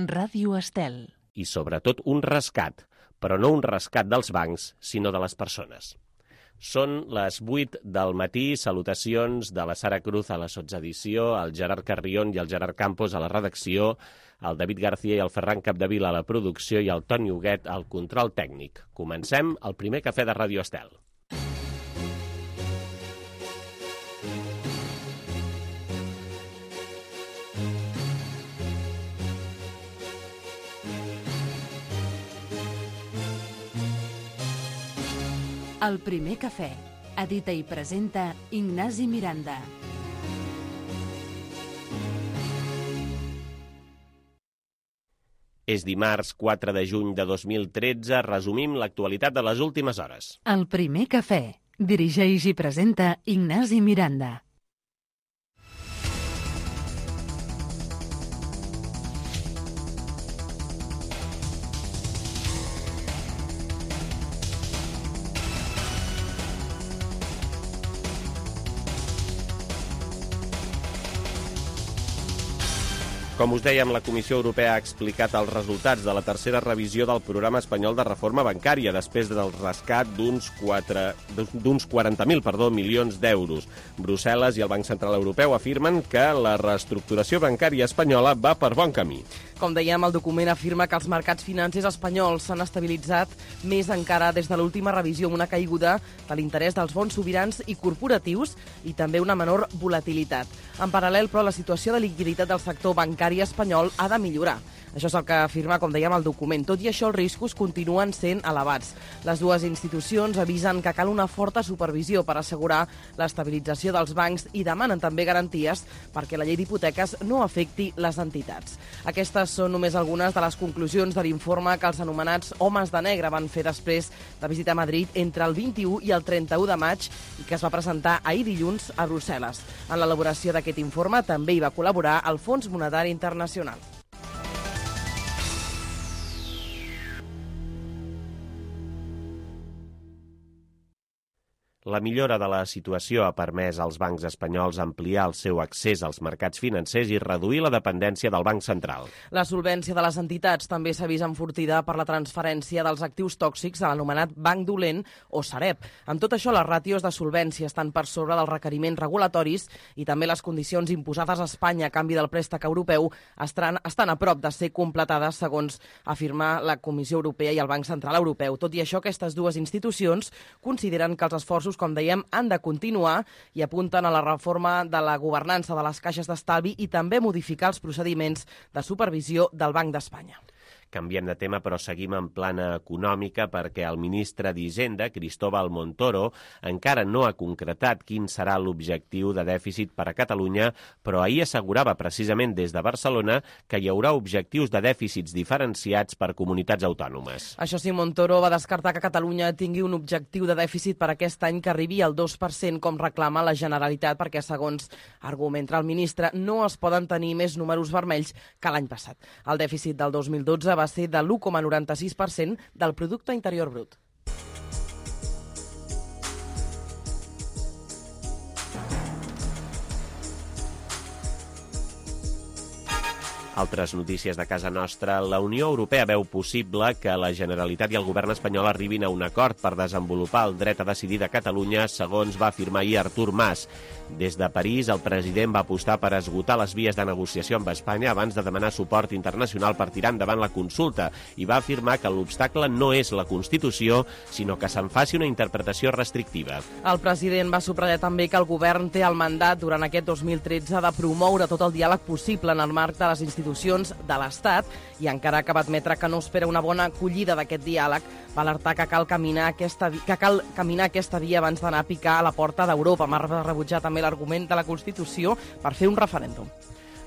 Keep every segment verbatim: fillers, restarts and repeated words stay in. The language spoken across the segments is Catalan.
Ràdio Estel. I sobretot un rescat, però no un rescat dels bancs, sinó de les persones. Són les vuit del matí, salutacions de la Sara Cruz a la sotsedició, el Gerard Carrión i el Gerard Campos a la redacció, el David García i el Ferran Capdevila a la producció i el Toni Huguet al control tècnic. Comencem el primer cafè de Ràdio Estel. El primer cafè. Edita i presenta Ignasi Miranda. És dimarts quatre de juny de dos mil tretze. Resumim l'actualitat de les últimes hores. El primer cafè. Dirigeix i presenta Ignasi Miranda. Com us dèiem, la Comissió Europea ha explicat els resultats de la tercera revisió del programa espanyol de reforma bancària després del rescat d'uns quaranta mil milions d'euros. Brussel·les i el Banc Central Europeu afirmen que la reestructuració bancària espanyola va per bon camí. Com dèiem, el document afirma que els mercats financers espanyols s'han estabilitzat més encara des de l'última revisió, amb una caiguda de l'interès dels bons sobirans i corporatius i també una menor volatilitat. En paral·lel, però, la situació de liquiditat del sector bancari espanyol ha de millorar. Això és el que afirma, com dèiem, el document. Tot i això, els riscos continuen sent elevats. Les dues institucions avisen que cal una forta supervisió per assegurar l'estabilització dels bancs i demanen també garanties perquè la llei d'hipoteques no afecti les entitats. Aquestes són només algunes de les conclusions de l'informe que els anomenats homes de negre van fer després de visitar Madrid entre el vint-i-u i el trenta-u de maig i que es va presentar ahir dilluns a Brussel·les. En l'elaboració d'aquest informe també hi va col·laborar el Fons Monetari Internacional. La millora de la situació ha permès als bancs espanyols ampliar el seu accés als mercats financers i reduir la dependència del Banc Central. La solvència de les entitats també s'ha vist enfortida per la transferència dels actius tòxics a l'anomenat Banc Dolent o Sareb. Amb tot això, les ràtios de solvència estan per sobre dels requeriments regulatoris i també les condicions imposades a Espanya a canvi del préstec europeu estan, estan a prop de ser completades, segons afirma la Comissió Europea i el Banc Central Europeu. Tot i això, aquestes dues institucions consideren que els esforços, com dèiem, han de continuar i apunten a la reforma de la governança de les caixes d'estalvi i també modificar els procediments de supervisió del Banc d'Espanya. Canviem de tema, però seguim en plana econòmica perquè el ministre d'Hisenda, Cristóbal Montoro, encara no ha concretat quin serà l'objectiu de dèficit per a Catalunya, però ahir assegurava precisament des de Barcelona que hi haurà objectius de dèficits diferenciats per comunitats autònomes. Això sí, Montoro va descartar que Catalunya tingui un objectiu de dèficit per aquest any que arribi al dos per cent, com reclama la Generalitat, perquè, segons argumenta el ministre, no es poden tenir més números vermells que l'any passat. El dèficit del dos mil dotze va ser de l'u coma noranta-sis per cent del Producte Interior Brut. Altres notícies de casa nostra. La Unió Europea veu possible que la Generalitat i el govern espanyol arribin a un acord per desenvolupar el dret a decidir de Catalunya, segons va afirmar ahir Artur Mas. Des de París, el president va apostar per esgotar les vies de negociació amb Espanya abans de demanar suport internacional per tirar endavant la consulta i va afirmar que l'obstacle no és la Constitució, sinó que se'n faci una interpretació restrictiva. El president va subratllar també que el govern té el mandat durant aquest dos mil tretze de promoure tot el diàleg possible en el marc de les institucions de l'Estat i encara que va admetre que no espera una bona acollida d'aquest diàleg, va alertar que cal caminar aquesta, que cal caminar aquesta via abans d'anar a picar a la porta d'Europa. Va rebutjar també l'argument de la Constitució per fer un referèndum.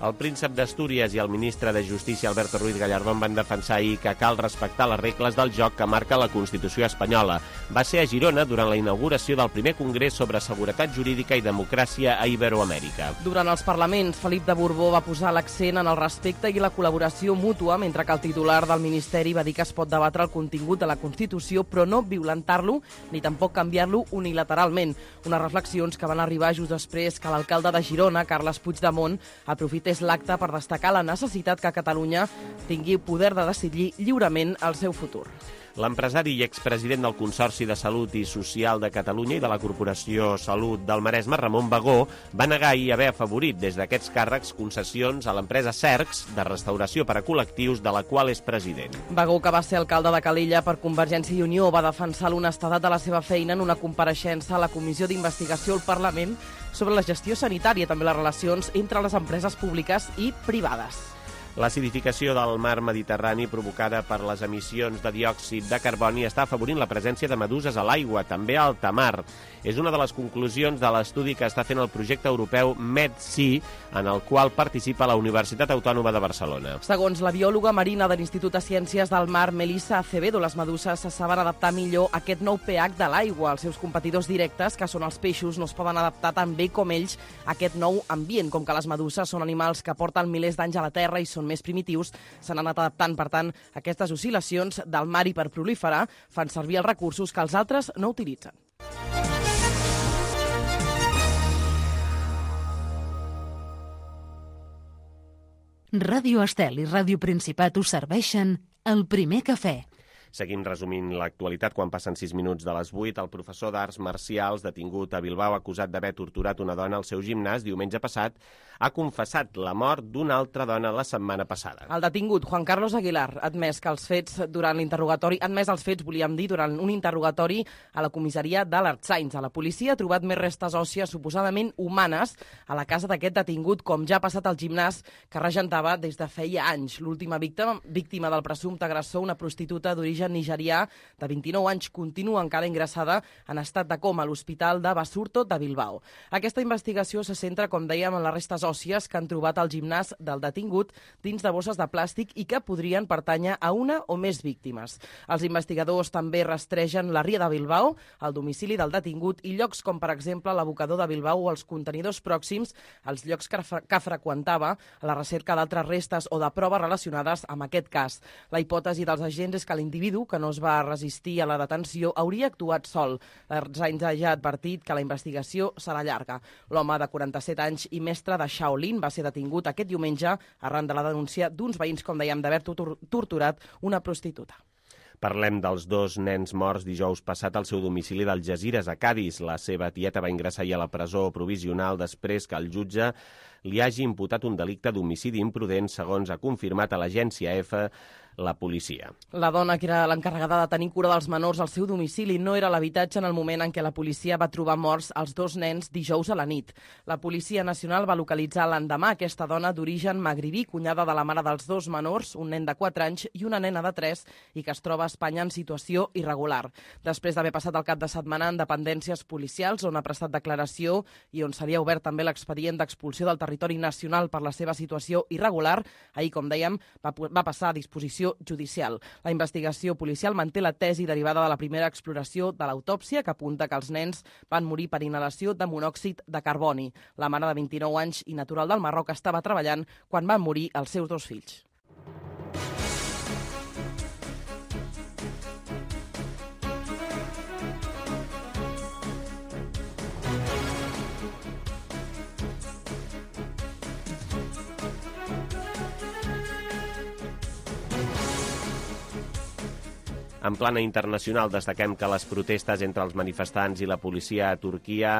El príncep d'Astúries i el ministre de Justícia, Alberto Ruiz Gallardón, van defensar ahir que cal respectar les regles del joc que marca la Constitució espanyola. Va ser a Girona durant la inauguració del primer congrés sobre seguretat jurídica i democràcia a Iberoamèrica. Durant els parlaments, Felip de Borbó va posar l'accent en el respecte i la col·laboració mútua, mentre que el titular del Ministeri va dir que es pot debatre el contingut de la Constitució, però no violentar-lo ni tampoc canviar-lo unilateralment. Unes reflexions que van arribar just després que l'alcalde de Girona, Carles Puigdemont, aprofités és l'acte per destacar la necessitat que Catalunya tingui poder de decidir lliurement el seu futur. L'empresari i expresident del Consorci de Salut i Social de Catalunya i de la Corporació Salut del Maresme, Ramon Bagó, va negar ahir haver afavorit des d'aquests càrrecs concessions a l'empresa Cercs de restauració per a col·lectius, de la qual és president. Bagó, que va ser alcalde de Calella per Convergència i Unió, va defensar l'honestedat de la seva feina en una compareixença a la Comissió d'Investigació al Parlament sobre la gestió sanitària i també les relacions entre les empreses públiques i privades. L'acidificació del mar Mediterrani provocada per les emissions de diòxid de carboni està afavorint la presència de meduses a l'aigua, també a alta mar. És una de les conclusions de l'estudi que està fent el projecte europeu MedSea, en el qual participa la Universitat Autònoma de Barcelona. Segons la biòloga marina de l'Institut de Ciències del Mar, Melissa Acevedo, les meduses se saben adaptar millor a aquest nou pH de l'aigua. Els seus competidors directes, que són els peixos, no es poden adaptar tan bé com ells a aquest nou ambient. Com que les meduses són animals que porten milers d'anys a la Terra i són més primitius, s'han anat adaptant, per tant, aquestes oscil·lacions del mar i per proliferar fan servir els recursos que els altres no utilitzen. Ràdio Estel i Ràdio Principat us serveixen el primer cafè. Seguim resumint l'actualitat quan passen sis minuts de les vuit. El professor d'arts marcials detingut a Bilbao acusat d'haver torturat una dona al seu gimnàs diumenge passat ha confessat la mort d'una altra dona la setmana passada. El detingut, Juan Carlos Aguilar, ha admès que els fets durant l'interrogatori, ha admès els fets, volíem dir, durant un interrogatori a la comissaria de l'Artsains. A la policia ha trobat més restes òssies suposadament humanes a la casa d'aquest detingut, com ja ha passat al gimnàs que regentava des de feia anys. L'última víctima, víctima del presumpte agressor, una prostituta d'origen nigerià de vint-i-nou anys, continua encara ingressada en estat de coma a l'Hospital de Basurto de Bilbao. Aquesta investigació se centra, com dèiem, en les restes òssies que han trobat al gimnàs del detingut dins de bosses de plàstic i que podrien pertànyer a una o més víctimes. Els investigadors també rastregen la ria de Bilbao, el domicili del detingut i llocs com, per exemple, l'abocador de Bilbao o els contenidors pròxims als llocs que, fre que freqüentava a la recerca d'altres restes o de proves relacionades amb aquest cas. La hipòtesi dels agents és que l'individu, que no es va resistir a la detenció, hauria actuat sol. L'Artsains ha ja advertit que la investigació serà llarga. L'home de quaranta-set anys i mestre de Shaolin va ser detingut aquest diumenge arran de la denúncia d'uns veïns, com dèiem, d'haver torturat una prostituta. Parlem dels dos nens morts dijous passat al seu domicili d'Algesires, a Cadis. La seva tieta va ingressar ahir a la presó provisional després que el jutge li hagi imputat un delicte d'homicidi imprudent, segons ha confirmat a l'agència EFE la policia. La dona, que era l'encarregada de tenir cura dels menors al seu domicili, no era a l'habitatge en el moment en què la policia va trobar morts els dos nens dijous a la nit. La Policia Nacional va localitzar l'endemà aquesta dona d'origen magribí, cunyada de la mare dels dos menors, un nen de quatre anys i una nena de tres, i que es troba a Espanya en situació irregular. Després d'haver passat el cap de setmana en dependències policials, on ha prestat declaració i on seria obert també l'expedient d'expulsió del territori nacional per la seva situació irregular, ahir, com dèiem, va, va passar a disposició judicial. La investigació policial manté la tesi derivada de la primera exploració de l'autòpsia, que apunta que els nens van morir per inhalació de monòxid de carboni. La mare de vint-i-nou anys i natural del Marroc estava treballant quan van morir els seus dos fills. En plana internacional, destaquem que les protestes entre els manifestants i la policia a Turquia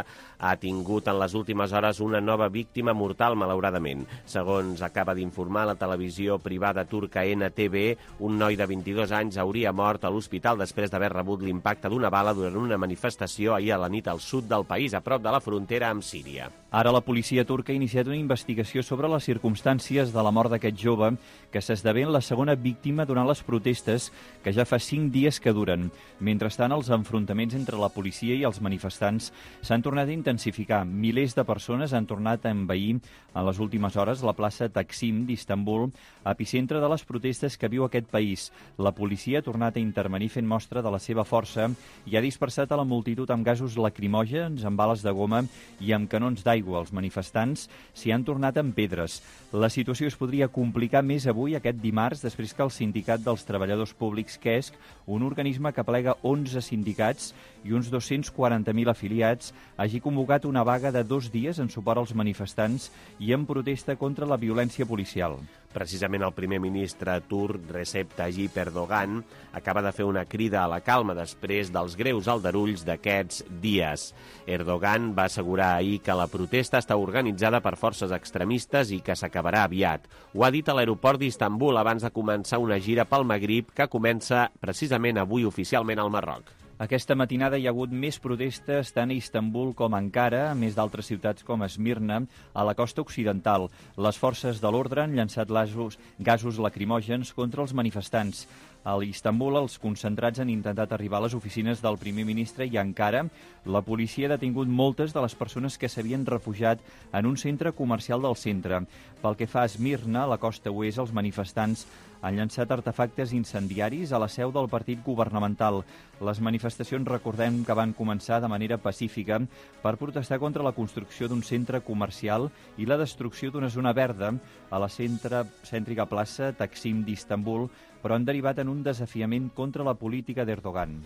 ha tingut en les últimes hores una nova víctima mortal, malauradament. Segons acaba d'informar la televisió privada turca N T V, un noi de vint-i-dos anys hauria mort a l'hospital després d'haver rebut l'impacte d'una bala durant una manifestació ahir a la nit al sud del país, a prop de la frontera amb Síria. Ara la policia turca ha iniciat una investigació sobre les circumstàncies de la mort d'aquest jove, que s'esdevé la segona víctima durant les protestes, que ja fa cinc dies que duren. Mentrestant, els enfrontaments entre la policia i els manifestants s'han tornat a intensificar. Milers de persones han tornat a envair en les últimes hores la plaça Taksim d'Istanbul, epicentre de les protestes que viu aquest país. La policia ha tornat a intervenir fent mostra de la seva força i ha dispersat a la multitud amb gasos lacrimògens, amb bales de goma i amb canons d'aigua. Els manifestants s'hi han tornat amb pedres. La situació es podria complicar més avui, aquest dimarts, després que el sindicat dels treballadors públics C E S C un organisme que plega onze sindicats i uns dos-cents quaranta mil afiliats, hagi convocat una vaga de dos dies en suport als manifestants i en protesta contra la violència policial. Precisament el primer ministre turc, Recep Tayyip Erdogan, acaba de fer una crida a la calma després dels greus aldarulls d'aquests dies. Erdogan va assegurar ahir que la protesta està organitzada per forces extremistes i que s'acabarà aviat. Ho ha dit a l'aeroport d'Istanbul abans de començar una gira pel Magrib que comença precisament avui oficialment al Marroc. Aquesta matinada hi ha hagut més protestes tant a Istanbul com a Ankara, a més d'altres ciutats com Esmirna, a la costa occidental. Les forces de l'ordre han llançat gasos, gasos lacrimògens contra els manifestants. A Istanbul, els concentrats han intentat arribar a les oficines del primer ministre i a Ankara la policia ha detingut moltes de les persones que s'havien refugiat en un centre comercial del centre. Pel que fa a Esmirna, a la costa oest, els manifestants han llançat artefactes incendiaris a la seu del partit governamental. Les manifestacions, recordem que van començar de manera pacífica per protestar contra la construcció d'un centre comercial i la destrucció d'una zona verda a la centre, cèntrica plaça Taksim d'Istanbul, però han derivat en un desafiament contra la política d'Erdogan.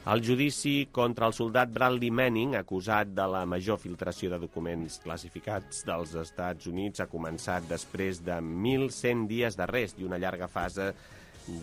El judici contra el soldat Bradley Manning, acusat de la major filtració de documents classificats dels Estats Units, ha començat després de mil cent dies d'arrest i una llarga fase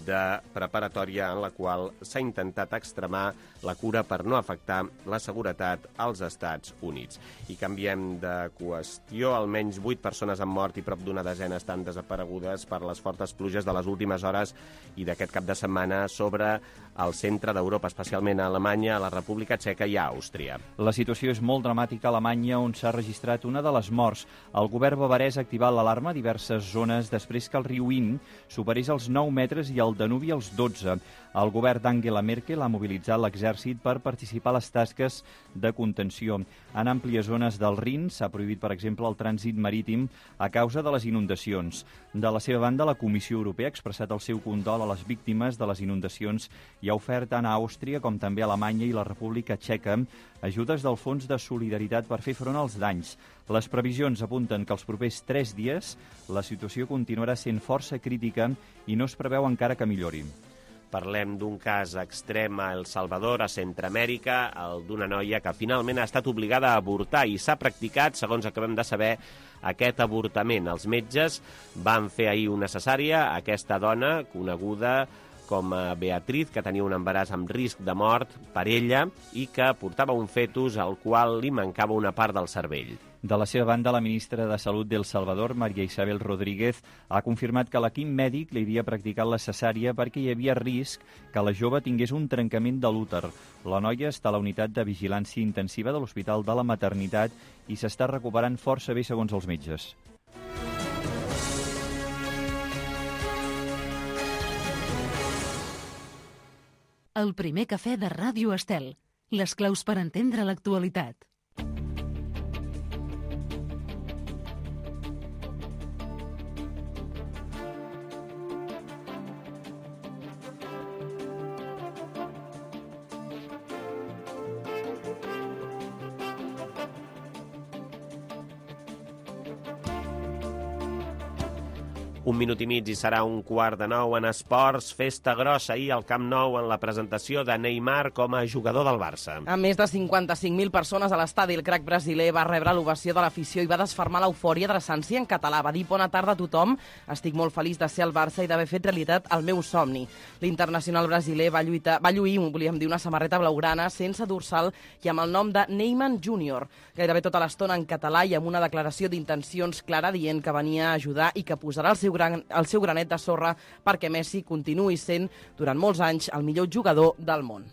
de preparatòria en la qual s'ha intentat extremar la cura per no afectar la seguretat als Estats Units. I canviem de qüestió. Almenys vuit persones han mort i prop d'una desena estan desaparegudes per les fortes pluges de les últimes hores i d'aquest cap de setmana sobre el centre d'Europa, especialment a Alemanya, a la República Txeca i a Àustria. La situació és molt dramàtica a Alemanya, on s'ha registrat una de les morts. El govern bavarès ha activat l'alarma a diverses zones després que el riu Inn superés els nou metres i el Danubi als dotze. El govern d'Angela Merkel ha mobilitzat l'exèrcit per participar a les tasques de contenció. En àmplies zones del Rin s'ha prohibit, per exemple, el trànsit marítim a causa de les inundacions. De la seva banda, la Comissió Europea ha expressat el seu condol a les víctimes de les inundacions i ha ofert tant a Àustria com també a Alemanya i la República Txeca ajudes del Fons de Solidaritat per fer front als danys. Les previsions apunten que els propers tres dies la situació continuarà sent força crítica i no es preveu encara que millori. Parlem d'un cas extrem a El Salvador, a Centreamèrica, el d'una noia que finalment ha estat obligada a avortar i s'ha practicat, segons acabem de saber, aquest avortament. Els metges van fer ahir una cesària a aquesta dona, coneguda com a Beatriz, que tenia un embaràs amb risc de mort per ella i que portava un fetus al qual li mancava una part del cervell. De la seva banda, la ministra de Salut d'El Salvador, María Isabel Rodríguez, ha confirmat que l'equip mèdic li havia practicat la cesària perquè hi havia risc que la jove tingués un trencament de l'úter. La noia està a la unitat de vigilància intensiva de l'Hospital de la Maternitat i s'està recuperant força bé, segons els metges. El primer cafè de Ràdio Estel. Les claus per entendre l'actualitat. Un minut i mig i serà un quart de nou en esports. Festa grossa ahir al Camp Nou en la presentació de Neymar com a jugador del Barça. Amb més de cinquanta-cinc mil persones a l'estadi, el crac brasiler va rebre l'ovació de l'afició i va desfermar l'eufòria adreçant-s'hi en català. Va dir: bona tarda a tothom, estic molt feliç de ser al Barça i d'haver fet realitat el meu somni. L'internacional brasiler va lluitar, va lluir, volíem dir, una samarreta blaugrana sense dorsal i amb el nom de Neymar júnior, gairebé tota l'estona en català i amb una declaració d'intencions clara dient que venia a ajudar i que posarà el seu gran, el seu granet de sorra perquè Messi continuï sent durant molts anys el millor jugador del món.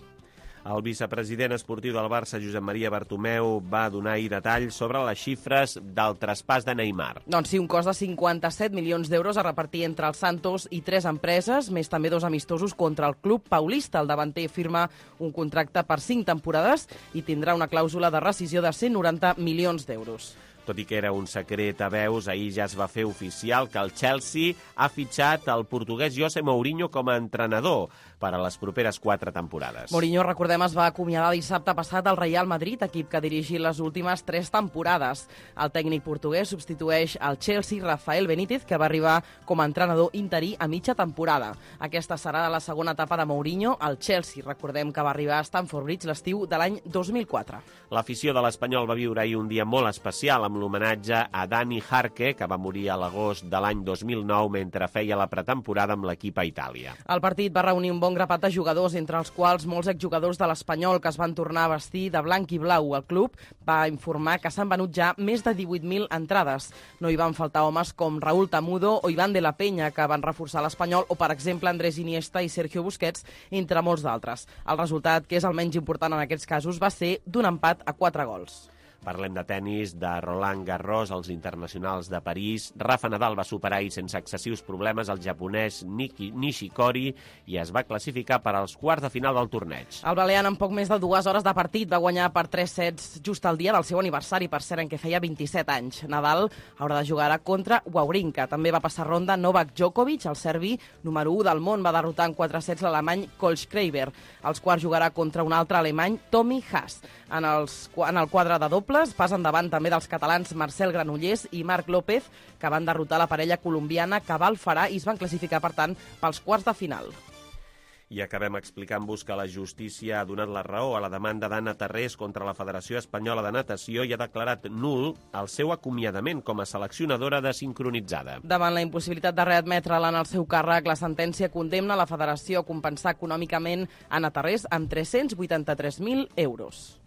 El vicepresident esportiu del Barça, Josep Maria Bartomeu, va donar ahir detalls sobre les xifres del traspàs de Neymar. Doncs sí, un cost de cinquanta-set milions d'euros a repartir entre el Santos i tres empreses, més també dos amistosos contra el club paulista. El davanter firma un contracte per cinc temporades i tindrà una clàusula de rescisió de cent noranta milions d'euros. Tot i que era un secret a veus, ahir ja es va fer oficial que el Chelsea ha fitxat el portuguès José Mourinho com a entrenador per a les properes quatre temporades. Mourinho, recordem, es va acomiadar dissabte passat al Real Madrid, equip que ha dirigit les últimes tres temporades. El tècnic portuguès substitueix al Chelsea Rafael Benítez, que va arribar com a entrenador interí a mitja temporada. Aquesta serà la segona etapa de Mourinho al Chelsea. Recordem que va arribar a Stamford Bridge l'estiu de l'any dos mil quatre. L'afició de l'Espanyol va viure ahir un dia molt especial amb l'homenatge a Dani Jarque, que va morir a l'agost de l'any dos mil nou mentre feia la pretemporada amb l'equip a Itàlia. El partit va reunir un bon grapat de jugadors, entre els quals molts exjugadors de l'Espanyol que es van tornar a vestir de blanc i blau. El club va informar que s'han venut ja més de divuit mil entrades. No hi van faltar homes com Raúl Tamudo o Iván de la Peña, que van reforçar l'Espanyol, o, per exemple, Andrés Iniesta i Sergio Busquets, entre molts d'altres. El resultat, que és el menys important en aquests casos, va ser d'un empat a quatre gols. Parlem de tennis, de Roland Garros, els internacionals de París. Rafa Nadal va superar i sense excessius problemes el japonès Niki Nishikori i es va classificar per als quarts de final del torneig. El balear, en poc més de dues hores de partit, va guanyar per tres sets just el dia del seu aniversari, per cert, en què feia vint-i-set anys. Nadal haurà de jugar contra Wawrinka. També va passar ronda Novak Djokovic, el serbi número u del món, va derrotar en quatre sets l'alemany Kohlschreiber. Als quarts jugarà contra un altre alemany, Tommy Haas. En, els, en el quadre de dobles, pas endavant també dels catalans Marcel Granollers i Marc López, que van derrotar la parella colombiana Cabal Farà i es van classificar, per tant, pels quarts de final. I acabem explicant-vos que la justícia ha donat la raó a la demanda d'Anna Tarrés contra la Federació Espanyola de Natació i ha declarat nul el seu acomiadament com a seleccionadora de sincronitzada. Davant la impossibilitat de readmetre-la en el seu càrrec, la sentència condemna la Federació a compensar econòmicament Anna Tarrés amb tres-cents vuitanta-tres mil euros.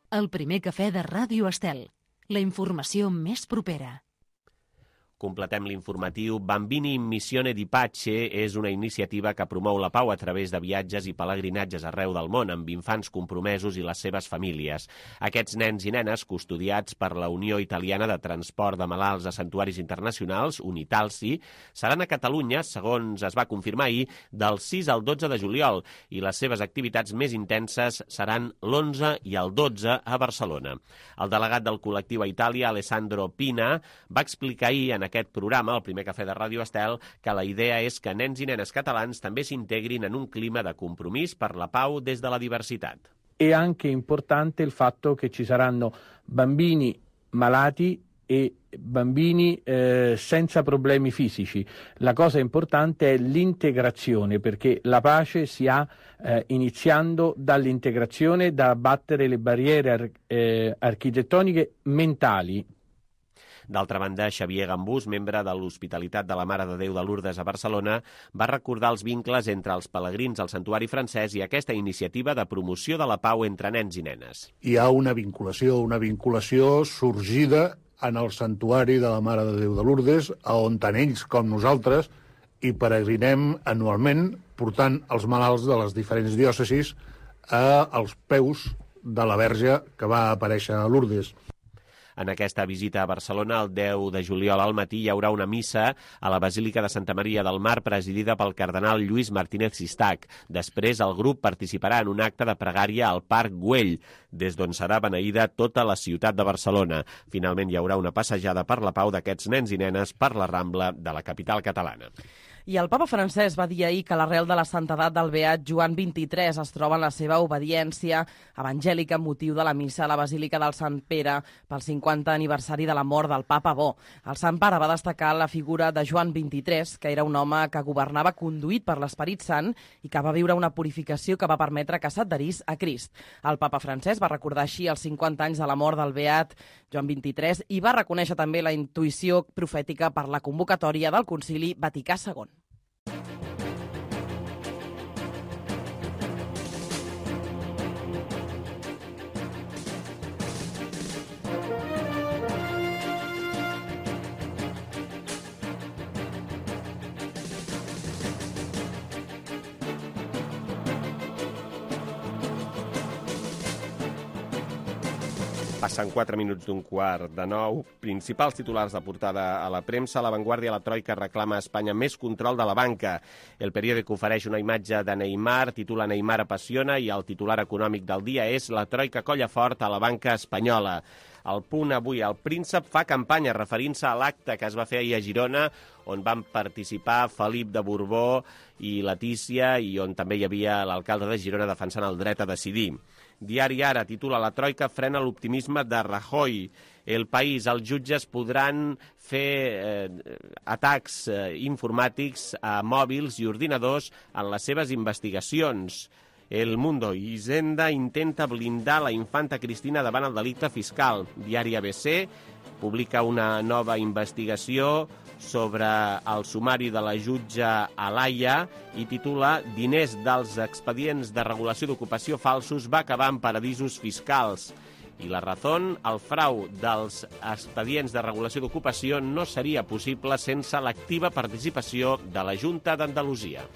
El primer cafè de Ràdio Estel. La informació més propera. Completem l'informatiu. Bambini in Missione di Pace és una iniciativa que promou la pau a través de viatges i pelegrinatges arreu del món amb infants compromesos i les seves famílies. Aquests nens i nenes, custodiats per la Unió Italiana de Transport de Malalts a Santuaris Internacionals, Unitalsi, seran a Catalunya, segons es va confirmar ahir, del sis al dotze de juliol, i les seves activitats més intenses seran l'onze i el dotze a Barcelona. El delegat del col·lectiu a Itàlia, Alessandro Pina, va explicar ahir en aquest programa, el primer cafè de Ràdio Estel, que la idea és que nens i nenes catalans també s'integrin en un clima de compromís per la pau des de la diversitat. È anche importante il fatto che ci saranno bambini malati e bambini eh, senza problemi fisici. La cosa importante è l'integrazione, perché la pace si ha eh, iniziando dall'integrazione, da abbattere le barriere ar- eh, architettoniche mentali. D'altra banda, Xavier Gambús, membre de l'Hospitalitat de la Mare de Déu de Lourdes a Barcelona, va recordar els vincles entre els pelegrins al santuari francès i aquesta iniciativa de promoció de la pau entre nens i nenes. Hi ha una vinculació, una vinculació sorgida en el santuari de la Mare de Déu de Lourdes, on tant ells com nosaltres hi peregrinem anualment, portant els malalts de les diferents diòcesis als peus de la Verge que va aparèixer a Lourdes. En aquesta visita a Barcelona, el deu de juliol al matí, hi haurà una missa a la Basílica de Santa Maria del Mar presidida pel cardenal Lluís Martínez Sistac. Després, el grup participarà en un acte de pregària al Parc Güell, des d'on serà beneïda tota la ciutat de Barcelona. Finalment, hi haurà una passejada per la pau d'aquests nens i nenes per la Rambla de la capital catalana. I el papa francès va dir ahir que l'arrel de la santedat del beat Joan vint-i-tres es troba en la seva obediència evangèlica amb motiu de la missa a la Basílica del Sant Pere pel cinquanta aniversari de la mort del papa Bo. El Sant Pare va destacar la figura de Joan vint-i-tres, que era un home que governava conduït per l'Esperit Sant i que va viure una purificació que va permetre que s'adherís a Crist. El papa francès va recordar així els cinquanta anys de la mort del beat Joan vint-i-tres i va reconèixer també la intuïció profètica per la convocatòria del Concili Vaticà segon. Passen quatre minuts d'un quart de nou. Principals titulars de portada a la premsa. La Vanguardia, la Troika reclama a Espanya més control de la banca. El periòdic ofereix una imatge de Neymar, titula Neymar apassiona, i el titular econòmic del dia és La Troika colla fort a la banca espanyola. Al Punt avui, el príncep fa campanya referint-se a l'acte que es va fer ahir a Girona, on van participar Felip de Borbó i Letícia, i on també hi havia l'alcalde de Girona defensant el dret a decidir. Diari Ara titula La Troika frena l'optimisme de Rajoy. El País, els jutges podran fer eh, atacs eh, informàtics a mòbils i ordinadors en les seves investigacions. El Mundo, Hisenda intenta blindar la infanta Cristina davant el delicte fiscal. Diari A B C publica una nova investigació sobre el sumari de la jutja Alaya i titula Diners dels expedients de regulació d'ocupació falsos va acabar en paradisos fiscals. I La Razón, el frau dels expedients de regulació d'ocupació no seria possible sense l'activa participació de la Junta d'Andalusia.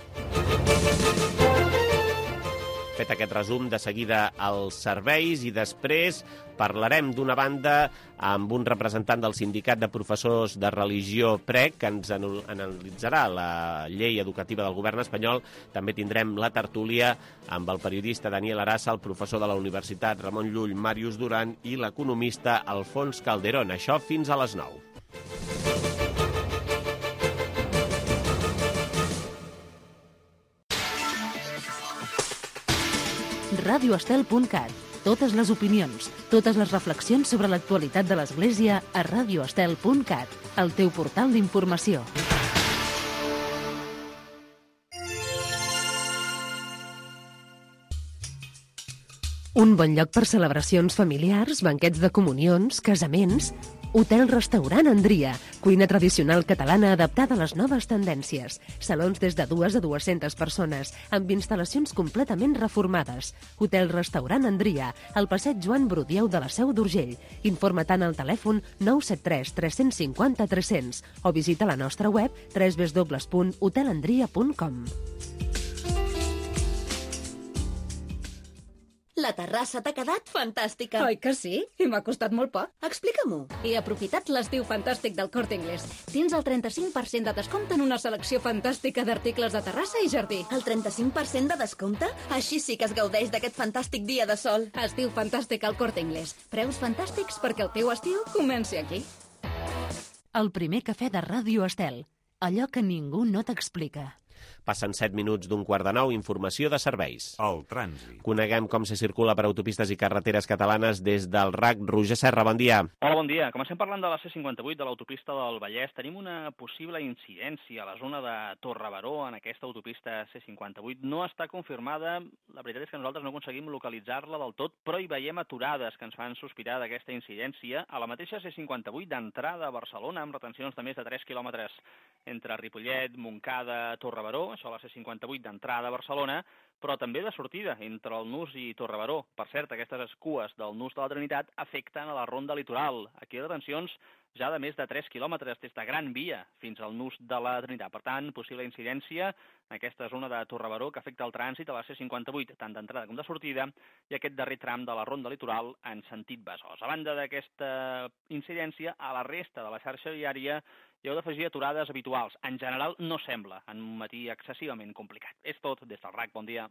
Fet aquest resum, de seguida als serveis i després parlarem d'una banda amb un representant del Sindicat de Professors de Religió P R E C que ens analitzarà la llei educativa del govern espanyol. També tindrem la tertúlia amb el periodista Daniel Arassa, el professor de la Universitat Ramon Llull, Màrius Duran i l'economista Alfons Calderón. Això fins a les nou. radio estel punt cat. Totes les opinions, totes les reflexions sobre l'actualitat de l'Església a radio estel punt cat, el teu portal d'informació. Un bon lloc per celebracions familiars, banquets de comunions, casaments. Hotel-restaurant Andria, cuina tradicional catalana adaptada a les noves tendències. Salons des de dues a dues-centes persones, amb instal·lacions completament reformades. Hotel-restaurant Andria, al passeig Joan Brudieu de la Seu d'Urgell. Informa tant al telèfon nou set tres tres cinc zero tres zero zero o visita la nostra web w w w punt hotel andria punt com. La terrassa t'ha quedat fantàstica. Oi que sí? I m'ha costat molt poc. Explica-m'ho. He aprofitat l'estiu fantàstic del Corte Inglés. Tens el trenta-cinc per cent de descompte en una selecció fantàstica d'articles de terrassa i jardí. El trenta-cinc per cent de descompte? Així sí que es gaudeix d'aquest fantàstic dia de sol. Estiu fantàstic al Corte Inglés. Preus fantàstics perquè el teu estiu comenci aquí. El primer cafè de Ràdio Estel. Allò que ningú no t'explica. Passen set minuts d'un quart de nou, informació de serveis. El trànsit. Coneguem com se circula per autopistes i carreteres catalanes des del R A C. Roger Serra, bon dia. Hola, bon dia. Comencem parlant de la C cinquanta-vuit de l'autopista del Vallès. Tenim una possible incidència a la zona de Torrebaró en aquesta autopista C cinquanta-vuit. No està confirmada. La veritat és que nosaltres no aconseguim localitzar-la del tot, però hi veiem aturades que ens fan sospirar d'aquesta incidència a la mateixa C cinquanta-vuit d'entrada a Barcelona, amb retencions de més de tres quilòmetres entre Ripollet, Montcada, Torrebaró, això a la C cinquanta-vuit d'entrada a Barcelona, però també de sortida entre el Nus i Torrebaró. Per cert, aquestes cues del Nus de la Trinitat afecten a la ronda litoral. Aquí hi ha retencions ja de més de tres quilòmetres des de Gran Via fins al Nus de la Trinitat. Per tant, possible incidència en aquesta zona de Torrebaró que afecta el trànsit a la C cinquanta-vuit, tant d'entrada com de sortida, i aquest darrer tram de la ronda litoral en sentit Besòs. A banda d'aquesta incidència, a la resta de la xarxa viària hi heu d'afegir aturades habituals. En general, no sembla en un matí excessivament complicat. És tot des del R A C. Bon dia.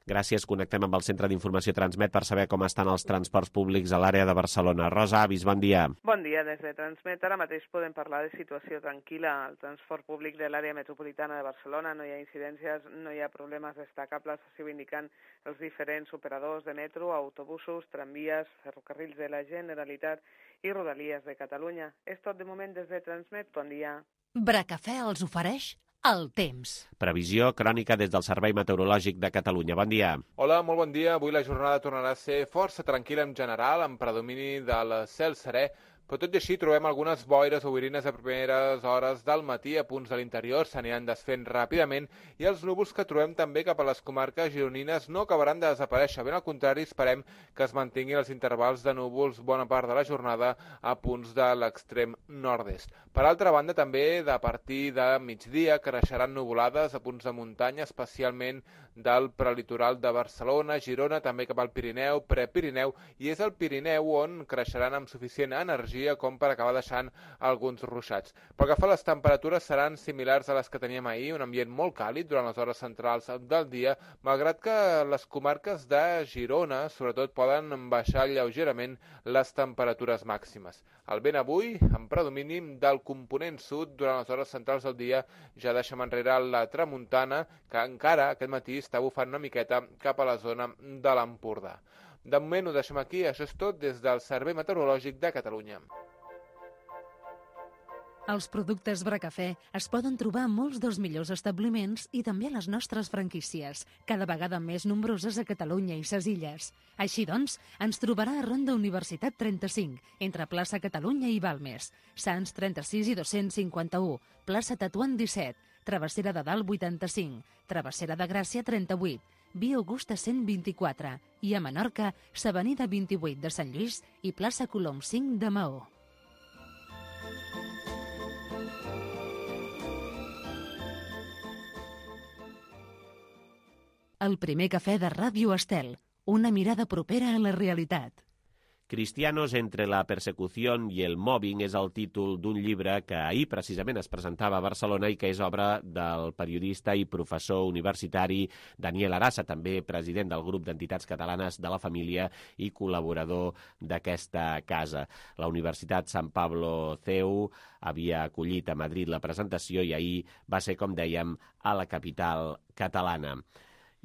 Gràcies. Connectem amb el Centre d'Informació Transmet per saber com estan els transports públics a l'àrea de Barcelona. Rosa Avis, bon dia. Bon dia. Des de Transmet ara mateix podem parlar de situació tranquil·la. El transport públic de l'àrea metropolitana de Barcelona no hi ha incidències, no hi ha problemes destacables, així ho indiquen els diferents operadors de metro, autobusos, tramvies, ferrocarrils de la Generalitat i Rodalies de Catalunya. És tot de moment des de Transmet. Bon dia. Bracafè els ofereix el temps. Previsió crònica des del Servei Meteorològic de Catalunya. Bon dia. Hola, molt bon dia. Avui la jornada tornarà a ser força tranquil·la en general, amb predomini del cel serè, però tot i així trobem algunes boires o boirines a primeres hores del matí a punts de l'interior, s'aniran desfent ràpidament i els núvols que trobem també cap a les comarques gironines no acabaran de desaparèixer. Ben al contrari, esperem que es mantinguin els intervals de núvols bona part de la jornada a punts de l'extrem nord-est. Per altra banda, també de partir de migdia creixeran nuvolades a punts de muntanya, especialment del prelitoral de Barcelona, Girona, també cap al Pirineu, Prepirineu, i és el Pirineu on creixeran amb suficient energia com per acabar deixant alguns ruixats. Pel que fa a les temperatures, seran similars a les que teníem ahir, un ambient molt càlid durant les hores centrals del dia, malgrat que les comarques de Girona, sobretot, poden baixar lleugerament les temperatures màximes. El vent avui, en predomini del component sud, durant les hores centrals del dia, ja deixem enrere la tramuntana, que encara aquest matí està bufant una miqueta cap a la zona de l'Empordà. De moment ho deixem aquí, això és tot des del Servei Meteorològic de Catalunya. Els productes Bracafè es poden trobar a molts dels millors establiments i també a les nostres franquícies, cada vegada més nombroses a Catalunya i ses Illes. Així doncs, ens trobarà a Ronda Universitat trenta-cinc, entre plaça Catalunya i Balmes, Sants trenta-sis i dos-cents cinquanta-u, plaça Tetuan disset, Travessera de Dalt vuitanta-cinc, Travessera de Gràcia trenta-vuit, Via Augusta cent vint-i-quatre i a Menorca, s'Avenida vint-i-vuit de Sant Lluís i plaça Colom cinc de Maó. El primer cafè de Ràdio Estel, una mirada propera a la realitat. Cristianos entre la persecución y el mobbing és el títol d'un llibre que ahir precisament es presentava a Barcelona i que és obra del periodista i professor universitari Daniel Arassa, també president del grup d'entitats catalanes de la família i col·laborador d'aquesta casa. La Universitat Sant Pablo C E U havia acollit a Madrid la presentació i ahir va ser, com dèiem, a la capital catalana.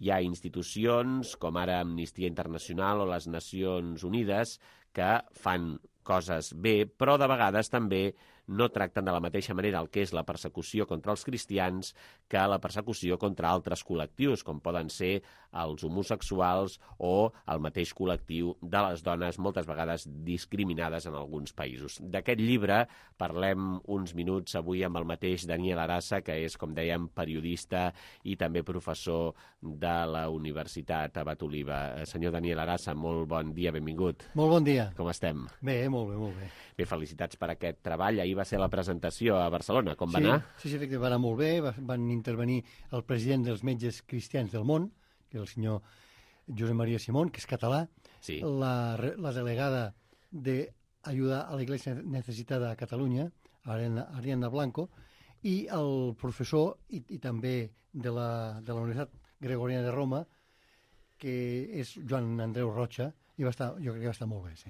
Hi ha institucions com ara Amnistia Internacional o les Nacions Unides que fan coses bé, però de vegades també no tracten de la mateixa manera el que és la persecució contra els cristians que la persecució contra altres col·lectius, com poden ser els homosexuals o el mateix col·lectiu de les dones, moltes vegades discriminades en alguns països. D'aquest llibre parlem uns minuts avui amb el mateix Daniel Arassa, que és, com dèiem, periodista i també professor de la Universitat Abat Oliba. Senyor Daniel Arassa, molt bon dia, benvingut. Molt bon dia. Com estem? Bé, molt bé, molt bé. Bé, felicitats per aquest treball. Ahir va ser la presentació a Barcelona. Com va sí, anar? Sí, sí, efectivament, va anar molt bé. Van intervenir el president dels metges cristians del món, que és el senyor Josep Maria Simón, que és català, sí. la, la delegada d'Ayuda a la Iglesia Necessitada a Catalunya, Ariana, Ariana Blanco, i el professor i, i també de la, de la Universitat Gregoriana de Roma, que és Joan Andreu Rocha, i va estar, jo crec que va estar molt bé, sí.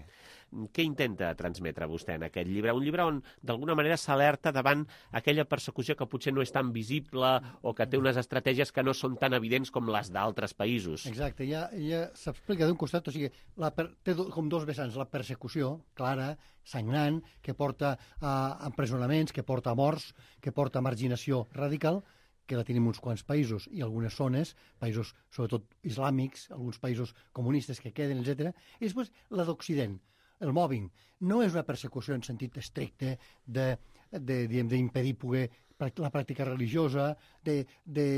Què intenta transmetre vostè en aquest llibre? Un llibre on, d'alguna manera, s'alerta davant aquella persecució que potser no és tan visible o que té unes estratègies que no són tan evidents com les d'altres països. Exacte, ja, ja s'explica d'un costat, o sigui, la per, té do, com dos vessants, la persecució clara, sagnant, que porta a empresonaments, que porta a morts, que porta a marginació radical, que la tenim uns quants països i algunes zones, països sobretot islàmics, alguns països comunistes que queden, etcètera. I després la d'Occident, el mobbing. No és una persecució en sentit estricte d'impedir poder la pràctica religiosa, de, de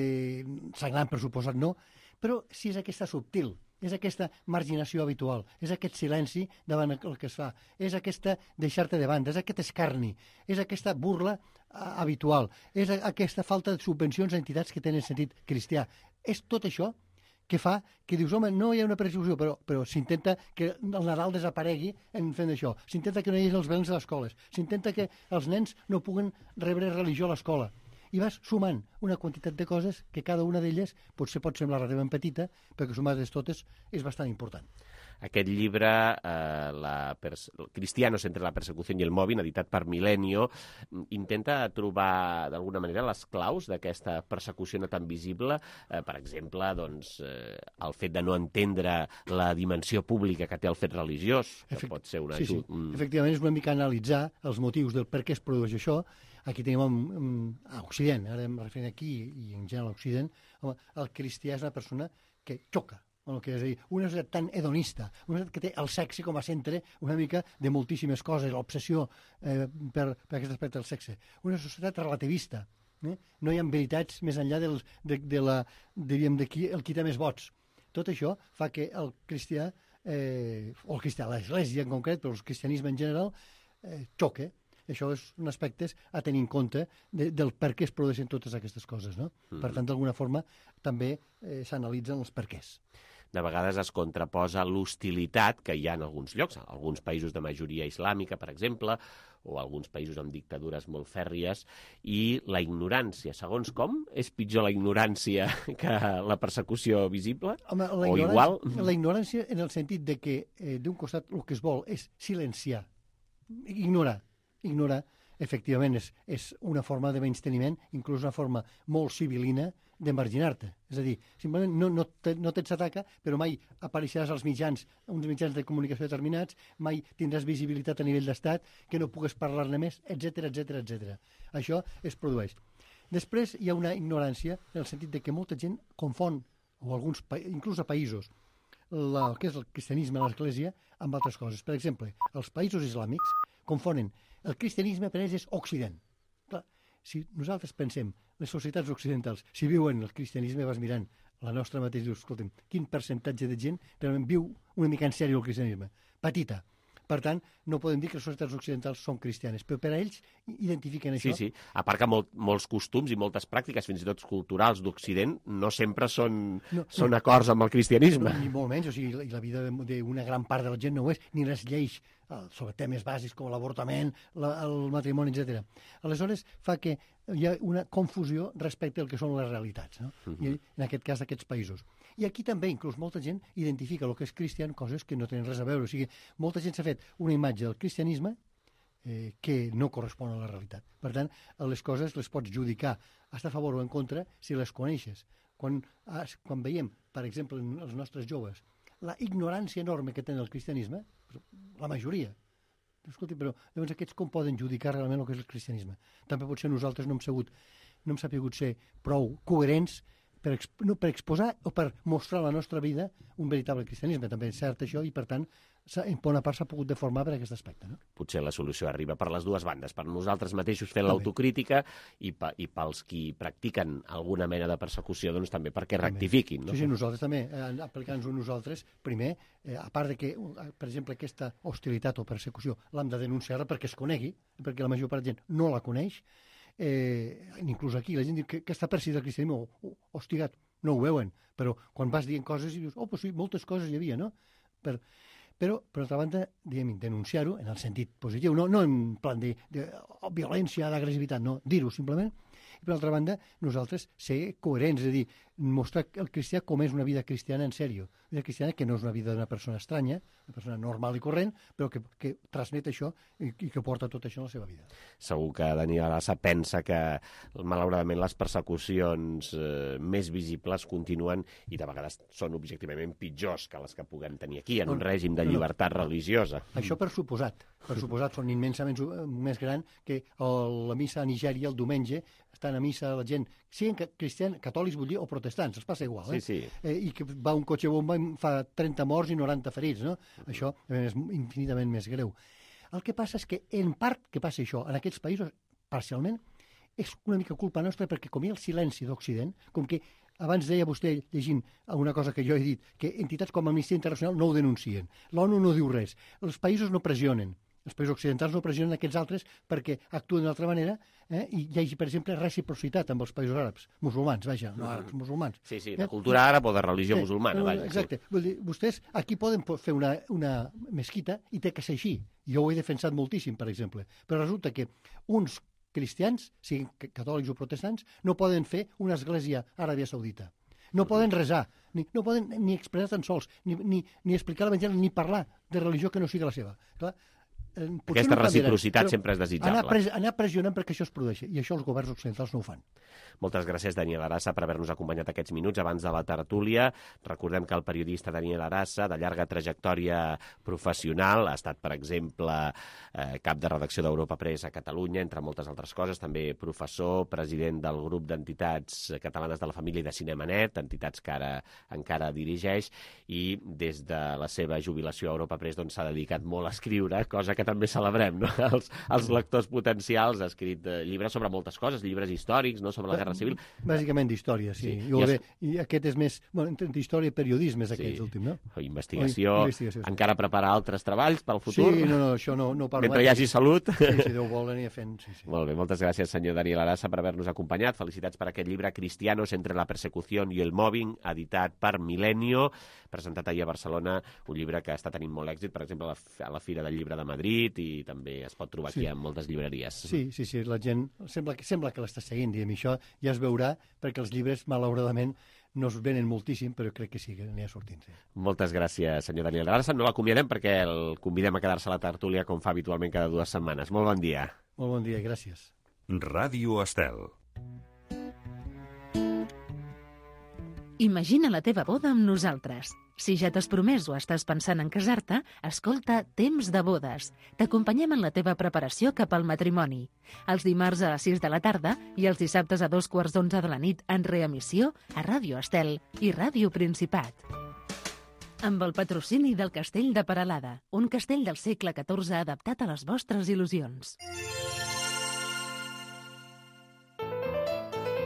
sagnant, per suposat, no, però sí és aquesta subtil, és aquesta marginació habitual, és aquest silenci davant el que es fa, és aquesta deixar-te de banda, és aquest escarni, és aquesta burla habitual, és aquesta falta de subvencions a entitats que tenen sentit cristià. És tot això que fa que dius, home, no hi ha una persecució, però, però s'intenta que el Nadal desaparegui en fent això, s'intenta que no hi hagi els velens a les escoles, s'intenta que els nens no puguen rebre religió a l'escola. I vas sumant una quantitat de coses que cada una d'elles potser pot semblar relativament petita, però que sumades totes és bastant important. Aquest llibre, eh, la Cristianos entre la persecució i el mobbing, editat per Milenio, intenta trobar d'alguna manera les claus d'aquesta persecució no tan visible. Eh, per exemple, doncs, eh, el fet de no entendre la dimensió pública que té el fet religiós, que Efect... pot ser una... Sí, sí. Mm. Efectivament, és una mica analitzar els motius del per què es produeix això. Aquí tenim un, un, a Occident, ara em referim aquí i en general a Occident, home, el cristià és una persona que xoca el que és a dir, una societat tan hedonista, una societat que té el sexe com a centre una mica de moltíssimes coses, l'obsessió eh, per, per aquest aspecte del sexe. Una societat relativista. Eh? No hi ha veritats més enllà dels, de, de, la, diríem, de qui, el qui té més vots. Tot això fa que el cristià, eh, o el cristià, l'Església en concret, però el cristianisme en general, eh, xoque. Això és un aspecte a tenir en compte de, del per què es produeixen totes aquestes coses, no? Mm. Per tant, d'alguna forma, també eh, s'analitzen els perquès. De vegades es contraposa l'hostilitat que hi ha en alguns llocs, alguns països de majoria islàmica, per exemple, o alguns països amb dictadures molt fèrries, i la ignorància. Segons com, és pitjor la ignorància que la persecució visible? Home, la o igual? La ignorància en el sentit de que, eh, d'un costat, el que es vol és silenciar, ignorar. Ignorar, efectivament, és, és una forma de menysteniment, inclús una forma molt civilina de marginar-te. És a dir, simplement no, no, te, no te'ns ataca, però mai apareixeràs als mitjans, uns mitjans de comunicació determinats, mai tindràs visibilitat a nivell d'estat, que no pugues parlar-ne més, etcètera, etcètera, etcètera. Això es produeix. Després hi ha una ignorància en el sentit de que molta gent confon, o alguns, inclús a països, la, el que és el cristianisme a l'Església amb altres coses. Per exemple, els països islàmics confonen el cristianisme per ells és Occident. Clar, si nosaltres pensem, les societats occidentals, si viuen el cristianisme, vas mirant la nostra mateixa, dius, escolta'm, quin percentatge de gent realment viu una mica en sèrio el cristianisme? Petita. Per tant, no podem dir que les societats occidentals són cristianes, però per a ells identifiquen això. Sí, sí. A part que molt, molts costums i moltes pràctiques, fins i tot culturals d'Occident, no sempre són, no, són no. acords amb el cristianisme. No, ni molt menys, o sigui, la vida d'una gran part de la gent no ho és, ni les lleis sobre temes bàsics com l'avortament, la, el matrimoni, etcètera. Aleshores, fa que hi ha una confusió respecte al que són les realitats, no? Uh-huh. I en aquest cas d'aquests països. I aquí també, inclús, molta gent identifica el que és cristià en coses que no tenen res a veure. O sigui, molta gent s'ha fet una imatge del cristianisme eh, que no correspon a la realitat. Per tant, les coses les pots judicar a favor o en contra si les coneixes. Quan, quan veiem, per exemple, en els nostres joves, la ignorància enorme que tenen el cristianisme, la majoria, escolti, però llavors aquests com poden judicar realment el que és el cristianisme? També potser nosaltres no hem sabut, no hem sapigut ser prou coherents per, exp no, per exposar o per mostrar a la nostra vida un veritable cristianisme. També és cert això i, per tant, en bona part s'ha pogut deformar per aquest aspecte. No? Potser la solució arriba per les dues bandes, per nosaltres mateixos fent l'autocrítica i, pa, i pels qui practiquen alguna mena de persecució, doncs també perquè també. rectifiquin. No? Sí, sí, nosaltres també, eh, aplicant-nos nosaltres, primer, eh, a part de que, per exemple, aquesta hostilitat o persecució l'hem de denunciar perquè es conegui, perquè la major part de gent no la coneix, eh, inclús aquí la gent diu que, que està perseguit el cristianisme, o hostigat, no ho veuen, però quan vas dient coses i dius, oh, doncs sí, moltes coses hi havia, no? Per, però, per altra banda, diguem, denunciar-ho en el sentit positiu, no, no en plan de, de violència, d'agressivitat, no, dir-ho simplement. I, per altra banda, nosaltres ser coherents, és a dir, mostrar el cristià com és una vida cristiana en sèrio. Una vida cristiana que no és una vida d'una persona estranya, una persona normal i corrent, però que, que transmet això i, i que porta tot això en la seva vida. Segur que Daniel Arassa pensa que, malauradament, les persecucions eh, més visibles continuen i de vegades són objectivament pitjors que les que puguem tenir aquí, en un règim de llibertat religiosa. Això per suposat. Per suposat, són immensament més gran que la missa a Nigèria el diumenge, estan a missa la gent, siguin cristians, catòlics, vull dir, o protestants, els passa igual, eh? Sí, sí. Eh, I que va un cotxe bomba i fa trenta morts i noranta ferits, no? Uh-huh. Això és infinitament més greu. El que passa és que, en part, que passa això, en aquests països, parcialment, és una mica culpa nostra perquè com hi ha el silenci d'Occident, com que abans deia vostè, llegint una cosa que jo he dit, que entitats com Amnistia Internacional no ho denuncien, l'ONU no diu res, els països no pressionen, els països occidentals no pressionen aquests altres perquè actuen d'altra manera, eh? I hi hagi, per exemple, reciprocitat amb els països àrabs, musulmans, vaja, no àrabs, musulmans. Sí, sí, de cultura àrab o de religió eh? musulmana, vaja. Exacte. Sí. Vull dir, vostès aquí poden fer una, una mesquita i té que ser així. Jo ho he defensat moltíssim, per exemple. Però resulta que uns cristians, siguin catòlics o protestants, no poden fer una església a Aràbia Saudita. No poden resar, ni, no poden ni expressar tan sols, ni, ni, ni explicar l'Evangeli, ni parlar de religió que no sigui la seva. Clar, Eh, Aquesta no reciprocitat sempre és desitjable. Anar, pres, anar pressionant perquè això es produeixi, i això els governs occidentals no ho fan. Moltes gràcies, Daniel Arassa, per haver-nos acompanyat aquests minuts abans de la tertúlia. Recordem que el periodista Daniel Arassa, de llarga trajectòria professional, ha estat, per exemple, eh, cap de redacció d'Europa Press a Catalunya, entre moltes altres coses, també professor, president del grup d'entitats catalanes de la família i de Cinemanet, entitats que ara encara dirigeix, i des de la seva jubilació a Europa Press doncs, s'ha dedicat molt a escriure, cosa que també celebrem, no? Els, els lectors potencials, ha escrit eh, llibres sobre moltes coses, llibres històrics, no?, sobre la Guerra Civil. Bàsicament d'història, sí. sí. I, I, es... I aquest és més... Bueno, d'història i periodisme és aquest sí. últim, no? O investigació. O investigació sí. Encara preparar altres treballs pel futur. Sí, no, no, això no, no parlo. Mentre hi hagi salut. Sí, si Déu vol, aniria fent. Sí, sí. Molt bé, moltes gràcies, senyor Daniel Arassa, per haver-nos acompanyat. Felicitats per aquest llibre Cristianos entre la persecución y el mobbing, editat per Milenio, presentat ahir a Barcelona, un llibre que està tenint molt èxit, per exemple, a la, a la Fira del Llibre de Madrid, i també es pot trobar aquí sí. en moltes llibreries. Sí, sí, sí, la gent sembla que, sembla que l'està seguint, diguem, això ja es veurà, perquè els llibres, malauradament, no es venen moltíssim, però crec que sí que n'hi ha sortint. Sí. Moltes gràcies, senyor Daniel Arassa. No l'acomiadem perquè el convidem a quedar-se a la tertúlia, com fa habitualment cada dues setmanes. Molt bon dia. Molt bon dia, gràcies. Ràdio Estel. Imagina la teva boda amb nosaltres. Si ja t'has promès o estàs pensant en casar-te, escolta Temps de bodes. T'acompanyem en la teva preparació cap al matrimoni. Els dimarts a les sis de la tarda i els dissabtes a dos quarts d'onze de la nit en reemissió a Ràdio Estel i Ràdio Principat. Amb el patrocini del Castell de Peralada, un castell del segle catorze adaptat a les vostres il·lusions.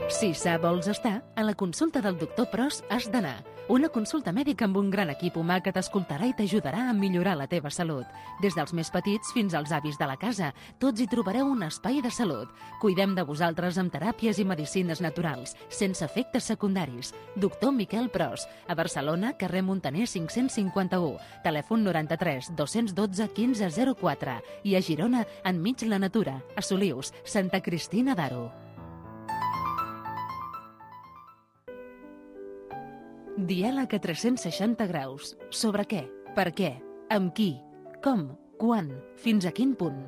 Si sa vols estar, a la consulta del doctor Pros has d'anar. Una consulta mèdica amb un gran equip humà que t'escoltarà i t'ajudarà a millorar la teva salut. Des dels més petits fins als avis de la casa, tots hi trobareu un espai de salut. Cuidem de vosaltres amb teràpies i medicines naturals, sense efectes secundaris. Doctor Miquel Pros, a Barcelona, carrer Montaner cinc-cents cinquanta-u, telèfon noranta-tres dos-cents dotze quinze zero quatre, i a Girona, enmig la natura, a Solius, Santa Cristina d'Aro. Diàleg a tres-cents seixanta graus. Sobre què? Per què? Amb qui? Com? Quan? Fins a quin punt?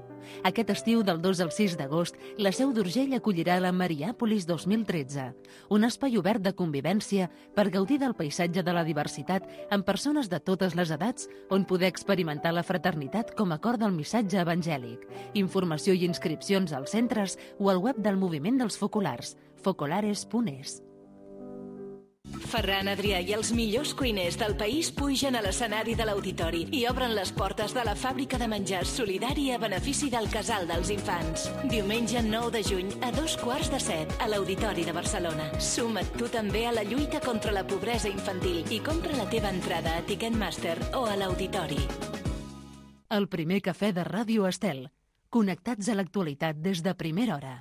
Aquest estiu del dos al sis d'agost, la Seu d'Urgell acollirà la Mariàpolis dos mil tretze, un espai obert de convivència per gaudir del paisatge de la diversitat amb persones de totes les edats on poder experimentar la fraternitat com a cor del missatge evangèlic. Informació i inscripcions als centres o al web del Moviment dels Focolars, focolares punt es. Ferran Adrià i els millors cuiners del país pugen a l'escenari de l'Auditori i obren les portes de la fàbrica de menjars solidari a benefici del Casal dels Infants. Diumenge nou de juny a dos quarts de set a l'Auditori de Barcelona. Suma't tu també a la lluita contra la pobresa infantil i compra la teva entrada a Ticketmaster o a l'Auditori. El primer cafè de Ràdio Estel. Connectats a l'actualitat des de primera hora.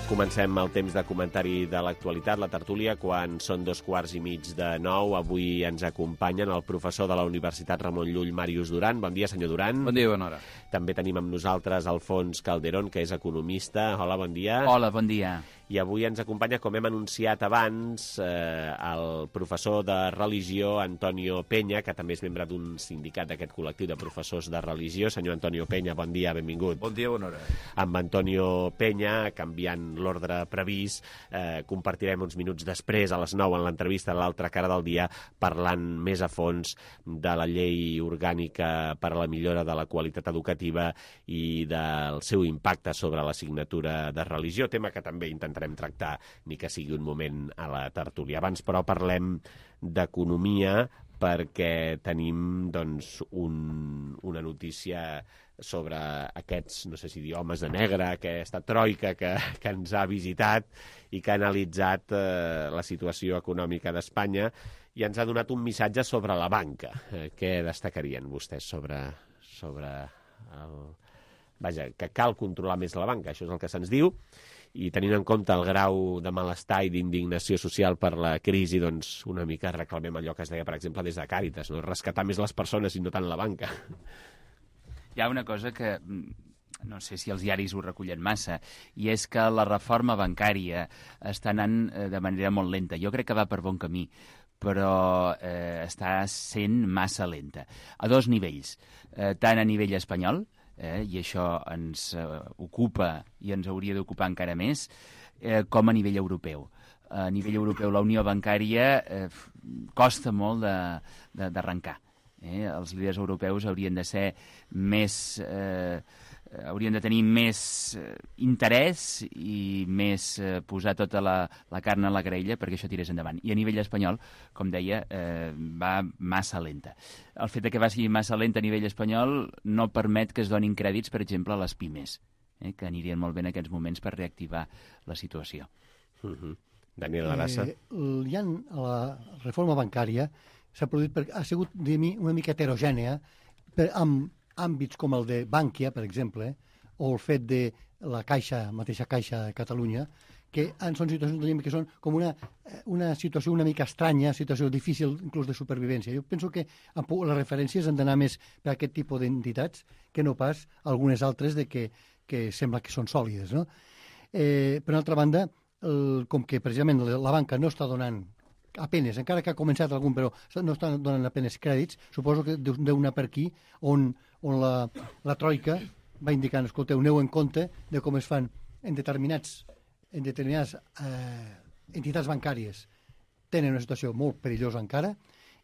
Comencem el temps de comentari de l'actualitat, la tertúlia, quan són dos quarts i mig de nou. Avui ens acompanyen el professor de la Universitat Ramon Llull, Màrius Duran. Bon dia, senyor Duran. Bon dia, bona hora. També tenim amb nosaltres Alfons Calderón, que és economista. Hola, bon dia. Hola, bon dia. i avui ens acompanya, com hem anunciat abans, eh, el professor de religió Antonio Peña, que també és membre d'un sindicat d'aquest col·lectiu de professors de religió. Senyor Antonio Peña, bon dia, benvingut. Bon dia, bona hora. Amb Antonio Peña, canviant l'ordre previst, eh, compartirem uns minuts després, a les nou, en l'entrevista de l'altra cara del dia, parlant més a fons de la llei orgànica per a la millora de la qualitat educativa i del seu impacte sobre l'assignatura de religió, tema que també intentem tractar, ni que sigui un moment a la tertúlia. Abans, però, parlem d'economia, perquè tenim doncs, un, una notícia sobre aquests, no sé si dir, homes de negre, aquesta troika que, que ens ha visitat i que ha analitzat eh, la situació econòmica d'Espanya i ens ha donat un missatge sobre la banca. Eh, què destacarien vostès sobre, sobre el... Vaja, que cal controlar més la banca, això és el que se'ns diu, i tenint en compte el grau de malestar i d'indignació social per la crisi, doncs una mica reclamem allò que es deia, per exemple, des de Càritas, no? Rescatar més les persones i no tant la banca. Hi ha una cosa que no sé si els diaris ho recullen massa, i és que la reforma bancària està anant de manera molt lenta. Jo crec que va per bon camí, però eh, està sent massa lenta. A dos nivells, eh, tant a nivell espanyol, Eh, i això ens eh, ocupa i ens hauria d'ocupar encara més, eh, com a nivell europeu. A nivell europeu la unió bancària eh, costa molt d'arrencar. Eh? Els líders europeus haurien de ser més... Eh, haurien de tenir més eh, interès i més eh, posar tota la, la carn a la graella perquè això tirés endavant. I a nivell espanyol, com deia, eh, va massa lenta. El fet de que vagi massa lenta a nivell espanyol no permet que es donin crèdits, per exemple, a les pimes, eh, que anirien molt bé en aquests moments per reactivar la situació. Uh-huh. Daniel Arassa. Eh, hi ha, la reforma bancària s'ha produït per, ha sigut una mica heterogènia per, amb àmbits com el de Bànquia, per exemple, o el fet de la Caixa, mateixa Caixa de Catalunya, que són situacions que són com una, una situació una mica estranya, situació difícil inclús de supervivència. Jo penso que les referències han d'anar més per aquest tipus d'entitats que no pas algunes altres de que, que sembla que són sòlides. No? Eh, per altra banda, el, com que precisament la banca no està donant apenes, encara que ha començat algun, però no estan donant apenes crèdits, suposo que deu anar per aquí on, on la, la troika va indicant, escolteu, aneu en compte de com es fan en determinats en determinades eh, entitats bancàries. Tenen una situació molt perillosa encara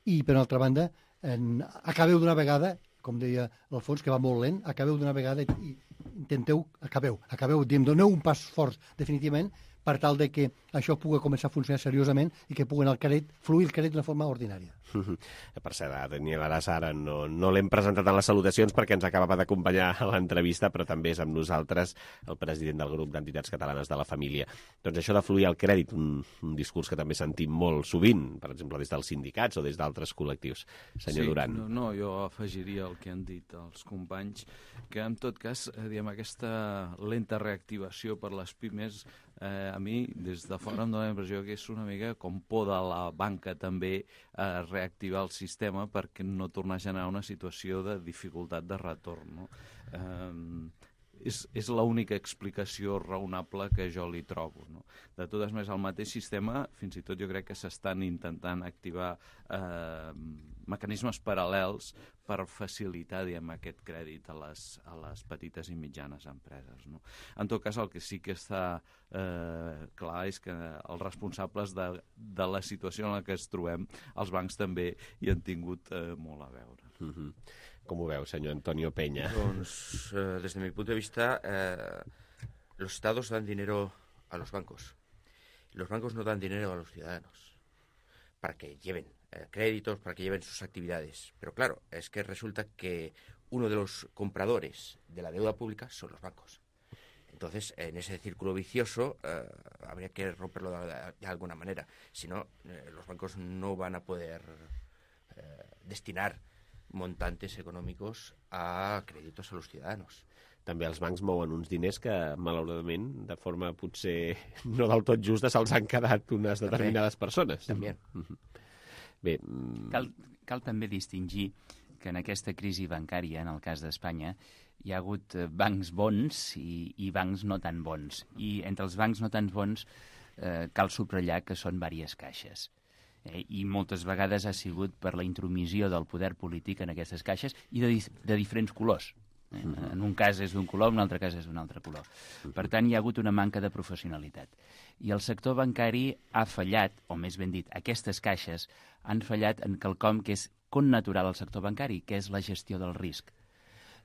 i, per altra banda, en, acabeu d'una vegada, com deia l'Alfons, que va molt lent, acabeu d'una vegada i intenteu, acabeu, acabeu, diem, doneu un pas fort definitivament per tal de que això pugui començar a funcionar seriosament i que pugui el crèdit, fluir el crèdit de forma ordinària. Per cert, Daniel Arassa, ara no, no l'hem presentat en les salutacions perquè ens acabava d'acompanyar a l'entrevista, però també és amb nosaltres el president del grup d'entitats catalanes de la família. Doncs això de fluir el crèdit, un, un discurs que també sentim molt sovint, per exemple, des dels sindicats o des d'altres col·lectius. Senyor sí, Duran. No, no, jo afegiria el que han dit els companys, que en tot cas, eh, diguem, aquesta lenta reactivació per les pimes, eh, a mi, des de fora em dóna la impressió que és una mica com por de la banca també a reactivar el sistema perquè no tornar a generar una situació de dificultat de retorn. No? Eh, és, és l'única explicació raonable que jo li trobo. No? De totes maneres, el mateix sistema, fins i tot jo crec que s'estan intentant activar eh, mecanismes paral·lels per facilitar, diguem, aquest crèdit a les, a les petites i mitjanes empreses. No? En tot cas, el que sí que està eh, clar és que els responsables de, de la situació en la que ens trobem, els bancs també hi han tingut eh, molt a veure. Mm-hmm. Com ho veu, senyor Antonio Peña? Doncs, eh, desde mi punto de vista, eh, los estados dan dinero a los bancos. Los bancos no dan dinero a los ciudadanos para que lleven eh, créditos, para que lleven sus actividades. Pero claro, es que resulta que uno de los compradores de la deuda pública son los bancos. Entonces, en ese círculo vicioso eh, habría que romperlo de, de alguna manera. Si no, eh, los bancos no van a poder eh, destinar montantes econòmics a crèdits a los ciudadanos. També els bancs mouen uns diners que, malauradament, de forma potser no del tot justa, se'ls han quedat unes determinades també, persones. També. Bé, cal, cal també distingir que en aquesta crisi bancària, en el cas d'Espanya, hi ha hagut bancs bons i, i bancs no tan bons. I entre els bancs no tan bons eh, cal subratllar que són diverses caixes. Eh, I moltes vegades ha sigut per la intromissió del poder polític en aquestes caixes i de, de diferents colors. En un cas és d'un color, en un altre cas és d'un altre color. Per tant, hi ha hagut una manca de professionalitat. I el sector bancari ha fallat, o més ben dit, aquestes caixes han fallat en quelcom que és connatural al sector bancari, que és la gestió del risc.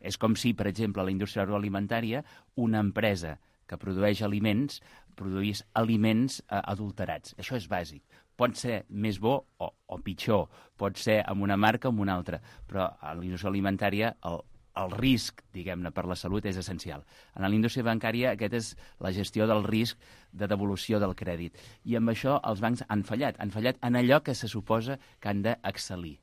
És com si, per exemple, a la indústria agroalimentària, una empresa que produeix aliments, produís aliments eh, adulterats. Això és bàsic. Pot ser més bo o, o pitjor, pot ser amb una marca o amb una altra, però a la indústria alimentària el el risc, diguem-ne, per la salut és essencial. En la indústria bancària aquest és la gestió del risc de devolució del crèdit. I amb això els bancs han fallat. Han fallat en allò que se suposa que han d'excel·lir.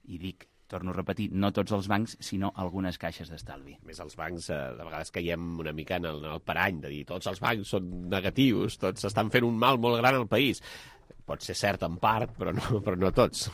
I dic, torno a repetir, no tots els bancs, sinó algunes caixes d'estalvi. Més els bancs, eh, de vegades caiem una mica en el, en el parany de dir tots els bancs són negatius, tots estan fent un mal molt gran al país. Pot ser cert en part, però no, però no tots.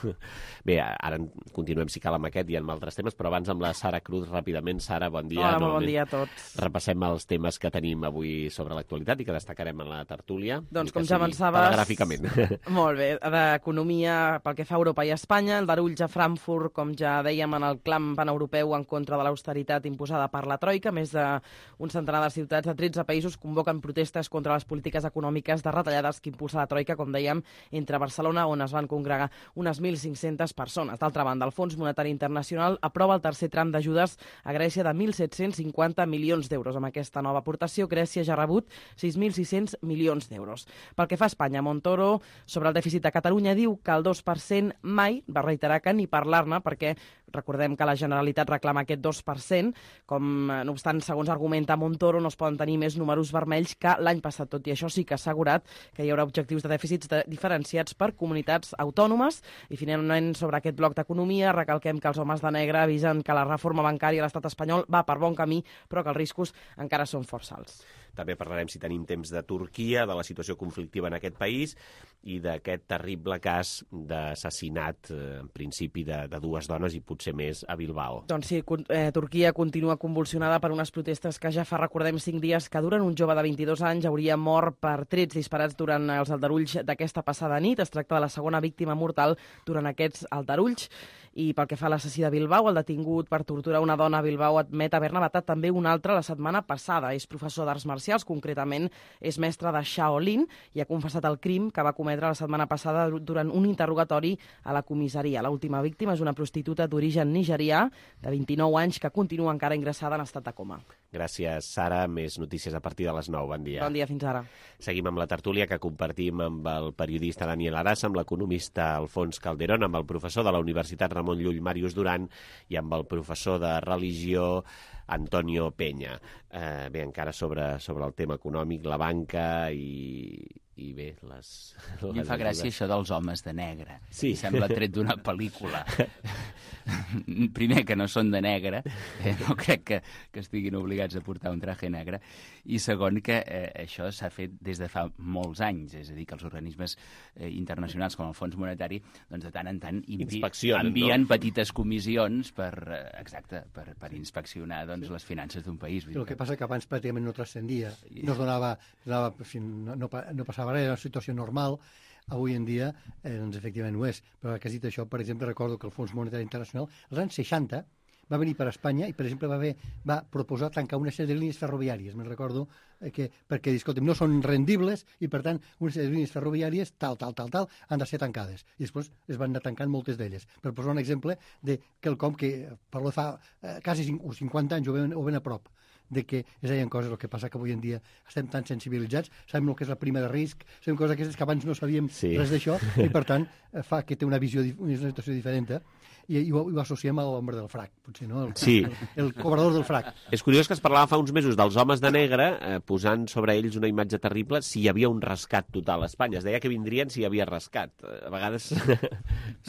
Bé, ara continuem, si cal, amb aquest i amb altres temes, però abans amb la Sara Cruz, ràpidament. Sara, bon dia. Hola, molt bon dia a tots. Repassem els temes que tenim avui sobre l'actualitat i que destacarem en la tertúlia. Doncs, com ja avançaves... Telegràficament. Molt bé, d'economia pel que fa a Europa i a Espanya, el darulls a Frankfurt, com ja dèiem, en el clam paneuropeu en contra de l'austeritat imposada per la Troika. Més d'un centenar de ciutats de tretze països convoquen protestes contra les polítiques econòmiques de retallades que impulsa la Troika, com dèiem, entre Barcelona, on es van congregar unes mil cinc-centes persones. D'altra banda, el Fons Monetari Internacional aprova el tercer tram d'ajudes a Grècia de mil set-cents cinquanta milions d'euros. Amb aquesta nova aportació, Grècia ja ha rebut sis mil sis-cents milions d'euros. Pel que fa a Espanya, Montoro, sobre el dèficit de Catalunya, diu que el dos per cent mai, va reiterar que ni parlar-ne, perquè recordem que la Generalitat reclama aquest dos per cent, com, no obstant, segons argumenta Montoro, no es poden tenir més números vermells que l'any passat. Tot i això, sí que ha assegurat que hi haurà objectius de dèficits de diferenciats per comunitats autònomes. I finalment, sobre aquest bloc d'economia, recalquem que els homes de negre avisen que la reforma bancària a l'estat espanyol va per bon camí, però que els riscos encara són força alts. També parlarem, si tenim temps, de Turquia, de la situació conflictiva en aquest país i d'aquest terrible cas d'assassinat, eh, en principi, de, de dues dones i potser més a Bilbao. Doncs sí, eh, Turquia continua convulsionada per unes protestes que ja fa, recordem, cinc dies que duren. Un jove de vint-i-dos anys hauria mort per trets disparats durant els aldarulls d'aquesta passada nit. Es tracta de la segona víctima mortal durant aquests aldarulls. I pel que fa a l'assassí de Bilbao, el detingut per torturar una dona a Bilbao admet haver-ne matat també una altra la setmana passada. És professor d'arts marcials, concretament és mestre de Shaolin i ha confessat el crim que va cometre la setmana passada durant un interrogatori a la comissaria. L'última víctima és una prostituta d'origen nigerià de vint-i-nou anys que continua encara ingressada en estat de coma. Gràcies, Sara. Més notícies a partir de les nou. Bon dia. Bon dia, fins ara. Seguim amb la tertúlia que compartim amb el periodista Daniel Arassa, amb l'economista Alfons Calderón, amb el professor de la Universitat Ramon Llull, Màrius Duran, i amb el professor de religió, Antonio Peña. Eh, bé, encara sobre, sobre el tema econòmic, la banca i, i bé, les... A mi em fa gràcia això dels homes de negre. Sí. Em sembla tret d'una pel·lícula. Primer, que no són de negre, eh, no crec que, que estiguin obligats a portar un traje negre, i segon, que eh, això s'ha fet des de fa molts anys, és a dir, que els organismes eh, internacionals com el Fons Monetari, doncs de tant en tant envi envien no? petites comissions per, eh, exacte, per, per inspeccionar doncs, les finances d'un país. El que passa que abans pràcticament no transcendia, no es donava, donava no, no, no passava res, era una situació normal. Avui en dia, eh, doncs, efectivament ho és. Però que has dit això, per exemple, recordo que el Fons Monetari Internacional, als anys seixanta, va venir per Espanya i, per exemple, va, haver, va proposar tancar una sèrie de línies ferroviàries. Me'n recordo eh, que, perquè, escolta'm, no són rendibles i, per tant, una sèrie de línies ferroviàries, tal, tal, tal, tal, han de ser tancades. I després es van anar tancant moltes d'elles. Per posar un exemple de quelcom que, per lo fa eh, quasi cinquanta anys o ben, o ben a prop, de que es deien coses. El que passa que avui en dia estem tan sensibilitzats, sabem el que és la prima de risc, sabem coses aquestes que abans no sabíem sí. res d'això, i per tant fa que té una visió, una situació diferent, eh? I, i, ho, i ho associem a l'home del frac, potser, no? El, sí. el, el cobrador del frac. És curiós que es parlava fa uns mesos dels homes de negre, eh, posant sobre ells una imatge terrible si hi havia un rescat total a Espanya. Es deia que vindrien si hi havia rescat. A vegades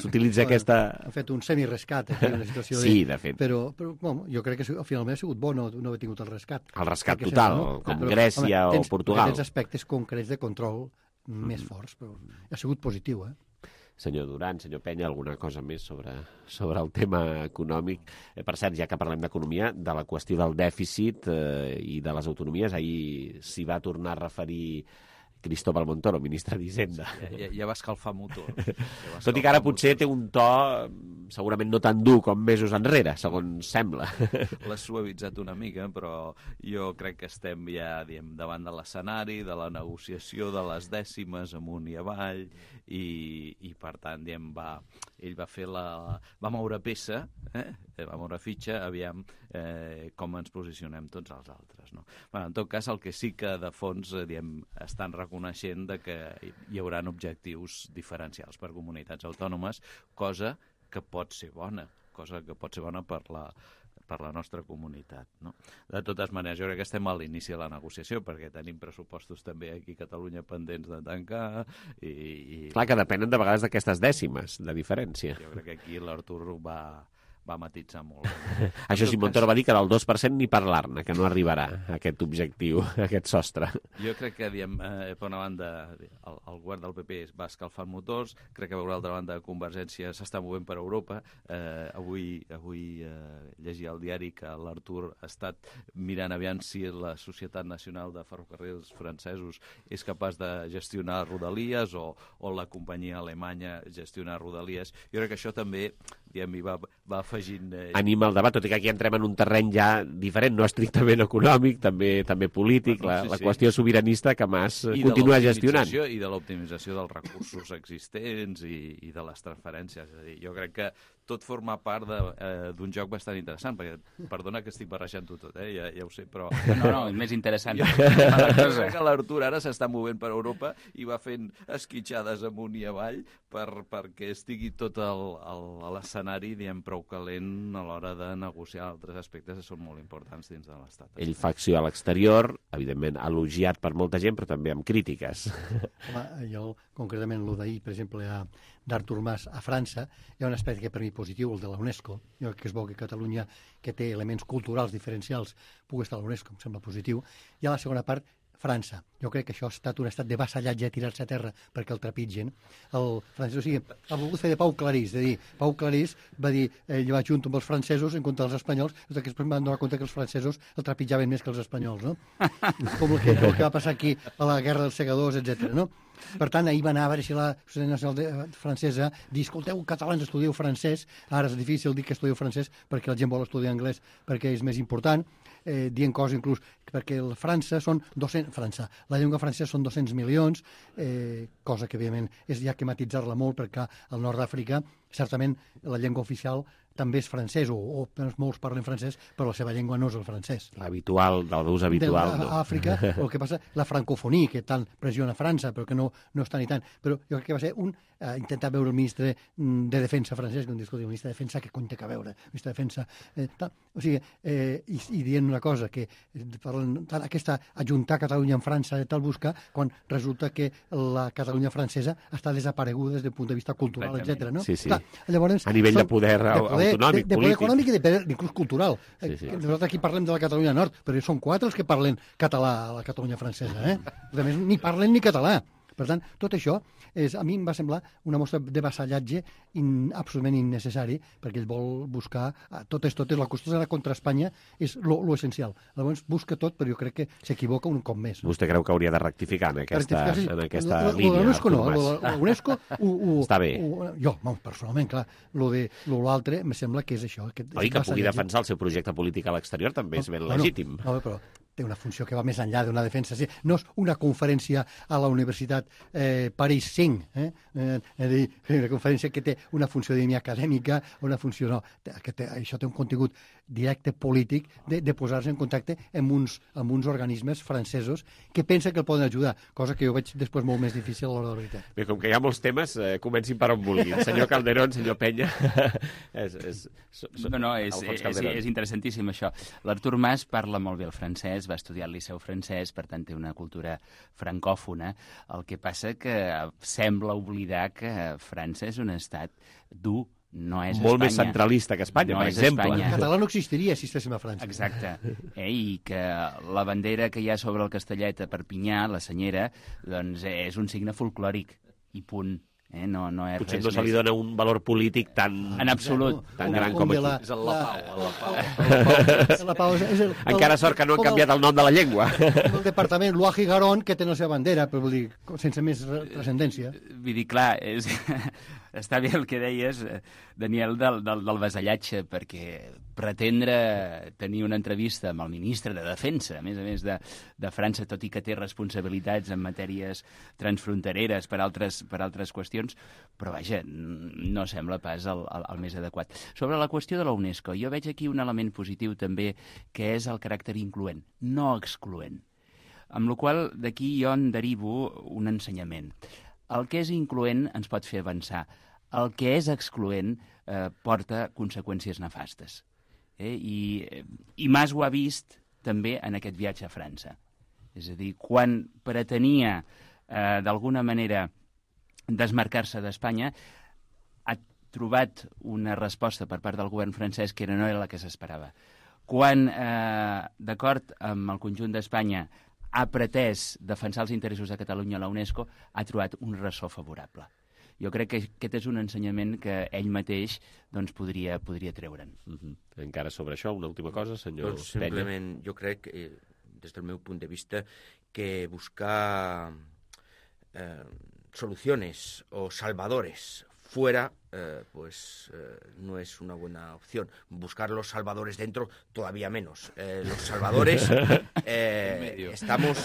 s'utilitza aquesta... Han fet un semi-rescat, aquí, una situació sí, de... de fet. Però, però bueno, jo crec que finalment ha sigut bo no, no haver tingut el rescat. El rescat total, no? Com però, Grècia home, tens, o Portugal. Tens aspectes concrets de control més forts, però ha sigut positiu, eh? Senyor Duran, senyor Penya, alguna cosa més sobre, sobre el tema econòmic? Eh, per cert, ja que parlem d'economia, de la qüestió del dèficit eh, i de les autonomies, ahir s'hi va tornar a referir Cristóbal Montoro, ministre d'Hisenda. Ja, ja, ja va escalfar motor. Ja va Tot i que ara potser té un to segurament no tan dur com mesos enrere, segons sembla. L'ha suavitzat una mica, però jo crec que estem ja diem, davant de l'escenari, de la negociació de les dècimes amunt i avall, i, i per tant diem, va, ell va fer la... va moure peça, eh? va moure fitxa, aviam eh, com ens posicionem tots els altres. No? Bueno, en tot cas, el que sí que de fons eh, diem, estan reconeixent de que hi haurà objectius diferencials per comunitats autònomes, cosa que pot ser bona, cosa que pot ser bona per la, per la nostra comunitat. No? De totes maneres, jo crec que estem a l'inici de la negociació, perquè tenim pressupostos també aquí a Catalunya pendents de tancar. I, i... Clar que depenen de vegades d'aquestes dècimes de diferència. Jo crec que aquí l'Artur va... va matitzar molt. Això sí, Montoro va dir que del dos per cent ni parlar-ne, que no arribarà a aquest objectiu, a aquest sostre. Jo crec que, diem, eh, per una banda, el, el govern del P P va escalfant motors, crec que per una altra banda Convergència s'està movent per Europa. Eh, avui avui eh, llegia al diari que l'Artur ha estat mirant aviam si la Societat Nacional de Ferrocarrils francesos és capaç de gestionar Rodalies o, o la companyia alemanya gestionar Rodalies. Jo crec que això també diem, hi va, va afegint... Eh... Anima el debat, tot i que aquí entrem en un terreny ja diferent, no estrictament econòmic, també també polític, bueno, sí, la, la sí. qüestió sobiranista que Mas I continua gestionant. I de l'optimització dels recursos existents i, i de les transferències. És a dir, jo crec que tot forma part d'un eh, joc bastant interessant, perquè, perdona que estic barrejant-ho tot, eh? ja, ja ho sé, però... No, no, és més interessant. Jo crec que l'Artur ara s'està movent per Europa i va fent esquitxades amunt i avall per, perquè estigui tot el, el, l'escenari, diguem, prou calent a l'hora de negociar altres aspectes que són molt importants dins de l'Estat. Ell fa acció a l'exterior, evidentment elogiat per molta gent, però també amb crítiques. Home, jo, concretament, el d'ahir, per exemple, d'Artur Mas a França, hi ha un aspecte que per mi positiu, el de la UNESCO. Jo crec que és bo que Catalunya, que té elements culturals diferencials, pugui estar a la UNESCO, em sembla positiu. I a la segona part, França. Jo crec que això ha estat un estat de vassallatge, tirar-se a terra perquè el trepitgen. El francès, o sigui, ha volgut fer de Pau Clarís, de dir, Pau Clarís va dir, ell va junt amb els francesos en contra dels espanyols, que després van donar compte que els francesos el trepitjaven més que els espanyols, no? Com el que, el que va passar aquí a la Guerra dels Segadors, etcètera, no? Per tant, ahir va anar a veure si la Societat Nacional Francesa dir, escolteu, catalans, estudieu francès. Ara és difícil dir que estudieu francès perquè la gent vol estudiar anglès perquè és més important. Eh, dient coses inclús perquè la França són dos-cents... França, la llengua francesa són dos-cents milions, eh, cosa que, evidentment, és ja que matitzar-la molt perquè al nord d'Àfrica, certament, la llengua oficial també és francès, o, o molts parlen francès, però la seva llengua no és el francès. L'habitual, de l'ús habitual, de, no. A Àfrica, el que passa, la francofonia, que tant pressiona França, però que no, no està ni tant. Però jo crec que va ser un... Eh, intentar veure el ministre de Defensa francès, que un discurs, el ministre de Defensa, que compte que veure, el ministre de Defensa... Eh, tal. O sigui, eh, i, i dient una cosa, que parlen, tal, aquesta ajuntar Catalunya amb França, tal buscar, quan resulta que la Catalunya francesa està desapareguda des del punt de vista cultural, etcètera, no? Sí, sí. Clar, llavors, a nivell són, de poder, de poder autonòmic, de, de poder polític. econòmic i de poder inclús cultural. Sí, sí. Nosaltres aquí parlem de la Catalunya Nord, però són quatre els que parlen català a la Catalunya francesa, eh? A més, ni parlen ni català. Per tant, tot això és, a mi em va semblar una mostra de vassallatge in, absolutament innecessari, perquè ell vol buscar totes, totes, la qüestió de contra Espanya és lo, lo essencial. Llavors busca tot, però jo crec que s'equivoca un cop més. Vostè creu que hauria de rectificar en aquesta, rectificar, sí. en aquesta lo, lo, línia? Lo UNESCO no, la UNESCO... Ho, ho, Està bé. Ho, jo, bon, personalment, clar, lo de lo l'altre em sembla que és això. Que Oi, que pugui defensar el seu projecte polític a l'exterior també és ben no, legítim. No, no, però té una funció que va més enllà d'una defensa. Sí, no és una conferència a la Universitat eh, París cinc, eh? Eh, dir, una conferència que té una funció acadèmica, una funció... No, que té, això té un contingut directe polític de, de posar-se en contacte amb uns, amb uns organismes francesos que pensen que el poden ajudar, cosa que jo veig després molt més difícil a l'hora de la veritat. Bé, com que hi ha molts temes, eh, comencin per on vulguin. Senyor Calderón, senyor Penya... és, és, so, so, no, no, és, és, és interessantíssim això. L'Artur Mas parla molt bé el francès, va estudiar al Liceu francès, per tant té una cultura francòfona. El que passa que sembla oblidar que França és un estat dur, no és molt Espanya. Més centralista que Espanya, no per exemple. El català no existiria si estéssim a França. Exacte. Eh, I que la bandera que hi ha sobre el Castellet a Perpinyà, la senyera, doncs és un signe folclòric. I punt. Eh? No, no és Potser res no se li més. dona un valor polític tan, En absolut. tan gran com aquí. És el la pau, la pau. La pau és, és el, Encara sort que no han canviat el nom de la llengua. El departament Loire i Garonne, que té la seva bandera, però vull dir, sense més transcendència. Vull dir, clar, és... està bé el que deies, Daniel, del, del, del vasallatge, perquè pretendre tenir una entrevista amb el ministre de Defensa, a més a més de, de França, tot i que té responsabilitats en matèries transfrontereres per altres, per altres qüestions, però vaja, no sembla pas el, el, el més adequat. Sobre la qüestió de la UNESCO, jo veig aquí un element positiu també, que és el caràcter incloent, no excloent. Amb la qual cosa d'aquí jo en derivo un ensenyament. El que és incloent ens pot fer avançar. El que és excloent eh, porta conseqüències nefastes. Eh? I, I Mas ho ha vist també en aquest viatge a França. És a dir, quan pretenia eh, d'alguna manera desmarcar-se d'Espanya, ha trobat una resposta per part del govern francès que no era la que s'esperava. Quan, eh, d'acord amb el conjunt d'Espanya, ha pretès defensar els interessos de Catalunya a la UNESCO, ha trobat un ressò favorable. Jo crec que aquest és un ensenyament que ell mateix doncs, podria, podria treure'n. Uh-huh. Encara sobre això, una última cosa, senyor doncs simplement, Penya. jo crec, eh, des del meu punt de vista, que buscar eh, soluciones o salvadores fuera, eh, pues eh, no es una buena opción. Buscar los salvadores dentro, todavía menos. Eh, los salvadores, eh, estamos,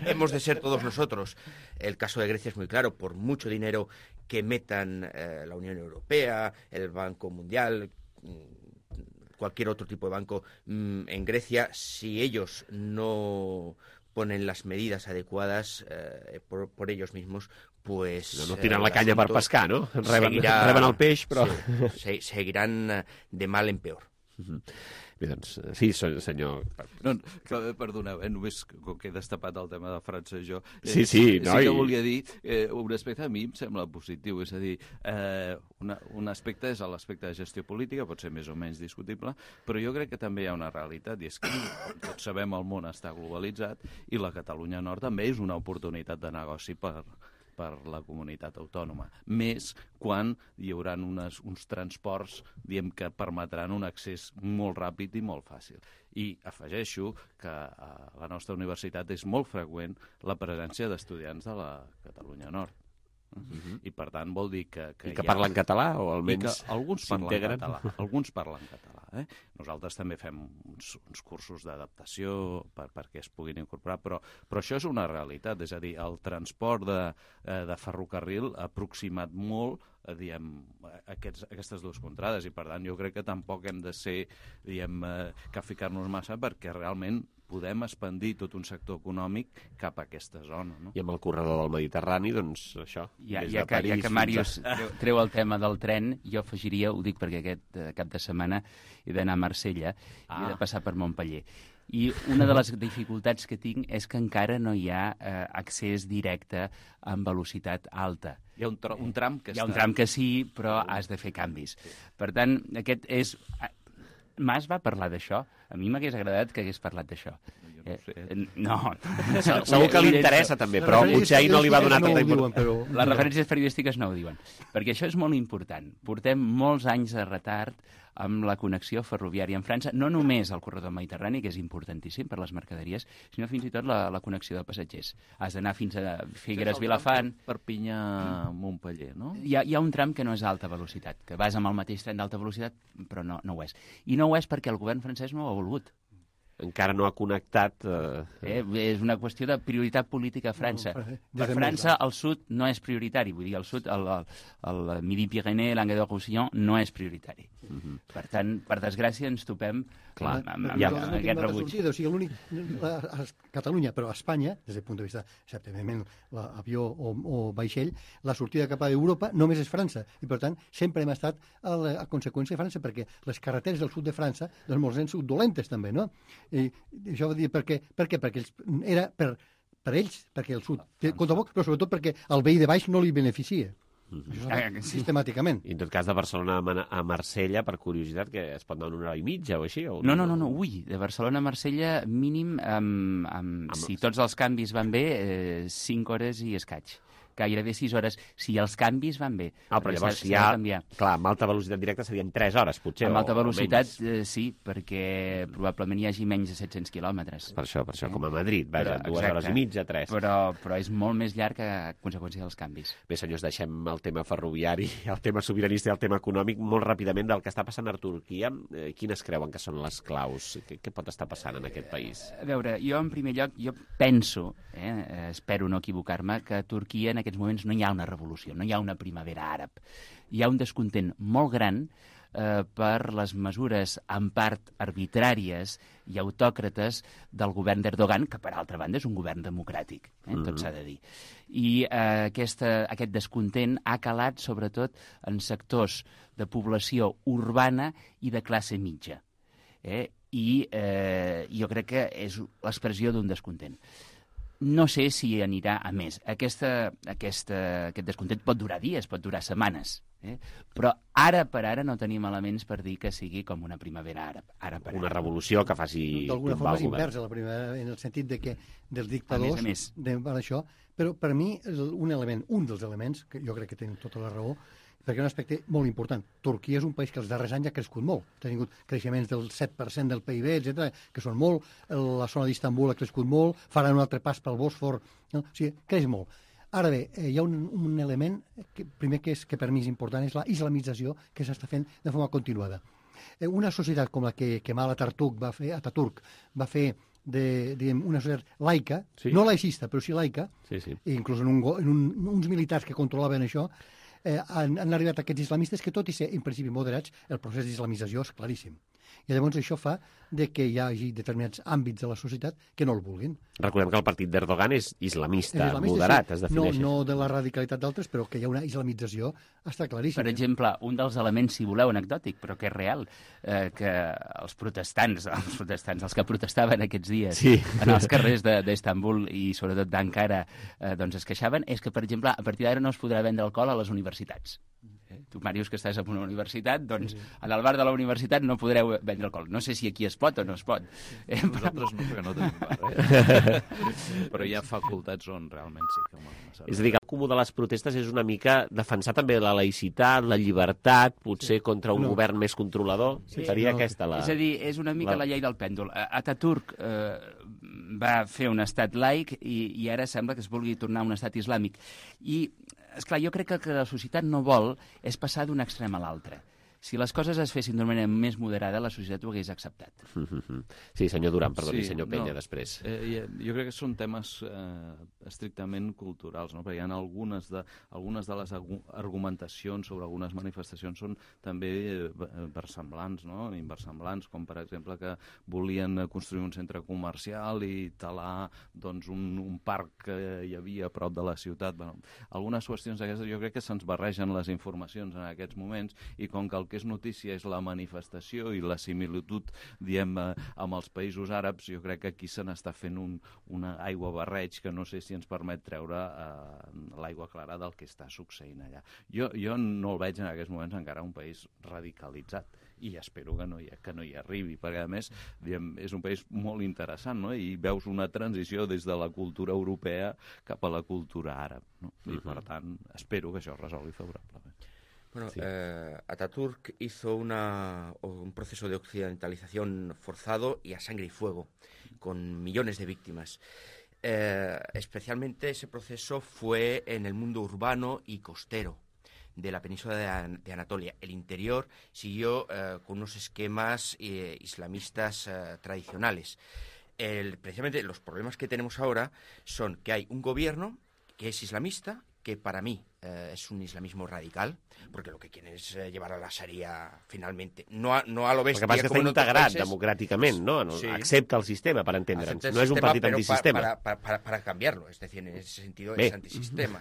hemos de ser todos nosotros. El caso de Grecia es muy claro. Por mucho dinero que metan eh, la Unión Europea, el Banco Mundial, cualquier otro tipo de banco mmm, en Grecia, si ellos no ponen las medidas adecuadas eh, por, por ellos mismos, pues... No, no tiren la canya per pescar, no? Reben, seguirà, reben el peix, però... Sí, se, seguiran de mal en peor. Uh-huh. Bé, doncs, sí, senyor... No, que, perdoneu, eh, només com que he destapat el tema de França jo... Eh, sí, sí, no, sí que i... volia dir, eh, un aspecte a mi em sembla positiu, és a dir, eh, una, un aspecte és l'aspecte de gestió política, pot ser més o menys discutible, però jo crec que també hi ha una realitat, i és que tots sabem el món està globalitzat i la Catalunya Nord també és una oportunitat de negoci per... per la comunitat autònoma. Més quan hi haurà unes, uns transports diem que permetran un accés molt ràpid i molt fàcil. I afegeixo que a la nostra universitat és molt freqüent la presència d'estudiants de la Catalunya Nord. Uh-huh. I per tant vol dir que... que I que ha... parlen català o almenys alguns parlen s'integren? català. Alguns parlen català. Eh? Nosaltres també fem uns, uns cursos d'adaptació per, perquè es puguin incorporar, però, però això és una realitat, és a dir, el transport de, de ferrocarril ha aproximat molt eh, diem, aquests, aquestes dues contrades, i per tant jo crec que tampoc hem de ser, diem, eh, que ficar-nos massa perquè realment podem expandir tot un sector econòmic cap a aquesta zona. No? I amb el corredor del Mediterrani, doncs això, ja, des ja de que, París... Ja que Màrius a... treu, treu el tema del tren, jo afegiria, ho dic perquè aquest eh, cap de setmana he d'anar a Marsella ah. i he de passar per Montpeller. I una de les dificultats que tinc és que encara no hi ha eh, accés directe amb velocitat alta. Hi ha un, tr un tram que Hi ha està... un tram que sí, però has de fer canvis. Per tant, aquest és... Mas va parlar d'això? A mi m'hagués agradat que hagués parlat d'això. No, sé. Eh, no. Segur que li interessa també, però potser ahir no li va donar tanta importància. Les referències periodístiques no ho diuen. Perquè això és molt important. Portem molts anys de retard amb la connexió ferroviària amb França, no només el corredor mediterrani, que és importantíssim per les mercaderies, sinó fins i tot la, la connexió de passatgers. Has d'anar fins a Figueres-Vilafant... Perpinyà-Montpeller, no? Hi ha, hi ha un tram que no és d'alta velocitat, que vas amb el mateix tren d'alta velocitat, però no, no ho és. I no ho és perquè el govern francès no ho ha volgut. Encara no ha connectat... Eh... Eh, és una qüestió de prioritat política a França. No, per França, el sud no és prioritari. Vull dir, el sud, el, el, el Midi-Pyrénées, l'Anguedoc-Roussillon, no és prioritari. Uh -huh. Per tant, per desgràcia, ens topem Clar, amb, amb, ja, amb, amb aquest rebuig. Sortida, o sigui, l'únic, a, a Catalunya, però a Espanya, des del punt de vista, certament, l'avió o, o vaixell, la sortida cap a Europa només és França. I, per tant, sempre hem estat a, la, a conseqüència de França, perquè les carreteres del sud de França, doncs, molts han sigut dolentes, també, no? I, i això va dir per què? Per què? Perquè ells, era per, per ells, perquè el sud té compte poc, però sobretot perquè el veí de baix no li beneficia. Mm-hmm. Això és sistemàticament. I en tot cas, de Barcelona a Marsella, per curiositat, que es pot anar una hora i mitja o així? O... No, no, no, no, ui, de Barcelona a Marsella, mínim, amb, amb, amb... si tots els canvis van bé, eh, cinc hores i escaig. gairebé sis hores, si els canvis van bé. Ah, però llavors si hi ha... Clar, amb alta velocitat directa serien tres hores, potser. Amb alta o, velocitat, eh, sí, perquè probablement hi hagi menys de set-cents quilòmetres. Per això, per això, com a Madrid, vaja, però, dues exacte, hores i mitja, tres. Però, però és molt més llarg a conseqüència dels canvis. Bé, senyors, deixem el tema ferroviari, el tema sobiranista i el tema econòmic molt ràpidament del que està passant a Turquia. Eh, quines creuen que són les claus? Què, què pot estar passant en aquest país? A veure, jo en primer lloc, jo penso, eh, espero no equivocar-me, que a Turquia en aquests moments no hi ha una revolució, no hi ha una primavera àrab. Hi ha un descontent molt gran eh, per les mesures en part arbitràries i autòcrates del govern d'Erdogan, que per altra banda és un govern democràtic, eh, mm-hmm. tot s'ha de dir. I eh, aquesta, aquest descontent ha calat sobretot en sectors de població urbana i de classe mitja. Eh? I eh, jo crec que és l'expressió d'un descontent. No sé si anirà a més. Aquesta, aquesta, aquest descontent pot durar dies, pot durar setmanes, eh? Però ara per ara no tenim elements per dir que sigui com una primavera àrab. Ara per una ara. revolució que faci... D'alguna forma és inversa la primavera, en el sentit de que dels dictadors... A més a més. De, per això, però per mi un element, un dels elements, que jo crec que tenen tota la raó, perquè és un aspecte molt important. Turquia és un país que els darrers anys ha crescut molt. Ha tingut creixements del set per cent del P I B, etcètera, que són molt. La zona d'Istanbul ha crescut molt, faran un altre pas pel Bòsfor. No? O sigui, creix molt. Ara bé, eh, hi ha un, un element, que, primer que, és, que per mi és important, és la islamització que s'està fent de forma continuada. Eh, una societat com la que Kemal Atatürk va fer, Atatürk va fer de, diguem, una societat laica, sí. No laicista, però sí laica, sí, sí. Inclús en, un, en un, uns militars que controlaven això, Eh, han, han arribat aquests islamistes que, tot i ser en principi moderats, el procés d'islamització és claríssim. I llavors això fa de que hi hagi determinats àmbits de la societat que no el vulguin. Recordem que el partit d'Erdogan és islamista, islamista moderat, sí. Es defineix. No, no de la radicalitat d'altres, però que hi ha una islamització, està claríssim. Per exemple, un dels elements, si voleu, anecdòtic, però que és real, eh, que els protestants, els protestants, els que protestaven aquests dies sí. en els carrers d'Istanbul i sobretot d'Ankara, eh, doncs es queixaven, és que, per exemple, a partir d'ara no es podrà vendre alcohol a les universitats. Tu, Màrius, que estàs en una universitat, doncs sí. En el bar de la universitat no podreu vendre alcohol. No sé si aquí es pot o no es pot. Eh, Nosaltres no, perquè no tenim bar, eh? Però hi ha facultats on realment sí que... És a dir, que el comú de les protestes és una mica defensar també la laïcitat, la llibertat, potser sí. Contra un no. govern més controlador. Sí, seria no. Aquesta la... És a dir, és una mica la, la llei del pèndol. Atatürk eh, va fer un estat laic i, i ara sembla que es vulgui tornar a un estat islàmic. I esclar, jo crec que el que la societat no vol és passar d'un extrem a l'altre. Si les coses es fessin d'una manera més moderada, la societat ho hagués acceptat. Sí, senyor Duran, perdoni, sí, senyor Penya, no, després. Eh, jo crec que són temes eh, estrictament culturals, no? Perquè hi ha algunes de, algunes de les argumentacions sobre algunes manifestacions són també versemblants, no? Inversemblants, com per exemple que volien construir un centre comercial i talar doncs, un, un parc que hi havia a prop de la ciutat. Bueno, algunes qüestions d'aquestes jo crec que se'ns barregen les informacions en aquests moments i com que el que és notícia és la manifestació i la similitud, diem, amb els països àrabs, jo crec que aquí se n'està fent un, una aigua barreig que no sé si ens permet treure eh, l'aigua clara del que està succeint allà. Jo, jo no el veig en aquests moments encara un país radicalitzat i espero que no hi, que no hi arribi, perquè a més diem, és un país molt interessant, no? I veus una transició des de la cultura europea cap a la cultura àrab, no? I per tant espero que això es resolgui favorablement. Bueno, sí. eh, Atatürk hizo una, un proceso de occidentalización forzado y a sangre y fuego, con millones de víctimas. Eh, especialmente ese proceso fue en el mundo urbano y costero de la península de, An de Anatolia. El interior siguió eh, con unos esquemas eh, islamistas eh, tradicionales. El, precisamente los problemas que tenemos ahora son que hay un gobierno que es islamista, que para mí eh, es un islamismo radical, porque lo que quieren es eh, llevar a la Sharia finalmente, no a, no a lo bestia. El que passa és que està integrat democràticament, ¿no? no sí. Accepta el sistema, para entendre'ns. No sistema, es un partit antisistema. Para, para, para, para cambiarlo, es decir, en ese sentido Bé. Es antisistema.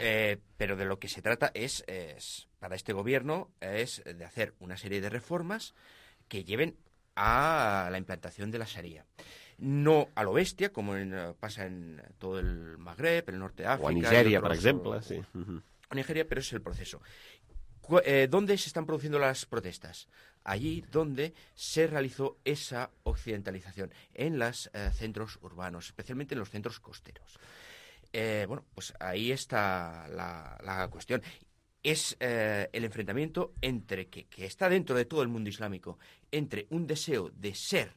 eh, pero de lo que se trata es, es, para este gobierno, es de hacer una serie de reformas que lleven a la implantación de la Sharia. No a lo bestia, como en, pasa en todo el Magreb, el norte de África... O a Nigeria, por ejemplo. Sí. Uh-huh. A Nigeria, pero es el proceso. Eh, ¿Dónde se están produciendo las protestas? Allí donde se realizó esa occidentalización, en los eh, centros urbanos, especialmente en los centros costeros. eh, bueno, pues ahí está la, la cuestión. Es eh, el enfrentamiento entre que, que está dentro de todo el mundo islámico, entre un deseo de ser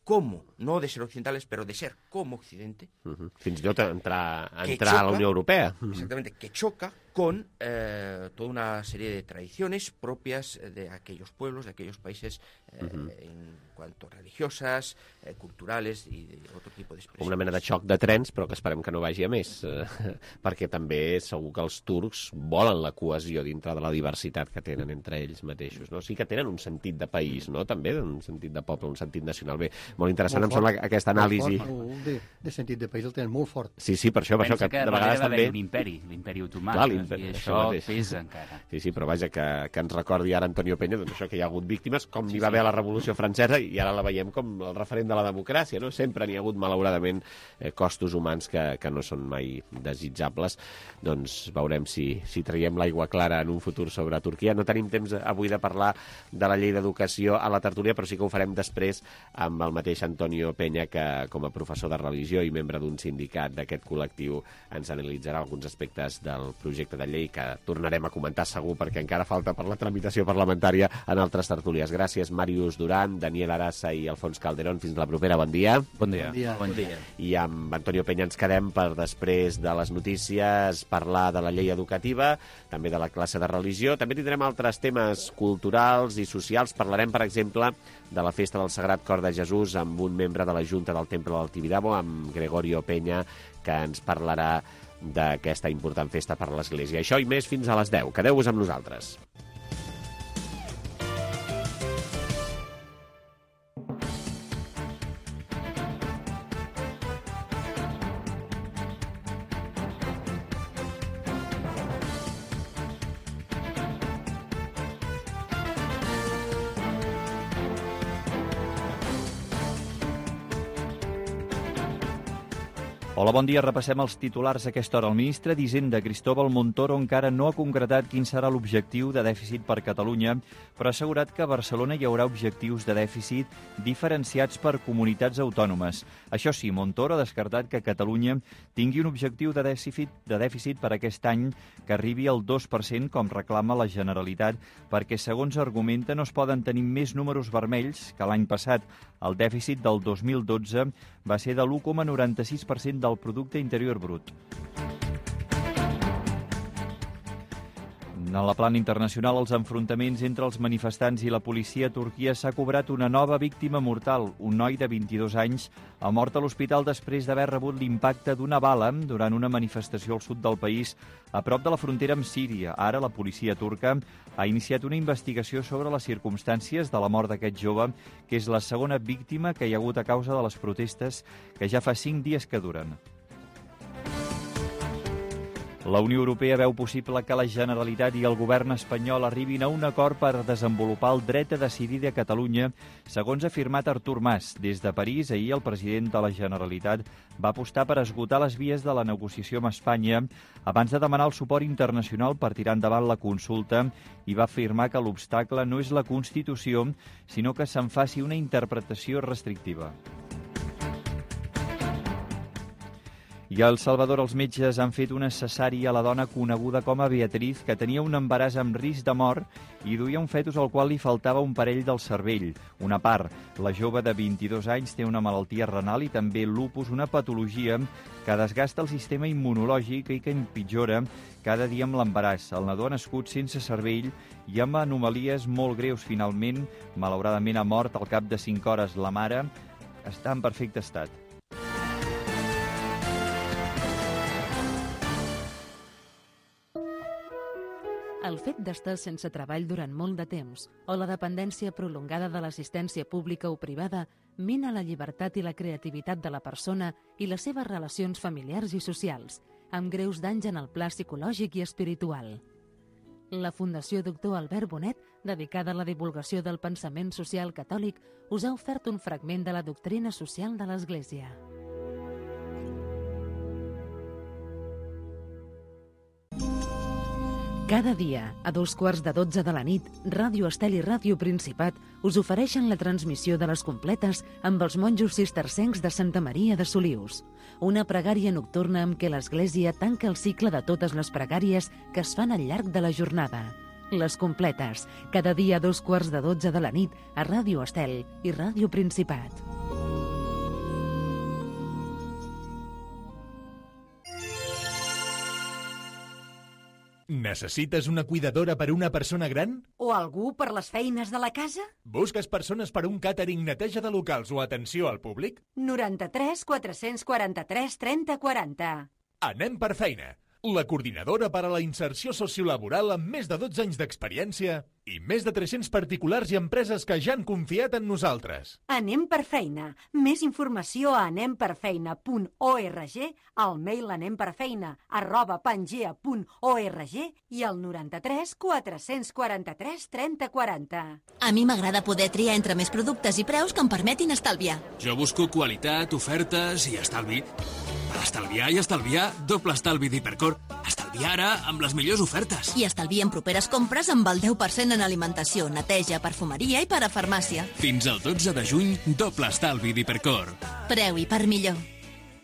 como, no de ser occidentales, però de ser com Occidente. Uh-huh. Fins i tot entrar, entrar xoca, a la Unió Europea. Exactamente, que choca con eh, toda una serie de tradiciones propias de aquellos pueblos, de aquellos países, eh, uh-huh. en cuanto religiosas, eh, culturales i de otro tipo d'expressions. Una mena de xoc de trens, però que esperem que no vagi a més, eh, perquè també segur que els turcs volen la cohesió dintre de la diversitat que tenen entre ells mateixos, no? Sí que tenen un sentit de país, no? També un sentit de poble, un sentit nacional. Bé, molt interessant molt em sembla aquesta anàlisi. Molt de, de sentit de país el tenen molt fort. Sí, sí, per això, per Pensa això que, que de vegades també... l'imperi, l'imperi otomà, Clar, i això pesa encara. Sí, sí, però vaja, que, que ens recordi ara Antonio Peña, doncs això, que hi ha hagut víctimes, com sí, hi va haver a la Revolució Francesa, i ara la veiem com el referent de la democràcia, no? Sempre n'hi ha hagut, malauradament, eh, costos humans que, que no són mai desitjables. Doncs veurem si, si traiem l'aigua clara en un futur sobre Turquia. No tenim temps avui de parlar de la llei d'educació a la tertúlia, però sí que ho farem després amb el mateix Antonio Peña, que com a professor de religió i membre d'un sindicat d'aquest col·lectiu ens analitzarà alguns aspectes del projecte de llei que tornarem a comentar segur, perquè encara falta per la tramitació parlamentària en altres tertúlies. Gràcies, Màrius Duran, Daniel Arassa i Alfons Calderón. Fins la propera. Bon dia. Bon dia. Bon dia. Bon dia. I amb Antonio Peña ens quedem per després de les notícies parlar de la llei educativa, també de la classe de religió. També tindrem altres temes culturals i socials. Parlarem, per exemple, de la festa del Sagrat Cor de Jesús amb un membre de la Junta del Temple del Tibidabo, amb Gregorio Peña, que ens parlarà d'aquesta important festa per a l'Església. Això i més fins a les deu. Quedeu-vos amb nosaltres. Hola, bon dia. Repassem els titulars a aquesta hora. El ministre d'Hisenda, Cristóbal Montoro, encara no ha concretat quin serà l'objectiu de dèficit per Catalunya, però ha assegurat que a Barcelona hi haurà objectius de dèficit diferenciats per comunitats autònomes. Això sí, Montoro ha descartat que Catalunya tingui un objectiu de dèficit, de dèficit per aquest any que arribi al dos per cent, com reclama la Generalitat, perquè, segons argumenta, no es poden tenir més números vermells que l'any passat. El dèficit del dos mil dotze va ser de l'u coma noranta-sis per cent del Producte Interior Brut. En la plana internacional, els enfrontaments entre els manifestants i la policia a Turquia s'ha cobrat una nova víctima mortal. Un noi de vint-i-dos anys ha mort a l'hospital després d'haver rebut l'impacte d'una bala durant una manifestació al sud del país, a prop de la frontera amb Síria. Ara la policia turca ha iniciat una investigació sobre les circumstàncies de la mort d'aquest jove, que és la segona víctima que hi ha hagut a causa de les protestes que ja fa cinc dies que duren. La Unió Europea veu possible que la Generalitat i el govern espanyol arribin a un acord per desenvolupar el dret a decidir de Catalunya, segons ha afirmat Artur Mas. Des de París, ahir el president de la Generalitat va apostar per esgotar les vies de la negociació amb Espanya abans de demanar el suport internacional per tirar endavant la consulta i va afirmar que l'obstacle no és la Constitució, sinó que se'n faci una interpretació restrictiva. I a El Salvador els metges han fet una cesària a la dona coneguda com a Beatriz, que tenia un embaràs amb risc de mort i duia un fetus al qual li faltava un parell del cervell, una part. La jove de vint-i-dos anys té una malaltia renal i també lupus, una patologia que desgasta el sistema immunològic i que empitjora cada dia amb l'embaràs. El nadó ha nascut sense cervell i amb anomalies molt greus. Finalment, malauradament, ha mort al cap de cinc hores. La mare està en perfecte estat. El fet d'estar sense treball durant molt de temps o la dependència prolongada de l'assistència pública o privada mina la llibertat i la creativitat de la persona i les seves relacions familiars i socials, amb greus danys en el pla psicològic i espiritual. La Fundació Doctor Albert Bonet, dedicada a la divulgació del pensament social catòlic, us ha ofert un fragment de la doctrina social de l'Església. Cada dia, a dos quarts de dotze de la nit, Ràdio Estel i Ràdio Principat us ofereixen la transmissió de les completes amb els monjos cistercencs de Santa Maria de Solius. Una pregària nocturna amb què l'Església tanca el cicle de totes les pregàries que es fan al llarg de la jornada. Les completes, cada dia a dos quarts de dotze de la nit a Ràdio Estel i Ràdio Principat. Necessites una cuidadora per a una persona gran? O algú per les feines de la casa? Busques persones per a un càtering, neteja de locals o atenció al públic? noranta-tres quatre-cents quaranta-tres trenta quaranta. Anem per feina. La coordinadora per a la inserció sociolaboral amb més de dotze anys d'experiència i més de tres-cents particulars i empreses que ja han confiat en nosaltres. Anem per feina. Més informació a anemperfeina punt org, al mail anemperfeina arroba pangea punt org i al noranta-tres quatre-cents quaranta-tres trenta quaranta. A mi m'agrada poder triar entre més productes i preus que em permetin estalviar. Jo busco qualitat, ofertes i estalvi. Per estalviar i estalviar, doble estalvi d'Hipercor. Estalviar ara amb les millors ofertes. I estalvia en properes compres amb el deu per cent en alimentació, neteja, perfumeria i per a farmàcia. Fins al dotze de juny, doble estalvi d'Hipercor. Preu i per millor.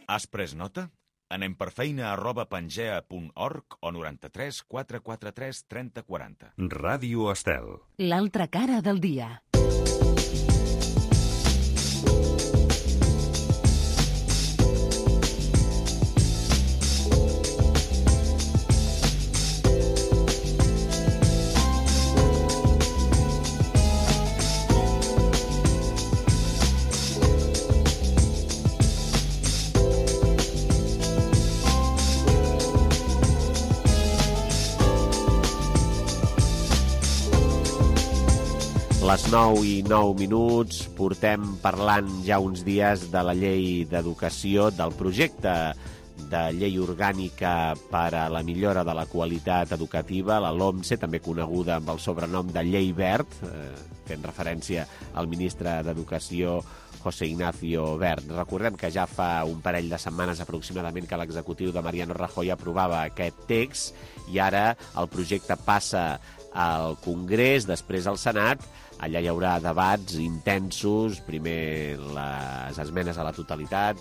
Has pres nota? Anem per feina arroba pangea punt org o noranta-tres quatre quatre tres trenta quaranta. Ràdio Estel. L'altra cara del dia. Les nou i nou minuts, portem parlant ja uns dies de la llei d'educació, del projecte de llei orgànica per a la millora de la qualitat educativa, la LOMSE, també coneguda amb el sobrenom de Llei Wert, eh, fent referència al ministre d'Educació, José Ignacio Wert. Recordem que ja fa un parell de setmanes aproximadament que l'executiu de Mariano Rajoy aprovava aquest text i ara el projecte passa al Congrés, després al Senat. Allà hi haurà debats intensos, primer les esmenes a la totalitat,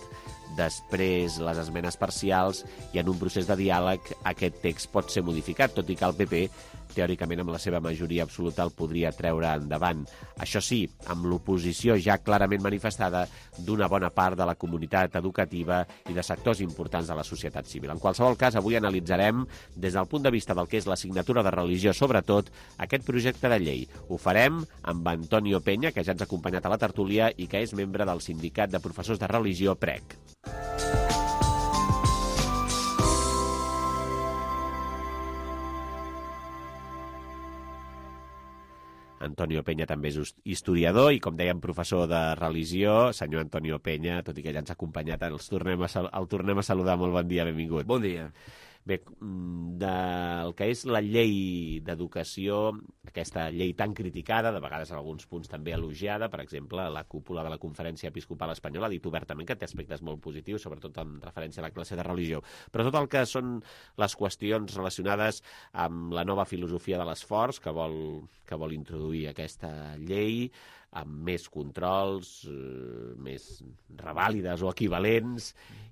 després les esmenes parcials, i en un procés de diàleg aquest text pot ser modificat, tot i que el P P, teòricament amb la seva majoria absoluta, el podria treure endavant. Això sí, amb l'oposició ja clarament manifestada d'una bona part de la comunitat educativa i de sectors importants de la societat civil. En qualsevol cas, avui analitzarem, des del punt de vista del que és l'assignatura de religió, sobretot, aquest projecte de llei. Ho farem amb Antonio Peña, que ja ens ha acompanyat a la tertúlia i que és membre del Sindicat de Professors de Religió, P R E C. Antonio Peña també és historiador i, com dèiem, professor de religió. Senyor Antonio Peña, tot i que ja ens ha acompanyat, el tornem a, el tornem a saludar. Molt bon dia, benvingut. Bon dia. Bé, del que és la llei d'educació, aquesta llei tan criticada, de vegades en alguns punts també elogiada, per exemple, la cúpula de la Conferència Episcopal Espanyola ha dit obertament que té aspectes molt positius, sobretot en referència a la classe de religió. Però tot el que són les qüestions relacionades amb la nova filosofia de l'esforç que vol, que vol introduir aquesta llei, amb més controls, eh, més revàlides o equivalents,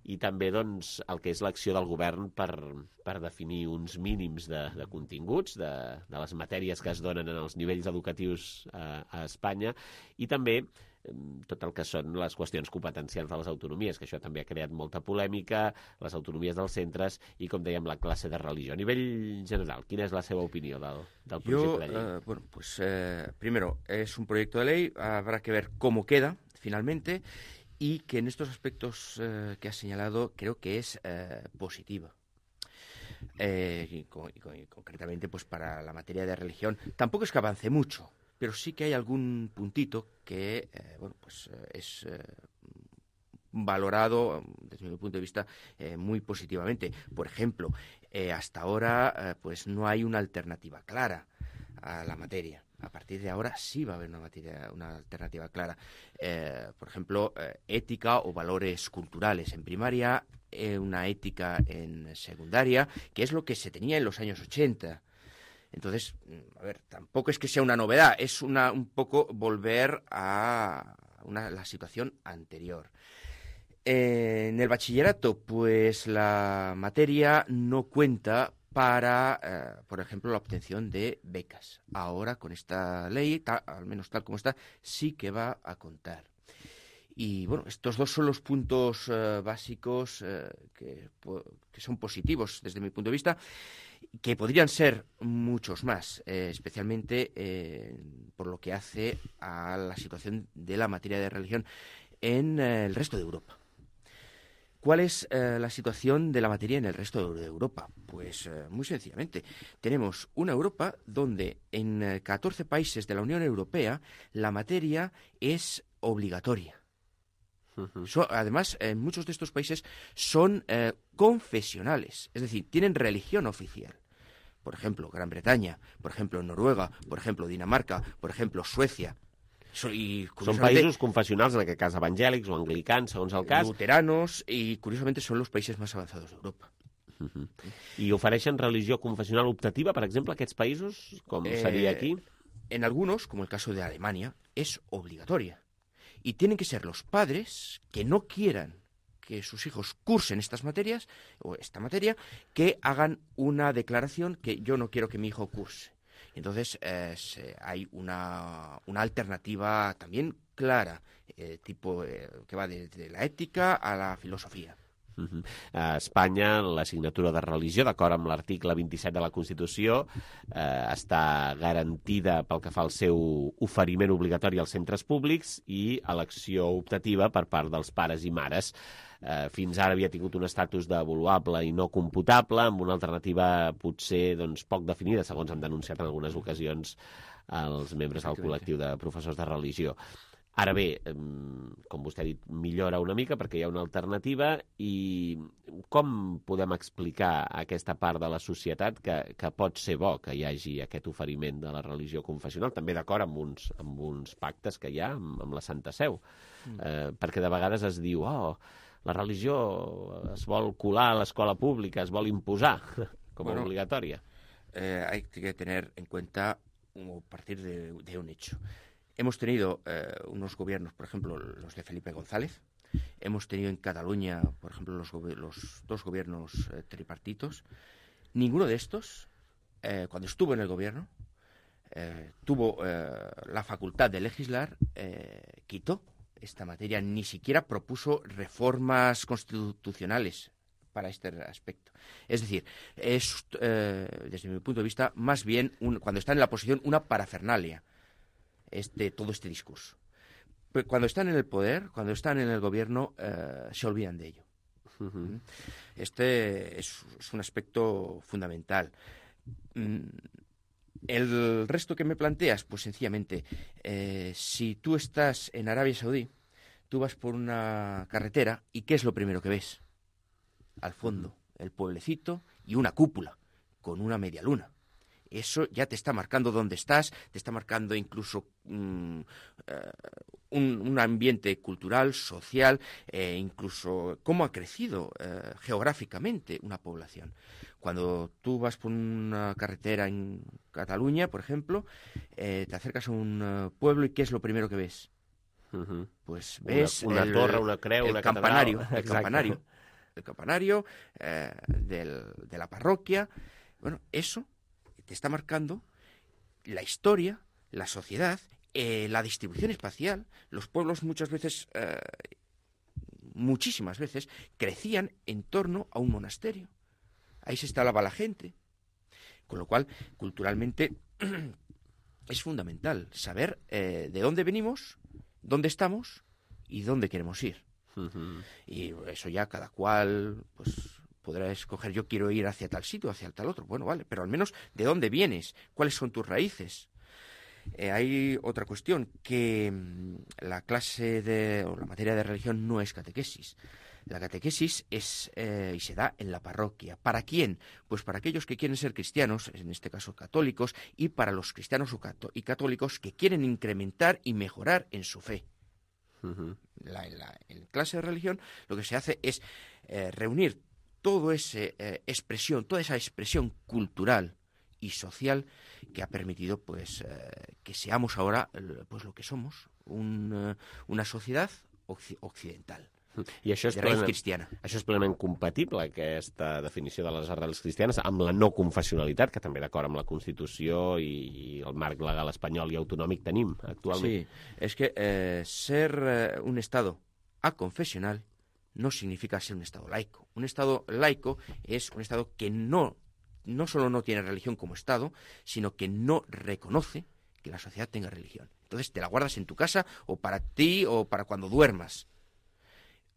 i també doncs, el que és l'acció del govern per, per definir uns mínims de, de continguts, de, de les matèries que es donen en els nivells educatius a, a Espanya, i també tot el que són les qüestions competencials de les autonomies, que això també ha creat molta polèmica, les autonomies dels centres i, com dèiem, la classe de religió. A nivell general, quina es la seva opinión del, del proyecto Yo, de ley? Uh, bueno, pues eh, primero, es un proyecto de ley, habrá que ver cómo queda finalmente, y que en estos aspectos eh, que has señalado creo que es eh, positiva. Eh, y, y, y concretamente pues para la materia de religión tampoco es que avance mucho, pero sí que hay algún puntito que eh, bueno pues eh, es eh, valorado desde mi punto de vista eh, muy positivamente. Por ejemplo, eh, hasta ahora eh, pues no hay una alternativa clara a la materia. A partir de ahora sí va a haber una, materia, una alternativa clara. Eh, por ejemplo, eh, ética o valores culturales en primaria, eh, una ética en secundaria, que es lo que se tenía en los años ochenta. Entonces, a ver, tampoco es que sea una novedad, es una, un poco volver a una, la situación anterior. Eh, en el bachillerato, pues la materia no cuenta para, eh, por ejemplo, la obtención de becas. Ahora, con esta ley, ta, al menos tal como está, sí que va a contar. Y bueno, estos dos son los puntos eh, básicos eh, que, que son positivos desde mi punto de vista, que podrían ser muchos más, eh, especialmente eh, por lo que hace a la situación de la materia de religión en eh, el resto de Europa. ¿Cuál es eh, la situación de la materia en el resto de Europa? Pues eh, muy sencillamente, tenemos una Europa donde en eh, catorce países de la Unión Europea la materia es obligatoria. Uh-huh. So, además, en muchos de estos países son eh, confesionales, es decir, tienen religión oficial. Por ejemplo, Gran Bretaña, por ejemplo, Noruega, por ejemplo, Dinamarca, por ejemplo, Suecia. So, i, Són països confessionals, en aquest cas evangèlics o anglicans, segons el cas. Luteranos, y curiosamente son los países más avanzados de Europa. Uh-huh. I ofereixen religió confessional optativa, per exemple, aquests països, com eh, seria aquí? En algunos, como el caso de Alemania, es obligatoria. Y tienen que ser los padres que no quieran que sus hijos cursen estas materias, o esta materia, que hagan una declaración que yo no quiero que mi hijo curse. Entonces, eh, se, hay una, una alternativa también clara, eh, tipo eh, que va desde la ètica a la filosofia. Uh-huh. A Espanya, l'assignatura de religió, d'acord amb l'article vint-i-set de la Constitució, eh, està garantida pel que fa al seu oferiment obligatori als centres públics i elecció optativa per part dels pares i mares. Eh, fins ara havia tingut un estatus d'avaluable i no computable, amb una alternativa potser doncs, poc definida, segons han denunciat en algunes ocasions els membres del col·lectiu de professors de religió. Ara bé, com vostè ha dit, millora una mica perquè hi ha una alternativa i com podem explicar a aquesta part de la societat que, que pot ser bo que hi hagi aquest oferiment de la religió confessional, també d'acord amb uns, amb uns pactes que hi ha amb, amb la Santa Seu, mm. eh, perquè de vegades es diu oh, la religió es vol colar a l'escola pública, es vol imposar com a bueno, obligatòria. Eh, hay que tener en cuenta o partir de, de un hecho. Hemos tenido eh, unos gobiernos, por ejemplo, los de Felipe González. Hemos tenido en Cataluña, por ejemplo, los, los dos gobiernos eh, tripartitos. Ninguno de estos, eh, cuando estuvo en el gobierno, eh, tuvo eh, la facultad de legislar, eh, quitó esta materia, ni siquiera propuso reformas constitucionales para este aspecto. Es decir, es, eh, desde mi punto de vista, más bien, un, cuando está en la oposición, una parafernalia. Este, todo este discurso. Pero cuando están en el poder, cuando están en el gobierno, eh, se olvidan de ello. Uh-huh. Este es, es un aspecto fundamental. El resto que me planteas, pues sencillamente, eh, si tú estás en Arabia Saudí, tú vas por una carretera y ¿qué es lo primero que ves? Al fondo, el pueblecito y una cúpula con una media luna. Eso ya te está marcando dónde estás, te está marcando incluso um, uh, un, un ambiente cultural, social, eh, incluso cómo ha crecido uh, geográficamente una población. Cuando tú vas por una carretera en Cataluña, por ejemplo, eh, te acercas a un uh, pueblo y ¿qué es lo primero que ves? Uh-huh. Pues ves una, una el, torre, una creu, el una campanario, catedral. el campanario, el campanario eh, del, de la parroquia. Bueno, eso te está marcando la historia, la sociedad, eh, la distribución espacial. Los pueblos muchas veces, eh, muchísimas veces, crecían en torno a un monasterio. Ahí se instalaba la gente. Con lo cual, culturalmente, es fundamental saber eh, de dónde venimos, dónde estamos y dónde queremos ir. Uh-huh. Y eso ya cada cual, pues, podrá escoger, yo quiero ir hacia tal sitio, hacia tal otro. Bueno, vale, pero al menos de dónde vienes, cuáles son tus raíces. Eh, hay otra cuestión, que mmm, la clase de, o la materia de religión no es catequesis. La catequesis es eh, y se da en la parroquia. ¿Para quién? Pues para aquellos que quieren ser cristianos, en este caso católicos, y para los cristianos y católicos que quieren incrementar y mejorar en su fe. Uh-huh. La, la, en clase de religión lo que se hace es eh, reunir toda esa eh, expresión, toda esa expresión cultural y social que ha permitido pues eh, que seamos ahora pues lo que somos, un, uh, una sociedad occ occidental. I això és, de raïs plenament, cristiana. això és plenament compatible, aquesta definició de les arrels cristianes, amb la no confessionalitat, que també d'acord amb la Constitució i, i el marc legal espanyol i autonòmic tenim actualment. Sí, es que eh, ser eh, un Estado aconfesional no significa ser un Estado laico. Un Estado laico es un Estado que no, no solo no tiene religión como Estado, sino que no reconoce que la sociedad tenga religión. Entonces te la guardas en tu casa o para ti o para cuando duermas.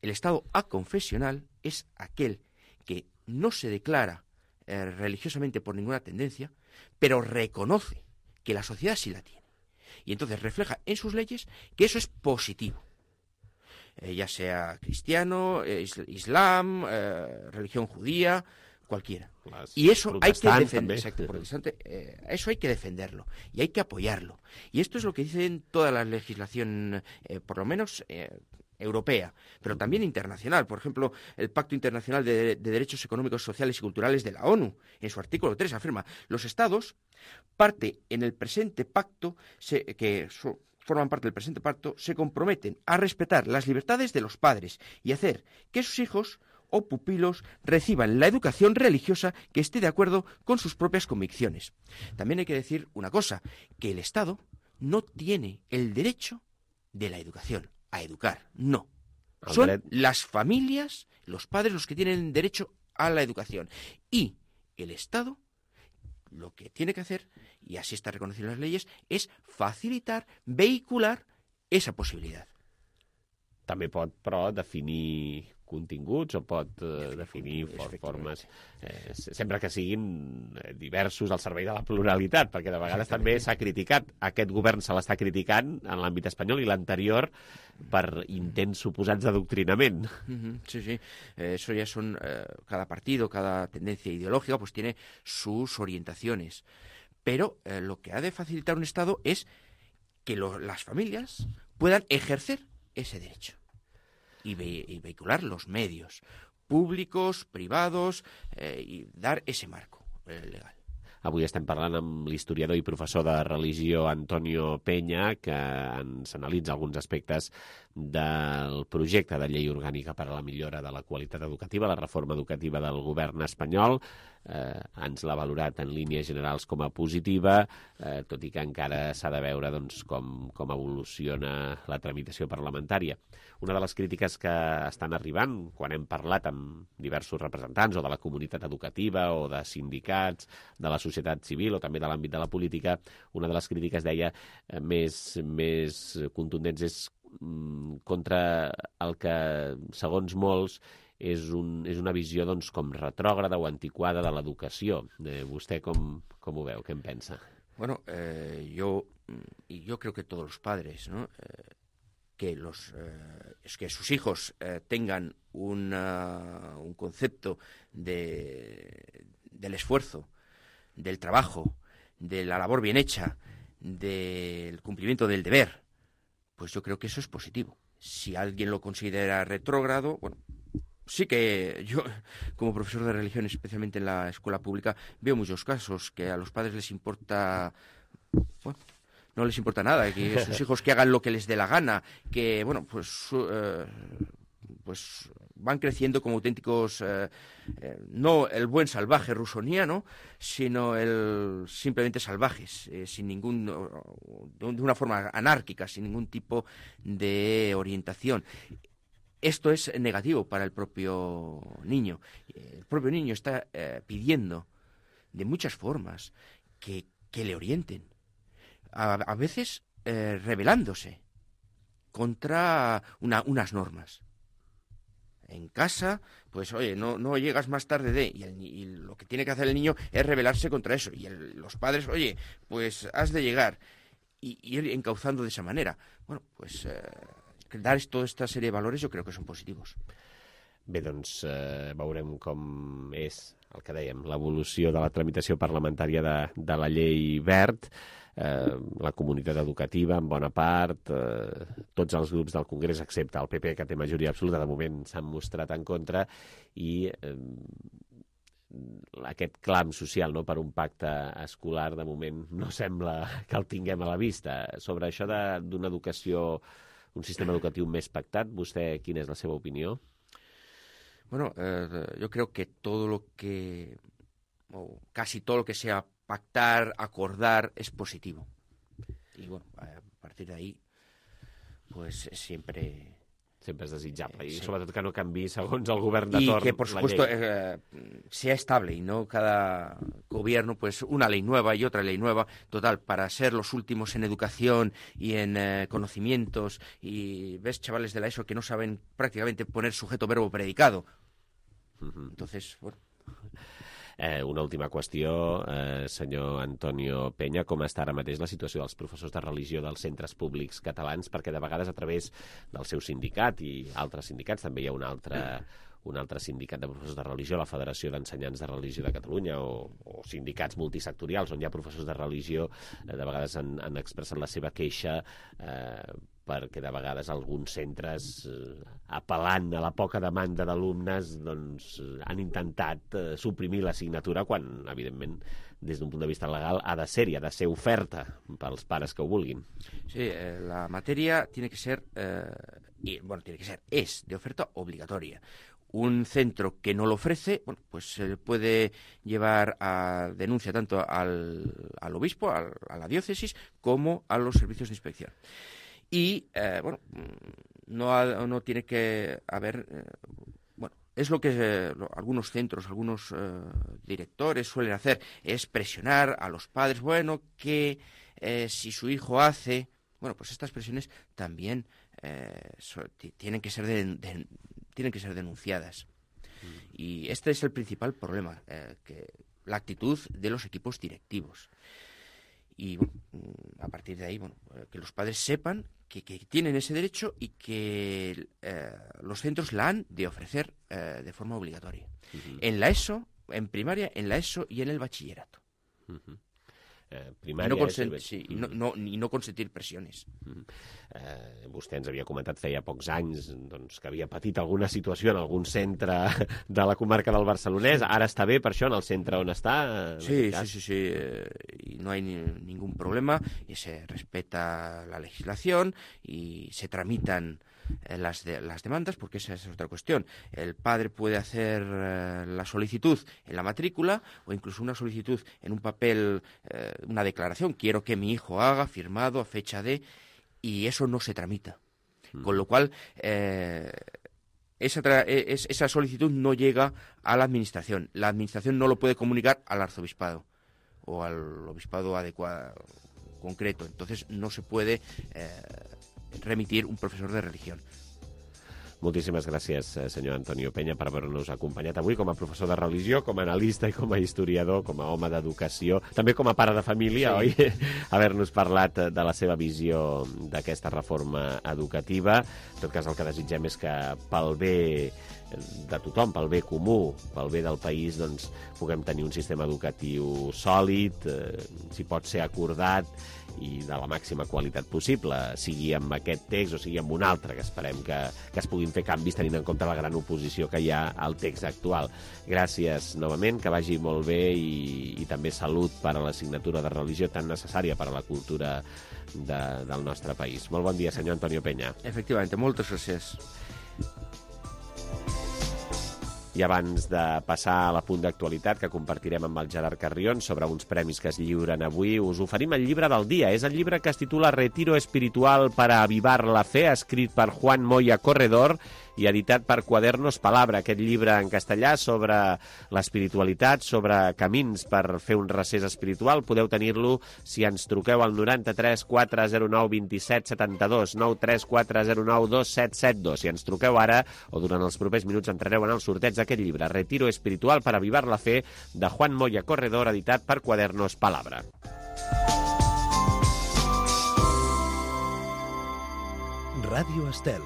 El Estado aconfesional es aquel que no se declara eh, religiosamente por ninguna tendencia, pero reconoce que la sociedad sí la tiene. Y entonces refleja en sus leyes que eso es positivo. Eh, ya sea cristiano, eh, islam, eh, religión judía, cualquiera. Las y eso hay que defender, exacto, protestante, eh, eso hay que defenderlo y hay que apoyarlo. Y esto es lo que dicen toda la legislación, eh, por lo menos eh, europea, pero también internacional. Por ejemplo, el Pacto Internacional de, de Derechos Económicos, Sociales y Culturales de la ONU, en su artículo tres, afirma: los Estados, parte en el presente pacto, se, que so, forman parte del presente pacto, se comprometen a respetar las libertades de los padres y hacer que sus hijos o pupilos reciban la educación religiosa que esté de acuerdo con sus propias convicciones. También hay que decir una cosa, que el Estado no tiene el derecho de la educación, a educar, no. Son las familias, los padres los que tienen derecho a la educación. Y el Estado lo que tiene que hacer, y así está reconocido en las leyes, es facilitar, vehicular esa possibilitat. També pot, però, definir continguts o pot eh, definir for formes, eh, sempre que siguin diversos al servei de la pluralitat, perquè de vegades també s'ha criticat, aquest govern se l'està criticant en l'àmbit espanyol i l'anterior per intents suposats d'adoctrinament. Uh-huh, sí, sí, eh, eso ya son, eh, cada partido, cada tendencia ideológica pues tiene sus orientaciones, pero eh, lo que ha de facilitar un Estado es que lo, las familias puedan ejercer ese derecho y, ve, y vehicular los medios públicos, privados, eh, y dar ese marco eh, legal. Avui estem parlant amb l'historiador i professor de religió Antonio Peña, que ens analitza alguns aspectes del projecte de llei orgànica per a la millora de la qualitat educativa, la reforma educativa del govern espanyol. Eh, ens l'ha valorat en línies generals com a positiva, eh, tot i que encara s'ha de veure doncs, com, com evoluciona la tramitació parlamentària. Una de les crítiques que estan arribant, quan hem parlat amb diversos representants o de la comunitat educativa o de sindicats, de la societat civil o també de l'àmbit de la política, una de les crítiques, deia, eh, més, més contundents és mm, contra el que, segons molts, és, un, és una visió doncs, com retrògrada o antiquada de l'educació. Eh, vostè com, com ho veu? Què en pensa? Bueno, eh, yo, y yo creo que todos los padres, ¿no? Eh, que los eh, es que sus hijos eh, tengan una, un concepto de, del esfuerzo, del trabajo, de la labor bien hecha, del cumplimiento del deber, pues yo creo que eso es positivo. Si alguien lo considera retrógrado, bueno, sí que yo, como profesor de religión, especialmente en la escuela pública, veo muchos casos que a los padres les importa, bueno, no les importa nada, que sus hijos que hagan lo que les dé la gana, que, bueno, pues, eh, pues van creciendo como auténticos, eh, eh, no el buen salvaje rusoniano, sino el simplemente salvajes, eh, sin ningún, de una forma anárquica, sin ningún tipo de orientación. Esto es negativo para el propio niño. El propio niño está eh, pidiendo de muchas formas que, que le orienten. A, a veces eh, rebelándose contra una, unas normas. En casa, pues oye, no, no llegas más tarde de... Y, el, y lo que tiene que hacer el niño es rebelarse contra eso. Y el, los padres, oye, pues has de llegar y, y ir encauzando de esa manera. Bueno, pues eh, dar toda esta serie de valores yo creo que son positivos. Bé, doncs eh, veurem com és el que dèiem, l'evolució de la tramitació parlamentària de, de la llei Wert. Eh, la comunitat educativa, en bona part, eh, tots els grups del Congrés, excepte el P P, que té majoria absoluta, de moment s'han mostrat en contra, i eh, aquest clam social, no?, per un pacte escolar, de moment no sembla que el tinguem a la vista. Sobre això d'una educació, un sistema educatiu més pactat, vostè, quina es la seva opinión? Bueno, eh, yo creo que todo lo que, o casi todo lo que sea pactar, acordar, es positivo. Y bueno, a partir de ahí, pues siempre... Siempre es desitjable, eh, y sí. sobretot que no canvi segons el govern de y torn. que, por supuesto, eh, sea estable y no cada gobierno, pues una ley nueva y otra ley nueva. Total, para ser los últimos en educación y en eh, conocimientos, y ves chavales de la ESO que no saben prácticamente poner sujeto, verbo, predicado. Uh-huh. Entonces, bueno... Eh, una última qüestió, eh, senyor Antonio Peña, com està ara mateix la situació dels professors de religió dels centres públics catalans? Perquè de vegades a través del seu sindicat i altres sindicats, també hi ha un altre, un altre sindicat de professors de religió, la Federació d'Ensenyants de Religió de Catalunya, o, o sindicats multisectorials on hi ha professors de religió, eh, de vegades han, han expressat la seva queixa eh, perquè de vegades alguns centres, eh, apel·lant a la poca demanda d'alumnes, doncs han intentat eh, suprimir l'assignatura quan, evidentment, des d'un punt de vista legal ha de ser i ha de ser oferta pels pares que ho vulguin. Sí, eh, la materia tiene que ser, eh, y, bueno, tiene que ser, es de oferta obligatoria. Un centro que no lo ofrece, bueno, pues se puede llevar a denuncia tanto al, al obispo, al, a la diócesis, como a los servicios de inspección. Y, eh, bueno, no, ha, no tiene que haber... Eh, bueno, es lo que eh, lo, algunos centros, algunos eh, directores suelen hacer, es presionar a los padres, bueno, que eh, si su hijo hace... Bueno, pues estas presiones también eh, so, tienen que ser de, de, tienen que ser denunciadas. Mm. Y este es el principal problema, eh, que la actitud de los equipos directivos. Y bueno, a partir de ahí, bueno, que los padres sepan que, que tienen ese derecho y que eh, los centros la han de ofrecer eh, de forma obligatoria. Uh-huh. En la ESO, en primaria, en la ESO y en el bachillerato. Uh-huh. Eh, primària... I no, consent, sí, i no, no, i no consentir pressiones. Mm. Eh, vostè ens havia comentat feia pocs anys doncs, que havia patit alguna situació en algun centre de la comarca del Barcelonès. Ara està bé per això en el centre on està? Sí, sí, sí, sí. Eh, y no hay ni, ningún problema y se respeta la legislación y se tramitan eh, las, de, las demandas, porque esa es otra cuestión. El padre puede hacer eh, la solicitud en la matrícula o incluso una solicitud en un papel, eh, una declaración, quiero que mi hijo haga, firmado a fecha de, y eso no se tramita. Mm. Con lo cual, eh, esa, tra es, esa solicitud no llega a la administración. La administración no lo puede comunicar al arzobispado o al obispado adecuado, concreto. Entonces no se puede eh, remitir un professor de religió. Moltíssimes gràcies, senyor Antonio Peña, per haver-nos acompanyat avui com a professor de religió, com a analista i com a historiador, com a home d'educació, també com a pare de família, sí. Oi? Haver-nos parlat de la seva visió d'aquesta reforma educativa. En tot cas, el que desitgem és que pel bé de tothom, pel bé comú, pel bé del país, doncs, puguem tenir un sistema educatiu sòlid, eh, si pot ser acordat, i de la màxima qualitat possible, sigui amb aquest text o sigui amb un altre, que esperem que, que es puguin fer canvis tenint en compte la gran oposició que hi ha al text actual. Gràcies novament, que vagi molt bé i, i també salut per a l'assignatura de religió tan necessària per a la cultura de, del nostre país. Molt bon dia, senyor Antonio Peña. Efectivament, moltes gràcies. I abans de passar a la punt d'actualitat que compartirem amb el Gerard Carrion sobre uns premis que es lliuren avui, us oferim el llibre del dia. És el llibre que es titula Retiro espiritual para avivar la fe, escrit per Juan Moya Corredor i editat per Quadernos Palabra. Aquest llibre en castellà sobre l'espiritualitat, sobre camins per fer un recés espiritual, podeu tenir-lo si ens truqueu al noranta-tres quatre zero nou dos set set dos, nou tres quatre zero nou dos set set dos. Si ens truqueu ara o durant els propers minuts entrareu en el sorteig d'aquest llibre, Retiro espiritual para avivar la fe, de Juan Moya Corredor, editat per Quadernos Palabra. Ràdio Estel.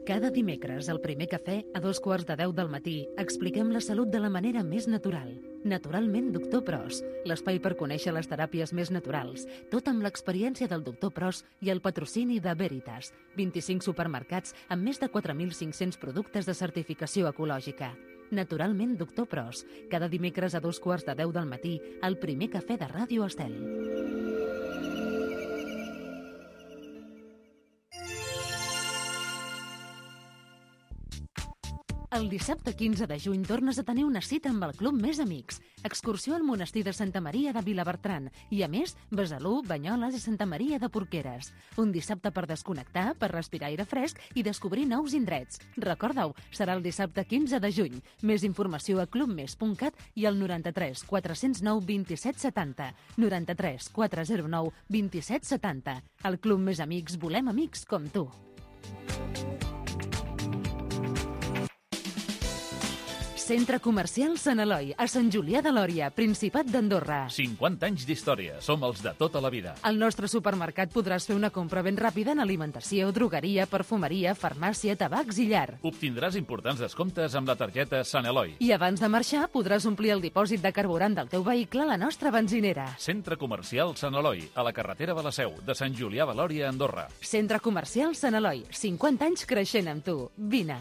Cada dimecres, al primer cafè, a dos quarts de deu del matí, expliquem la salut de la manera més natural. Naturalment, doctor Pros, l'espai per conèixer les teràpies més naturals, tot amb l'experiència del doctor Pros i el patrocini de Veritas, vint-i-cinc supermercats amb més de quatre mil cinc-cents productes de certificació ecològica. Naturalment, doctor Pros. Cada dimecres a dos quarts de deu del matí, el primer cafè de Ràdio Estel. El dissabte quinze de juny tornes a tenir una cita amb el Club Més Amics. Excursió al monestir de Santa Maria de Vilabertran i, a més, Besalú, Banyoles i Santa Maria de Porqueres. Un dissabte per desconnectar, per respirar aire fresc i descobrir nous indrets. Recorda-ho, serà el dissabte quinze de juny. Més informació a clubmes punt cat i al noranta-tres quatre zero nou vint-i-set setanta. noranta-tres quatre zero nou vint-i-set setanta. Al Club Més Amics volem amics com tu. Centre Comercial Sant Eloi, a Sant Julià de Lòria, Principat d'Andorra. cinquanta anys d'història. Som els de tota la vida. Al nostre supermercat podràs fer una compra ben ràpida en alimentació, drogueria, perfumeria, farmàcia, tabacs i llar. Obtindràs importants descomptes amb la targeta Sant Eloi. I abans de marxar podràs omplir el dipòsit de carburant del teu vehicle a la nostra benzinera. Centre Comercial Sant Eloi, a la carretera de la Seu, de Sant Julià de Lòria, Andorra. Centre Comercial Sant Eloi, cinquanta anys creixent amb tu. Vine.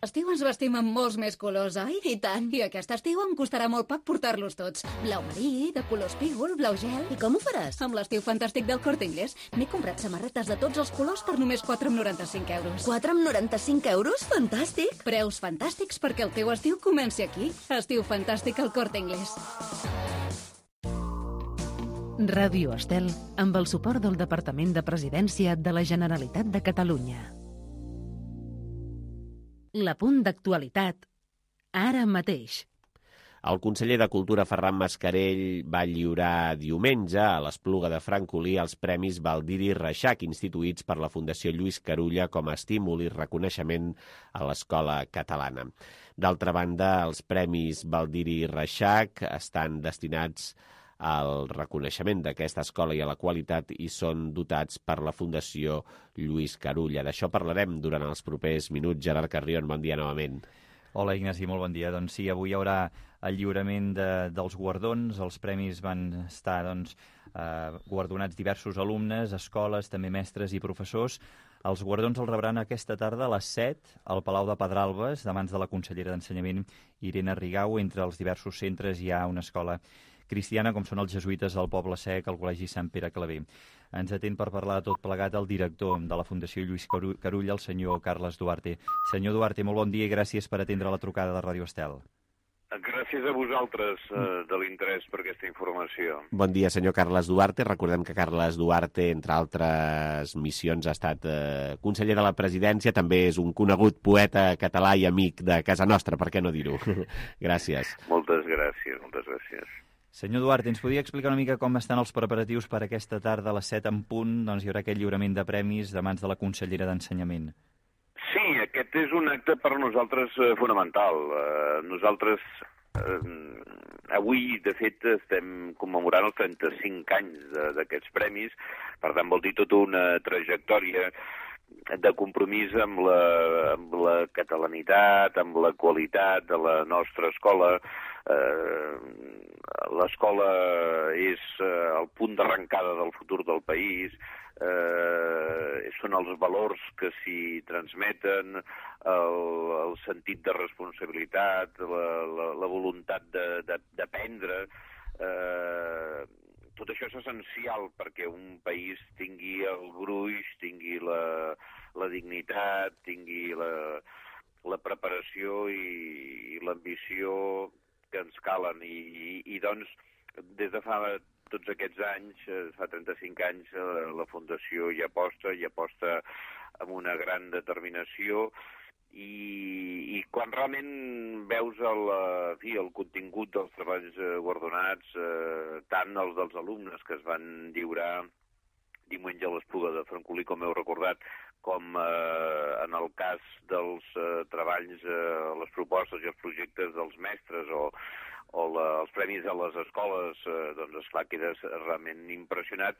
Estiu ens vestim amb molts més colors, oi? I tant. I aquest estiu em costarà molt poc portar-los tots. Blau marí, de color espígol, blau gel... I com ho faràs? Amb l'estiu fantàstic del Corte Inglés. M'he comprat samarretes de tots els colors per només quatre coma noranta-cinc euros. quatre coma noranta-cinc euros? Fantàstic! Preus fantàstics perquè el teu estiu comenci aquí. Estiu fantàstic al Corte Inglés. Ràdio Estel, amb el suport del Departament de Presidència de la Generalitat de Catalunya. L'apunt d'actualitat, ara mateix. El conseller de Cultura, Ferran Mascarell, va lliurar diumenge a l'Espluga de Francolí els Premis Baldiri Reixac, instituïts per la Fundació Lluís Carulla com a estímul i reconeixement a l'escola catalana. D'altra banda, els Premis Baldiri Reixac estan destinats al reconeixement d'aquesta escola i a la qualitat i són dotats per la Fundació Lluís Carulla. D'això parlarem durant els propers minuts. Gerard Carrion, bon dia novament. Hola, Ignasi, molt bon dia. Doncs sí, avui hi haurà el lliurament de, dels guardons. Els premis van estar doncs, eh, guardonats diversos alumnes, escoles, també mestres i professors. Els guardons els rebran aquesta tarda a les set al Palau de Pedralbes, de mans de la consellera d'Ensenyament, Irene Rigau. Entre els diversos centres hi ha una escola cristiana, com són els jesuïtes del Poble Sec, el Col·legi Sant Pere Claver. Ens atén per parlar de tot plegat el director de la Fundació Lluís Carulla, el senyor Carles Duarte. Senyor Duarte, molt bon dia i gràcies per atendre la trucada de Ràdio Estel. Gràcies a vosaltres eh, de l'interès per aquesta informació. Bon dia, senyor Carles Duarte. Recordem que Carles Duarte, entre altres missions, ha estat eh, conseller de la presidència, també és un conegut poeta català i amic de casa nostra, per què no dir-ho? Gràcies. Moltes gràcies, moltes gràcies. Senyor Duarte, ens podia explicar una mica com estan els preparatius per aquesta tarda a les set en punt? Doncs hi haurà aquest lliurament de premis de mans de la consellera d'Ensenyament. Sí, aquest és un acte per nosaltres eh, fonamental. Eh, nosaltres eh, avui, de fet, estem commemorant els trenta-cinc anys d'aquests premis, per tant vol dir tota una trajectòria de compromís amb la, amb la catalanitat, amb la qualitat de la nostra escola. Eh, l'escola és eh, el punt d'arrencada del futur del país, eh, són els valors que s'hi transmeten, el, el sentit de responsabilitat, la, la, la voluntat d'aprendre. Eh, tot això és essencial perquè un país tingui el gruix, tingui la, la dignitat, tingui la, la preparació i, i l'ambició que ens calen. I, i, i doncs, des de fa tots aquests anys, fa trenta-cinc anys, la Fundació hi aposta, hi aposta amb una gran determinació, i, i quan realment veus el, fi, el contingut dels treballs guardonats, eh, tant els dels alumnes que es van lliurar diumenge a l'Espluga de Francolí, com heu recordat, com eh, en el cas dels eh, treballs, eh, les propostes i els projectes dels mestres o, o la, els premis a les escoles, eh, doncs esclar, quedes realment impressionat.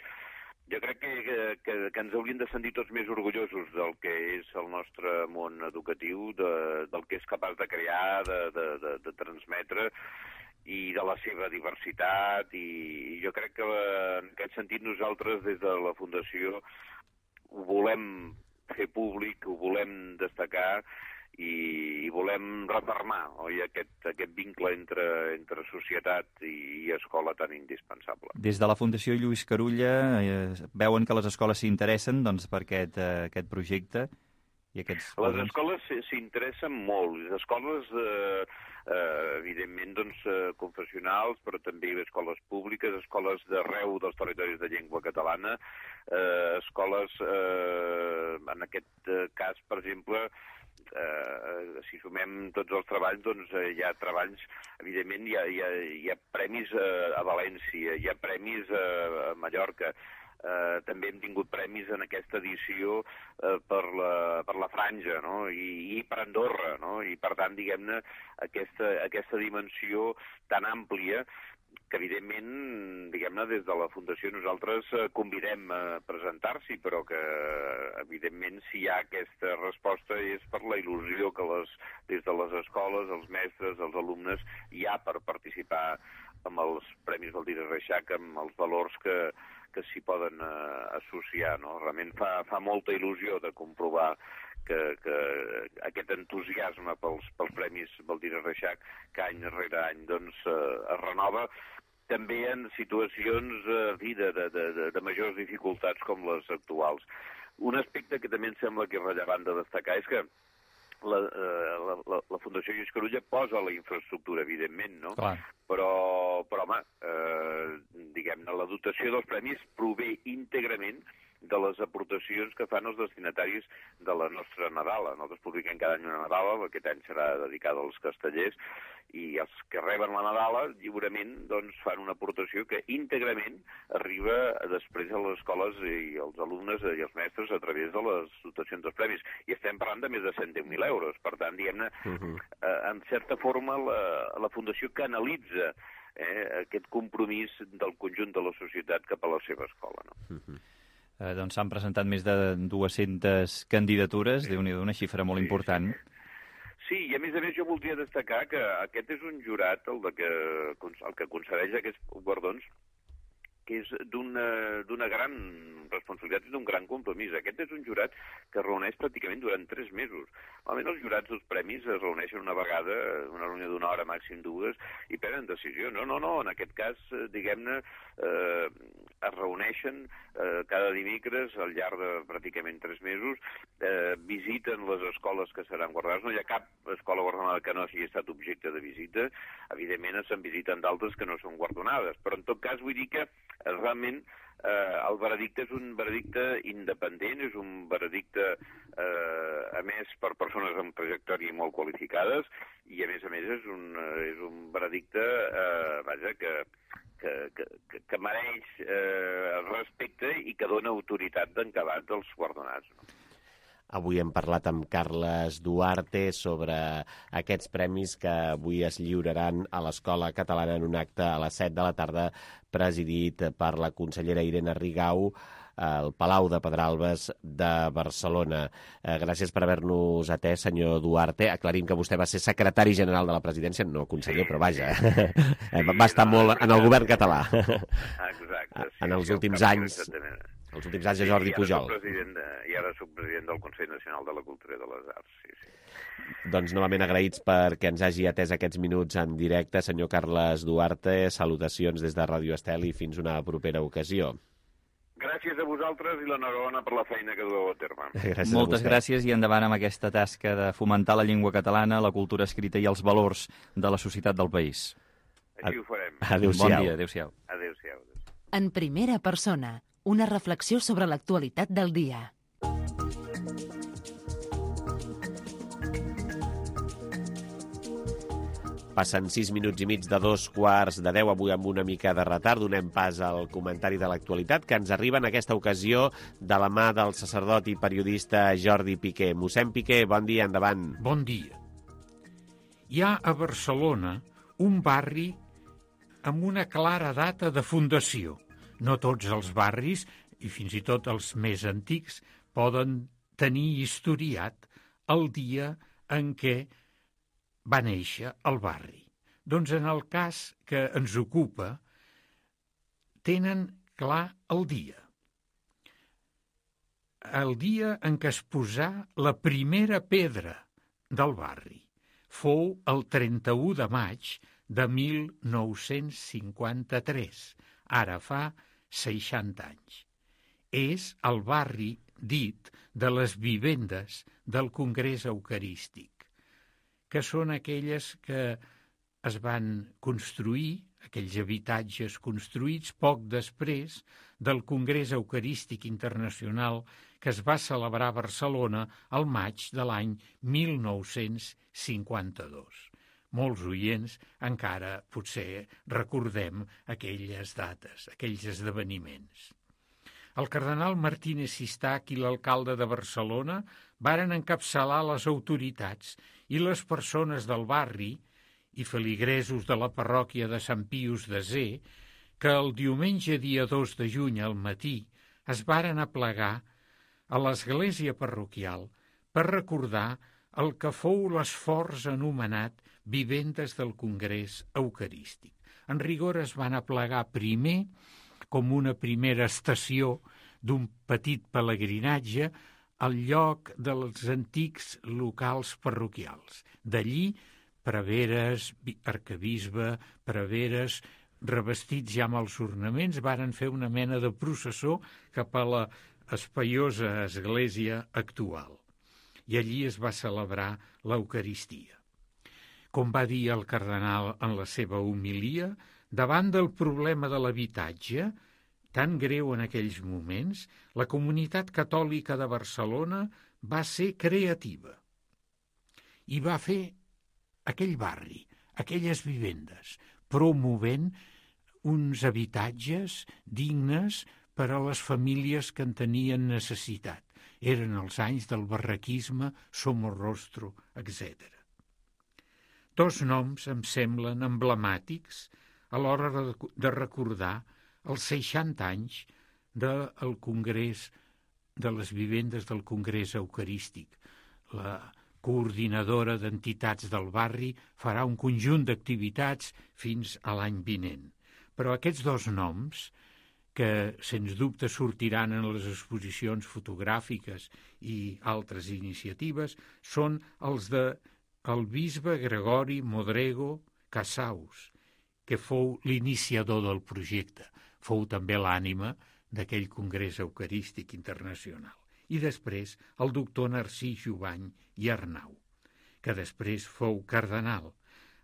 Jo crec que, que, que ens hauríem de sentir tots més orgullosos del que és el nostre món educatiu, de, del que és capaç de crear, de, de, de, de transmetre, i de la seva diversitat, i jo crec que en aquest sentit nosaltres des de la Fundació ho volem fer públic, ho volem destacar, i, i volem refermar, oi, aquest, aquest vincle entre, entre societat i, i escola tan indispensable. Des de la Fundació Lluís Carulla eh, veuen que les escoles s'interessen doncs, per aquest, eh, aquest projecte? I aquests... Les escoles s'interessen molt. Les escoles, eh, eh, evidentment, doncs, eh, confessionals, però també escoles públiques, escoles d'arreu dels territoris de llengua catalana, eh, escoles, eh, en aquest eh, cas, per exemple, eh, si sumem tots els treballs, doncs eh, hi ha treballs, evidentment, hi ha, hi ha, hi ha premis eh, a València, hi ha premis eh, a Mallorca. Uh, també hem tingut premis en aquesta edició uh, per, la, per la Franja, no? I, i per Andorra, no? I per tant, diguem-ne, aquesta, aquesta dimensió tan àmplia que, evidentment, diguem-ne, des de la Fundació nosaltres uh, convidem a presentar-s'hi, però que, evidentment, si hi ha aquesta resposta és per la il·lusió que les, des de les escoles, els mestres, els alumnes, hi ha per participar amb els Premis Baldiri Reixac, amb els valors que que s'hi poden eh, associar, no? Realment fa, fa molta il·lusió de comprovar que, que aquest entusiasme pels, pels Premis Baldiri Reixac, que any rere any doncs, eh, es renova, també en situacions eh, de, de, de, de majors dificultats com les actuals. Un aspecte que també em sembla que és rellevant de destacar és que La, la, la, la Fundació Lluís Carulla posa la infraestructura, evidentment, no? Clar. Però, però home, eh, diguem-ne, la dotació dels premis prové íntegrament de les aportacions que fan els destinataris de la nostra Nadala. Nosaltres publiquem cada any una Nadala, aquest any serà dedicada als castellers, i els que reben la Nadala lliurement doncs, fan una aportació que íntegrament arriba després a les escoles i als alumnes i als mestres a través de les dotacions dels premis. I estem parlant de més de cent deu mil euros. Per tant, diguem-ne, uh-huh. eh, en certa forma la, la Fundació canalitza eh, aquest compromís del conjunt de la societat cap a la seva escola. No? Uh-huh. Eh, doncs s'han presentat més de dues-centes candidatures, sí. Déu-n'hi-do, una xifra molt sí, important. Sí. Sí, i a més a més jo voldria destacar que aquest és un jurat, el, de que, el que concedeix aquests guardons, que és d'una gran responsabilitat i d'un gran compromís. Aquest és un jurat que es reuneix pràcticament durant tres mesos. Normalment els jurats dels premis es reuneixen una vegada, una reunió d'una hora, màxim dues, i prenen decisió. No, no, no, en aquest cas, diguem-ne, eh, es reuneixen eh, cada dimecres al llarg de pràcticament tres mesos, eh, visiten les escoles que seran guardonades. No hi ha cap escola guardonada que no hagi estat objecte de visita. Evidentment, se'n visiten d'altres que no són guardonades. Però, en tot cas, vull dir que realment eh, el veredicte és un veredicte independent, és un veredicte eh, emès per persones amb trajectòria molt qualificades i, a més a més, és un, és un veredicte eh, vaja, que, que, que, que mereix eh, respecte i que dona autoritat d'encabat als guardonats. No? Avui hem parlat amb Carles Duarte sobre aquests premis que avui es lliuraran a l'Escola Catalana en un acte a les set de la tarda presidit per la consellera Irene Rigau al Palau de Pedralbes de Barcelona. Eh, gràcies per haver-nos atès, senyor Duarte. Aclarim que vostè va ser secretari general de la presidència, no conseller, però vaja, sí, va estar no, molt en el govern català. Exacte. Sí, en els últims anys... Els últims anys de Jordi sí, Pujol. De, I ara soc president del Consell Nacional de la Cultura i de les Arts. Sí, sí. Doncs novament agraïts perquè ens hagi atès aquests minuts en directe. Senyor Carles Duarte, salutacions des de Ràdio Estel i fins una propera ocasió. Gràcies a vosaltres i l'enhorabona per la feina que dueu a terme. Gràcies Moltes gràcies i endavant amb aquesta tasca de fomentar la llengua catalana, la cultura escrita i els valors de la societat del país. Així ho farem. Adéu-siau. Bon dia, adéu-siau. Adéu-siau. En primera persona, una reflexió sobre l'actualitat del dia. Passen sis minuts i mig de dos quarts de deu, avui amb una mica de retard. Donem pas al comentari de l'actualitat que ens arriba en aquesta ocasió de la mà del sacerdot i periodista Jordi Piqué. Mossèn Piqué, bon dia, endavant. Bon dia. Hi ha a Barcelona un barri amb una clara data de fundació. No tots els barris, i fins i tot els més antics, poden tenir historiat el dia en què va néixer el barri. Doncs en el cas que ens ocupa, tenen clar el dia. El dia en què es posà la primera pedra del barri. Fou el trenta-u de maig de mil nou-cents cinquanta-tres, ara fa seixanta anys. És el barri dit de les vivendes del Congrés Eucarístic, que són aquelles que es van construir, aquells habitatges construïts poc després del Congrés Eucarístic Internacional que es va celebrar a Barcelona al maig de l'any mil nou-cents cinquanta-dos. Molts oients encara potser recordem aquelles dates, aquells esdeveniments. El cardenal Martínez Sistac i l'alcalde de Barcelona varen encapçalar les autoritats i les persones del barri i feligresos de la parròquia de Sant Pius de Zé, que el diumenge dia dos de juny al matí es varen aplegar a l'església parroquial per recordar el que fou l'esforç anomenat Vivendes del Congrés Eucarístic. En rigor es van aplegar primer com una primera estació d'un petit pelegrinatge al lloc dels antics locals parroquials. D'allí, preveres, arquebisbe, preveres, revestits ja amb els ornaments, varen fer una mena de processó cap a la espaiosa església actual. I allí es va celebrar l'Eucaristia. Com va dir el cardenal en la seva homilia, davant del problema de l'habitatge, tan greu en aquells moments, la comunitat catòlica de Barcelona va ser creativa i va fer aquell barri, aquelles vivendes, promovent uns habitatges dignes per a les famílies que en tenien necessitat. Eren els anys del barraquisme, Somorrostro, etcètera. Dos noms em semblen emblemàtics a l'hora de recordar els seixanta anys del Congrés, de les vivendes del Congrés Eucarístic. La coordinadora d'entitats del barri farà un conjunt d'activitats fins a l'any vinent. Però aquests dos noms, que sens dubte sortiran en les exposicions fotogràfiques i altres iniciatives, són els de el bisbe Gregori Modrego Casaus, que fou l'iniciador del projecte, fou també l'ànima d'aquell Congrés Eucarístic Internacional. I després el doctor Narcís Jubany i Arnau, que després fou cardenal.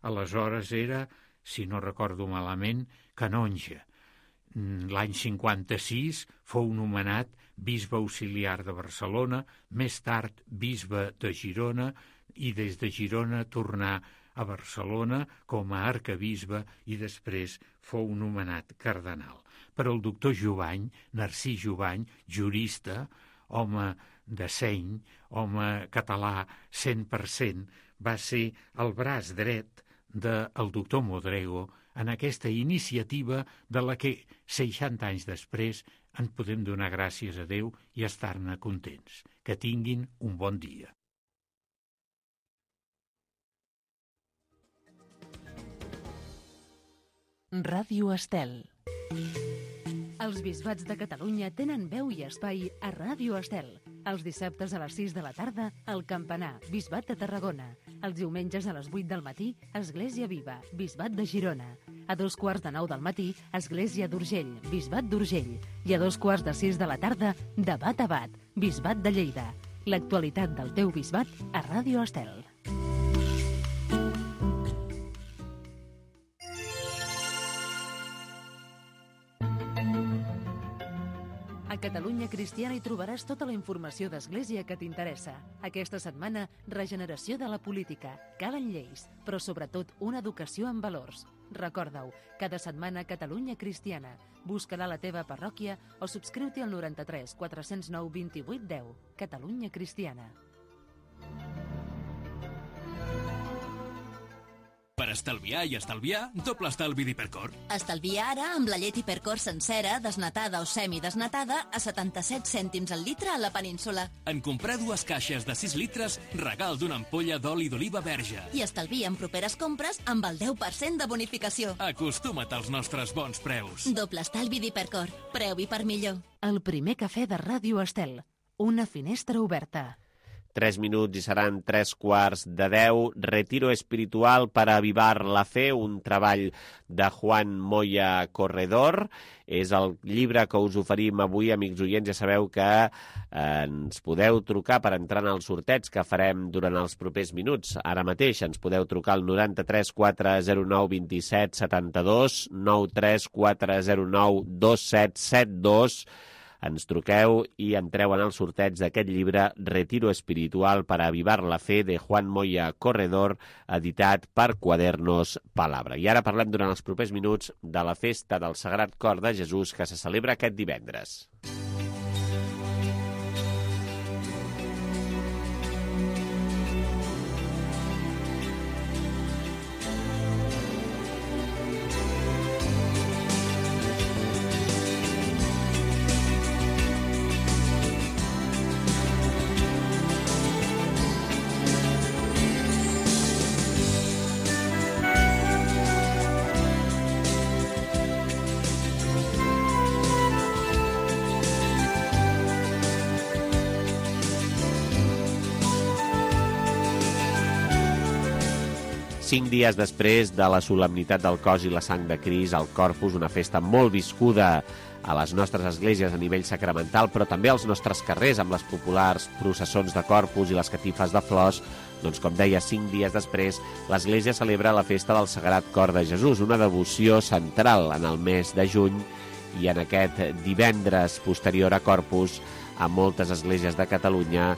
Aleshores era, si no recordo malament, canonge. L'any cinquanta-sis fou nomenat bisbe auxiliar de Barcelona, més tard bisbe de Girona, i des de Girona tornà a Barcelona com a arquebisbe i després fou nomenat cardenal. Però el doctor Jubany, Narcís Jubany, jurista, home de seny, home català cent per cent, va ser el braç dret del doctor Modrego en aquesta iniciativa de la que seixanta anys després en podem donar gràcies a Déu i estar-ne contents. Que tinguin un bon dia. Ràdio Estel. Els bisbats de Catalunya tenen veu i espai a Ràdio Estel. Els dissabtes a les sis de la tarda, el Campanar, Bisbat de Tarragona. Els diumenges a les vuit del matí, Església Viva, Bisbat de Girona. A dos quarts de nou del matí, Església d'Urgell, Bisbat d'Urgell. I a dos quarts de sis de la tarda, Debat a Bat, Bisbat de Lleida. L'actualitat del teu bisbat a Ràdio Estel. A Catalunya Cristiana hi trobaràs tota la informació d'Església que t'interessa. Aquesta setmana, regeneració de la política. Calen lleis, però sobretot una educació en valors. Recorda-ho, cada setmana Catalunya Cristiana. Busca-la a la teva parròquia o subscriu-t'hi al noranta-tres quatre cents nou vint-i-vuit deu. Catalunya Cristiana. Per estalviar i estalviar, doble estalvi d'Hipercor. Estalvia ara amb la llet Hipercor sencera, desnatada o semidesnatada, a setanta-set cèntims al litre a la península. En comprar dues caixes de sis litres, regal d'una ampolla d'oli d'oliva verge. I estalvia en properes compres amb el deu per cent de bonificació. Acostuma't als nostres bons preus. Doble estalvi d'Hipercor. Preu i per millor. El primer cafè de Ràdio Estel. Una finestra oberta. Tres minuts i seran tres quarts de deu. Retiro espiritual para avivar la fe, un treball de Juan Moya Corredor. És el llibre que us oferim avui, amics oients. Ja sabeu que eh, ens podeu trucar per entrar en els sorteigs que farem durant els propers minuts. Ara mateix ens podeu trucar al noranta-tres quatre zero nou dos set set dos, nou tres quatre zero nou dos set set dos. Ens truqueu i entreu en el sorteig d'aquest llibre Retiro espiritual para avivar la fe de Juan Moya Corredor, editat per Quadernos Palabra. I ara parlem durant els propers minuts de la festa del Sagrat Cor de Jesús que se celebra aquest divendres. Cinc dies després de la solemnitat del cos i la sang de Crist, el Corpus, una festa molt viscuda a les nostres esglésies a nivell sacramental, però també als nostres carrers, amb les populars processons de Corpus i les catifes de flors, doncs, com deia, cinc dies després, l'Església celebra la festa del Sagrat Cor de Jesús, una devoció central en el mes de juny, i en aquest divendres posterior a Corpus, a moltes esglésies de Catalunya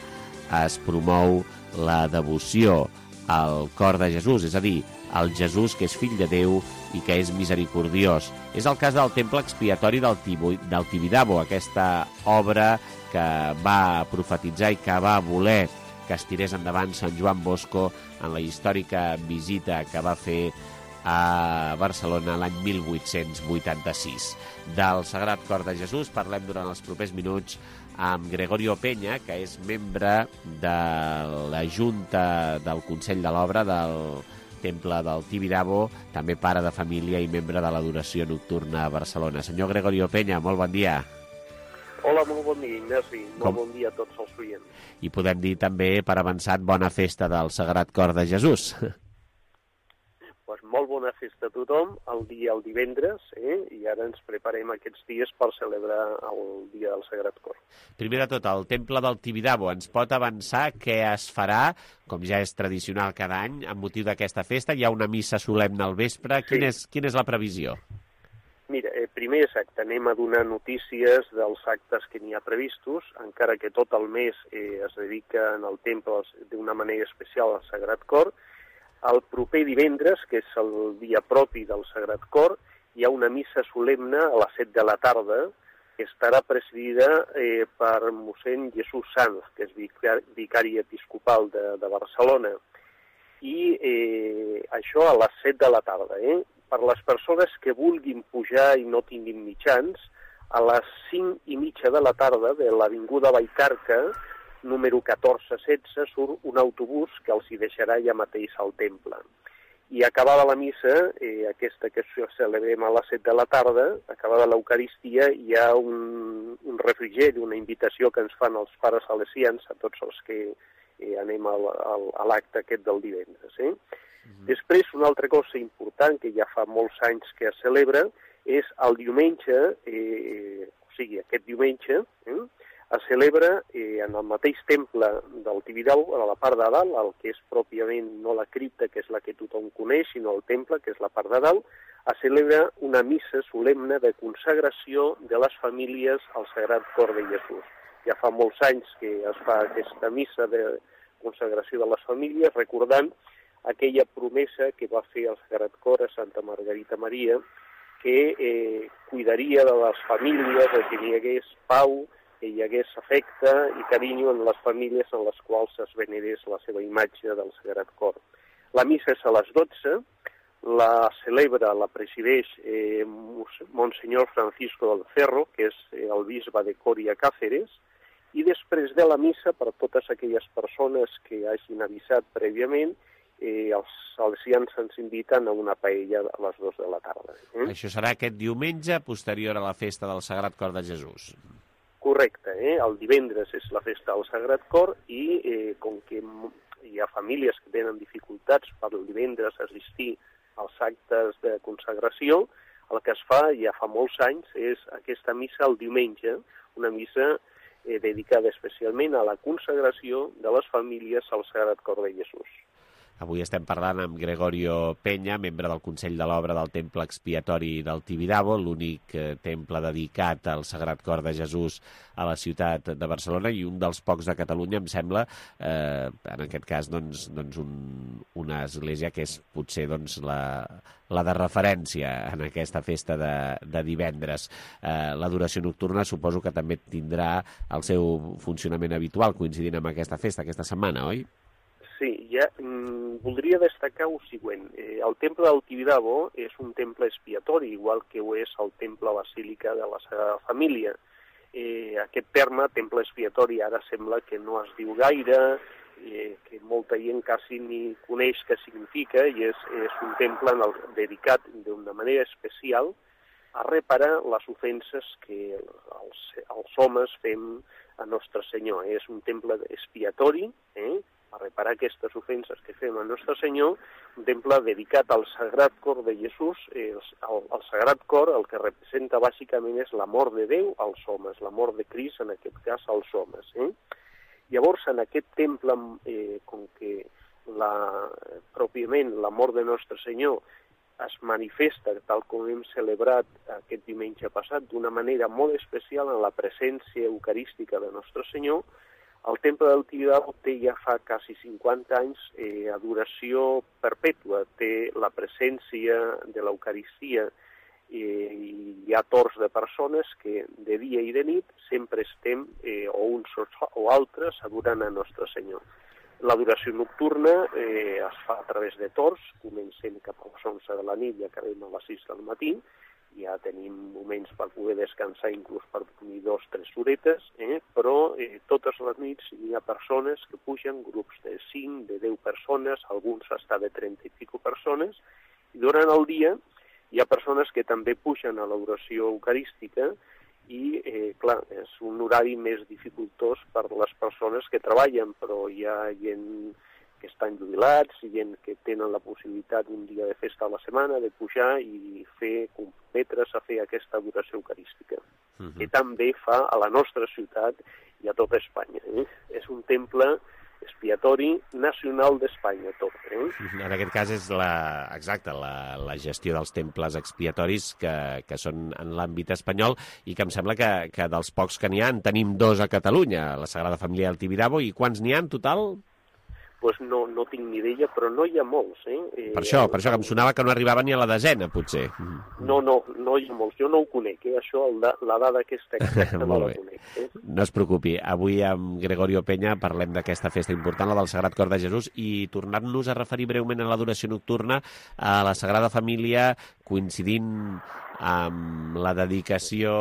es promou la devoció al cor de Jesús, és a dir, el Jesús que és fill de Déu i que és misericordiós. És el cas del temple expiatori del, Tibu, del Tibidabo, aquesta obra que va profetitzar i que va voler que es tirés endavant Sant Joan Bosco en la històrica visita que va fer a Barcelona l'any mil vuit-cents vuitanta-sis. Del Sagrat Cor de Jesús parlem durant els propers minuts amb Gregorio Peña, que és membre de la Junta del Consell de l'Obra del Temple del Tibidabo, també pare de família i membre de l'Adoració Nocturna a Barcelona. Senyor Gregorio Peña, molt bon dia. Hola, molt bon dia, Ignasi. Molt Com? bon dia a tots els oients. I podem dir també, per avançat, bona festa del Sagrat Cor de Jesús. Pues molt bona festa a tothom, el dia el divendres, eh? I ara ens preparem aquests dies per celebrar el dia del Sagrat Cor. Primer de tot, el Temple del Tibidabo ens pot avançar què es farà, com ja és tradicional cada any, amb motiu d'aquesta festa? Hi ha una missa solemne al vespre. Sí. Quina és, quina és la previsió? Mira, eh, primer exacte, anem a donar notícies dels actes que n'hi ha previstos, encara que tot el mes eh, es dedica en el temple d'una manera especial al Sagrat Cor. El proper divendres, que és el dia propi del Sagrat Cor, hi ha una missa solemne a les set de la tarda, que estarà presidida eh, per mossèn Jesús Sanz, que és vicari, vicari episcopal de, de Barcelona. I eh, això a les set de la tarda. Eh? Per les persones que vulguin pujar i no tinguin mitjans, a les cinc i mitja de la tarda de l'avinguda Vallcarca, número catorze setze, surt un autobús que els hi deixarà ja mateix al temple. I acabada la missa, eh, aquesta que celebrem a les set de la tarda, acabada l'Eucaristia, hi ha un, un refrigeri, una invitació que ens fan els pares salesians, a tots els que eh, anem al, al, a l'acte aquest del divendres. Eh? Mm-hmm. Després, una altra cosa important, que ja fa molts anys que es celebra, és el diumenge, eh, o sigui, aquest diumenge, eh, es celebra eh, en el mateix temple del Tibidabo, a la part de dalt, el que és pròpiament no la cripta, que és la que tothom coneix, sinó el temple, que és la part de dalt, es celebra una missa solemne de consagració de les famílies al Sagrat Cor de Jesús. Ja fa molts anys que es fa aquesta missa de consagració de les famílies, recordant aquella promesa que va fer el Sagrat Cor a Santa Margarita Maria, que eh, cuidaria de les famílies, que hi hagués pau, que hi hagués afecte i carinyo en les famílies en les quals es venerés la seva imatge del Sagrat Cor. La missa és a les dotze, la celebra, la presideix eh, Monsenyor Francisco del Cerro, que és eh, el bisbe de Coria Cáceres, i després de la missa, per totes aquelles persones que hagin avisat prèviament, eh, els salesians ens inviten a una paella a les dues de la tarda. Eh? Això serà aquest diumenge, posterior a la festa del Sagrat Cor de Jesús. Correcte, eh? El divendres és la festa del Sagrat Cor i eh, com que hi ha famílies que tenen dificultats per el divendres assistir als actes de consagració, el que es fa ja fa molts anys és aquesta missa el diumenge, una missa eh, dedicada especialment a la consagració de les famílies al Sagrat Cor de Jesús. Avui estem parlant amb Gregorio Peña, membre del Consell de l'Obra del Temple Expiatori del Tibidabo, l'únic eh, temple dedicat al Sagrat Cor de Jesús a la ciutat de Barcelona i un dels pocs de Catalunya, em sembla, eh, en aquest cas, doncs, doncs un, una església que és potser doncs, la, la de referència en aquesta festa de, de divendres. Eh, L'adoració nocturna suposo que també tindrà el seu funcionament habitual coincidint amb aquesta festa, aquesta setmana, oi? Sí, ja mm, voldria destacar el següent. Eh, el temple del Tibidabo és un temple expiatori, igual que ho és el temple basílica de la Sagrada Família. Eh, aquest terme, temple expiatori, ara sembla que no es diu gaire, eh, que molta gent quasi ni coneix què significa, i és, és un temple en el, dedicat d'una manera especial a reparar les ofenses que els, els homes fem a Nostre Senyor. És un temple expiatori, eh? a reparar aquestes ofenses que fem a Nostre Senyor, un temple dedicat al Sagrat Cor de Jesús. El, el, el Sagrat Cor el que representa bàsicament és l'amor de Déu als homes, l'amor de Crist, en aquest cas, als homes. Eh? Llavors, en aquest temple, eh, com que la, pròpiament l'amor de Nostre Senyor es manifesta, tal com hem celebrat aquest diumenge passat, d'una manera molt especial en la presència eucarística de Nostre Senyor, el temple del Tibidabo té ja fa quasi cinquanta anys eh, adoració perpètua, té la presència de l'Eucaristia eh, i hi ha torns de persones que de dia i de nit sempre estem, eh, o uns o altres, adorant a Nostre Senyor. L'adoració nocturna eh, es fa a través de torns, comencem cap a les onze de la nit i acabem a les sis del matí. Ja tenim moments per poder descansar, inclús per dormir dos o tres horetes, eh? però eh, totes les nits hi ha persones que pugen, grups de cinc, de deu persones, alguns fins de trenta i pico persones, i durant el dia hi ha persones que també pugen a l'oració eucarística i, eh, clar, és un horari més dificultós per les persones que treballen, però hi ha gent que estan jubilats, i gent que tenen la possibilitat un dia de festa a la setmana de pujar i fer, comprometre's a fer aquesta adoració eucarística, uh-huh. que també fa a la nostra ciutat i a tota Espanya. Eh? És un temple expiatori nacional d'Espanya, tot. Eh? En aquest cas és la, exacte, la, la gestió dels temples expiatoris que, que són en l'àmbit espanyol i que em sembla que, que dels pocs que n'hi ha en tenim dos a Catalunya, la Sagrada Família del Tibidabo, i quants n'hi ha en total? Pues no, no tinc ni idea, però no hi ha molts. Eh? Per això, per això que em sonava que no arribava ni a la desena, potser. No, no, no hi ha molts. Jo no ho conec, eh? Això, la, la dada aquesta exacta no la conec. Eh? No es preocupi. Avui amb Gregorio Peña parlem d'aquesta festa important, la del Sagrat Cor de Jesús, i tornant-nos a referir breument a l'adoració nocturna a la Sagrada Família, coincidint amb la dedicació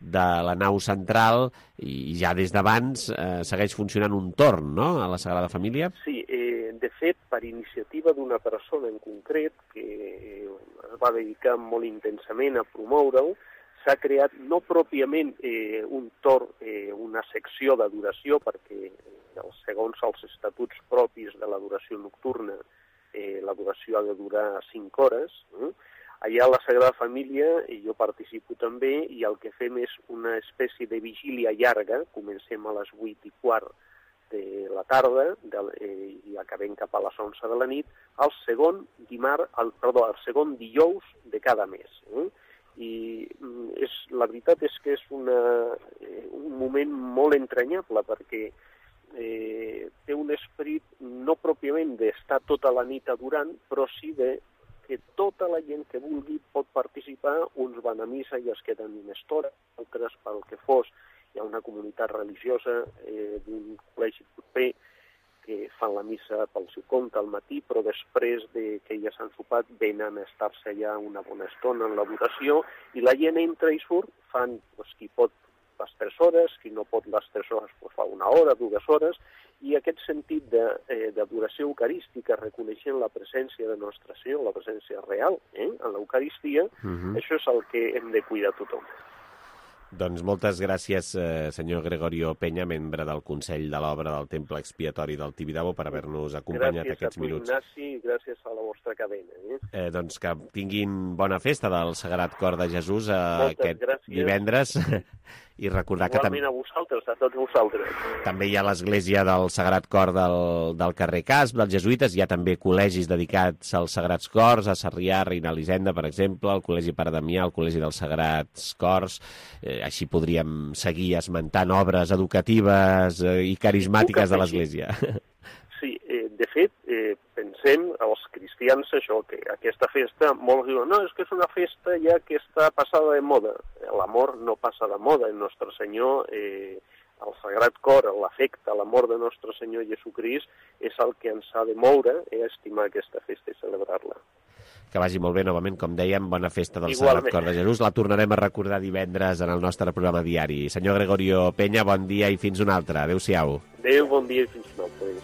de la nau central, i ja des d'abans eh, segueix funcionant un torn, no?, a la Sagrada Família? Sí, eh, de fet, per iniciativa d'una persona en concret que eh, es va dedicar molt intensament a promoure-ho, s'ha creat no pròpiament eh, un torn, eh, una secció d'adoració, perquè eh, segons els estatuts propis de l'adoració nocturna, eh, l'adoració ha de durar cinc hores, eh? Allà a la Sagrada Família, i jo participo també, i el que fem és una espècie de vigília llarga, comencem a les vuit i quart de la tarda de, eh, i acabem cap a les onze de la nit, el segon dimarts, el, perdó, el segon dijous de cada mes. Eh? I és, la veritat és que és una, eh, un moment molt entranyable, perquè eh, té un esperit no pròpiament d'estar tota la nit adorant, però sí de que tota la gent que vulgui pot participar, uns van a missa i es queden una estona, altres pel que fos. Hi ha una comunitat religiosa eh, d'un col·legi proper que fan la missa pel seu compte al matí, però després de que ja s'han sopat venen a estar-se allà una bona estona en l'adoració, i la gent entra i surt, fan, doncs, qui pot les tres hores, qui no pot les tres hores doncs fa una hora, dues hores, i aquest sentit d'adoració eh, eucarística, reconeixent la presència de Nostre Senyor, la presència real eh, en l'Eucaristia, uh-huh. Això és el que hem de cuidar tothom. Doncs moltes gràcies, eh, senyor Gregorio Peña, membre del Consell de l'Obra del Temple Expiatori del Tibidabo, per haver-nos acompanyat gràcies aquests minuts. Gràcies a tu, Ignasi, i gràcies a la vostra cadena. Eh? Eh, doncs que tinguin bona festa del Sagrat Cor de Jesús eh, Moltes aquest gràcies. divendres. I recordar que Igualment a vosaltres, a tots vosaltres. també hi ha l'església del Sagrat Cor del, del carrer Casp, dels Jesuïtes. Hi ha també col·legis dedicats als Sagrats Cors, a Sarrià, Reina Elisenda, per exemple, el Col·legi Pare Damià, el Col·legi dels Sagrats Cors. Eh, així podríem seguir esmentant obres educatives eh, i carismàtiques de l'església. Sí, eh, de fet, eh, pensem, els cristians, això, que aquesta festa, molts diuen, no, és que és una festa ja que està passada de moda. L'amor no passa de moda. El nostre Senyor, eh, el Sagrat Cor, l'afecte, l'amor de nostre Senyor Jesucrist, és el que ens ha de moure eh, a estimar aquesta festa i celebrar-la. Que vagi molt bé, novament, com dèiem, bona festa del Igualment. Sagrat Cor de Jesús. La tornarem a recordar divendres en el nostre programa diari. Senyor Gregorio Peña, bon dia i fins un altre. Adéu-siau. Adéu, bon dia i fins un altre.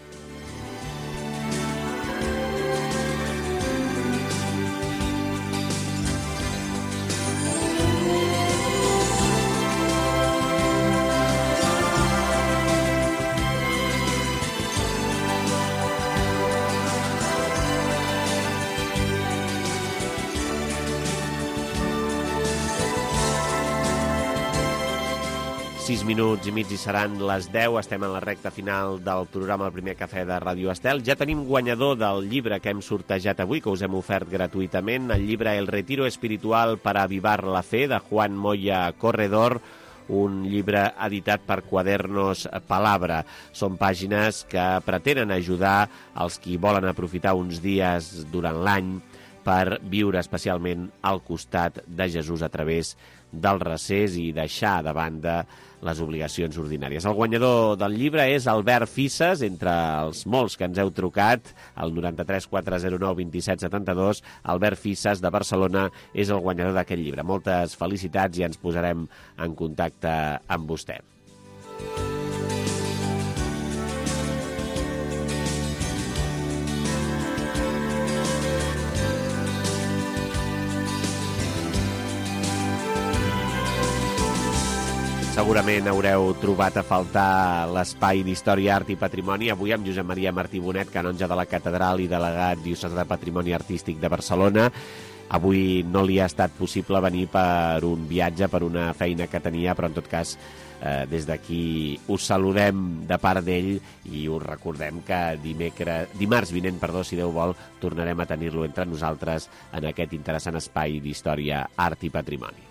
sis minuts i mig i seran les deu. Estem en la recta final del programa El Primer Cafè de Ràdio Estel. Ja tenim guanyador del llibre que hem sortejat avui, que us hem ofert gratuïtament, el llibre El Retiro Espiritual para Avivar la Fe, de Juan Moya Corredor, un llibre editat per Quadernos Palabra. Són pàgines que pretenen ajudar els qui volen aprofitar uns dies durant l'any per viure especialment al costat de Jesús a través del recés i deixar de banda les obligacions ordinàries. El guanyador del llibre és Albert Fisses, entre els molts que ens heu trucat, al noranta-tres quatre zero nou vint set setanta-dos. Albert Fisses, de Barcelona, és el guanyador d'aquest llibre. Moltes felicitats i ens posarem en contacte amb vostè. Segurament haureu trobat a faltar l'espai d'Història, Art i Patrimoni, avui amb Josep Maria Martí Bonet, canonge de la Catedral i delegat diocesà de Patrimoni Artístic de Barcelona. Avui no li ha estat possible venir per un viatge, per una feina que tenia, però en tot cas eh, des d'aquí us saludem de part d'ell i us recordem que dimecres, dimarts vinent, perdó, si Déu vol, tornarem a tenir-lo entre nosaltres en aquest interessant espai d'Història, Art i Patrimoni.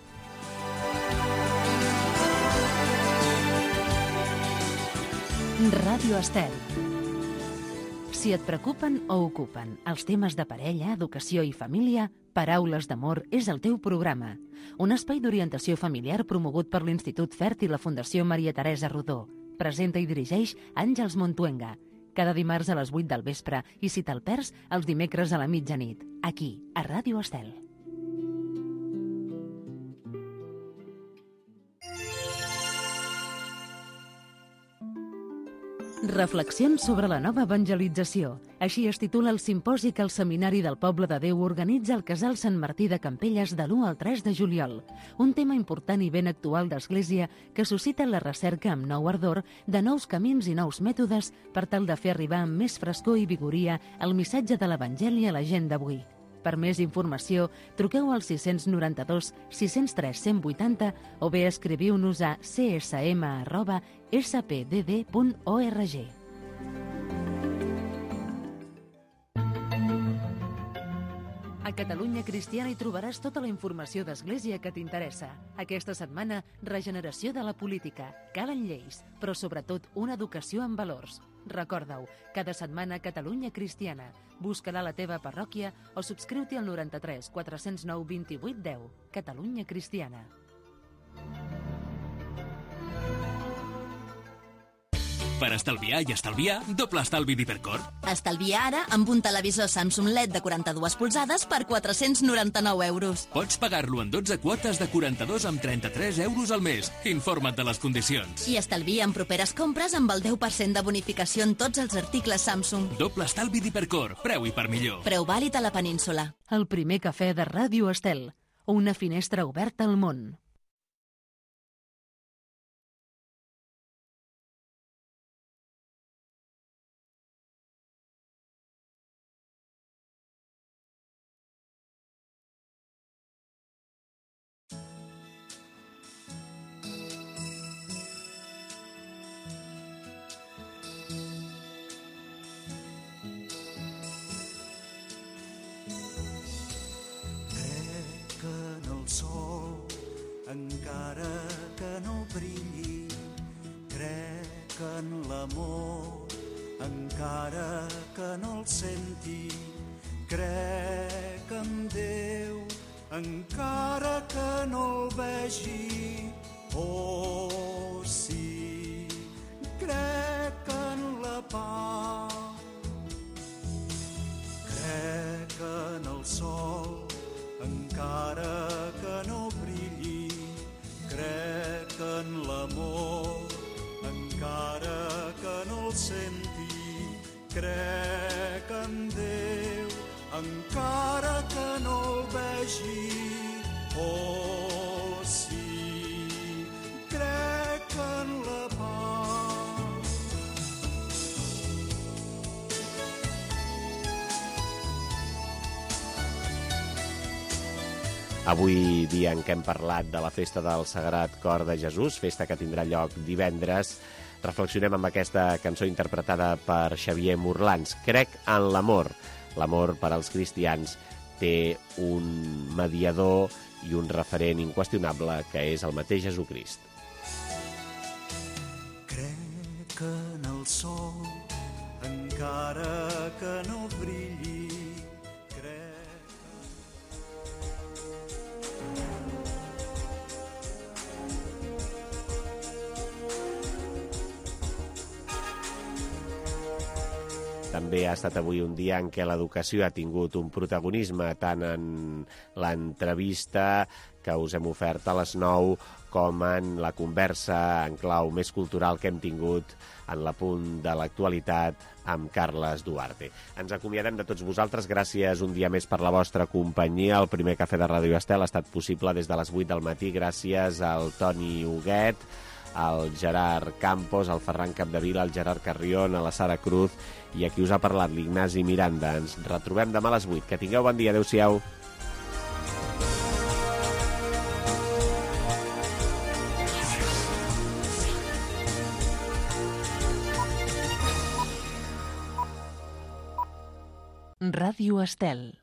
Ràdio Estel. Si et preocupen o ocupen els temes de parella, educació i família, Paraules d'Amor és el teu programa. Un espai d'orientació familiar promogut per l'Institut Fert i la Fundació Maria Teresa Rodó. Presenta i dirigeix Àngels Montuenga. Cada dimarts a les vuit del vespre i si te'l perds, els dimecres a la mitjanit. Aquí, a Ràdio Estel. Reflexions sobre la nova evangelització. Així es titula el simposi que el Seminari del Poble de Déu organitza al Casal Sant Martí de Campelles de l'u al tres de juliol. Un tema important i ben actual d'Església que suscita la recerca amb nou ardor de nous camins i nous mètodes per tal de fer arribar amb més frescor i vigoria el missatge de l'Evangeli a la gent d'avui. Per més informació, truqueu al sis nou dos, sis zero tres, cent vuitanta o bé escriviu-nos a c s m arroba s p d d punt org. A Catalunya Cristiana hi trobaràs tota la informació d'Església que t'interessa. Aquesta setmana, regeneració de la política. Calen lleis, però sobretot una educació amb valors. Recorda-ho, cada setmana Catalunya Cristiana. Busca-la a la teva parròquia o subscriu-t'hi al noranta-tres quatre zero nou vint vuit deu. Catalunya Cristiana. Per estalviar i estalviar, doble estalvi d'Hipercor. Estalvia ara amb un televisor Samsung L E D de quaranta-dues polzades per quatre-cents noranta-nou euros. Pots pagar-lo en dotze quotes de quaranta-dos amb trenta-tres euros al mes. Informa't de les condicions. I estalvia en properes compres amb el deu per cent de bonificació en tots els articles Samsung. Doble estalvi d'Hipercor. Preu i per millor. Preu vàlid a la península. El primer cafè de Ràdio Estel. Una finestra oberta al món. sol, encara que no brilli. Crec en l'amor, encara que no el senti. Crec en Déu, encara que no el vegi. Oh, sí, crec en la pau. Crec en el sol, encara que no brilli. Crec en l'amor, encara que no el senti. Crec en Déu, encara que no el vegi. Oh, sí, crec en la pau. Avui, dia en què hem parlat de la festa del Sagrat Cor de Jesús, festa que tindrà lloc divendres, reflexionem amb aquesta cançó interpretada per Xavier Morlans. Crec en l'amor. L'amor per als cristians té un mediador i un referent inqüestionable, que és el mateix Jesucrist. Crec en el sol, encara que no brilli. També ha estat avui un dia en què l'educació ha tingut un protagonisme tant en l'entrevista que us hem ofert a les nou com en la conversa en clau més cultural que hem tingut en l'apunt de l'actualitat amb Carles Duarte. Ens acomiadem de tots vosaltres. Gràcies un dia més per la vostra companyia. El primer cafè de Ràdio Estel ha estat possible des de les vuit del matí gràcies al Toni Huguet, al Gerard Campos, al Ferran Capdevila, al Gerard Carrión, a la Sara Cruz i a qui us ha parlat, l'Ignasi Miranda. Ens retrobem demà a les vuit. Que tingueu bon dia. Adéu-siau. Ràdio Estel.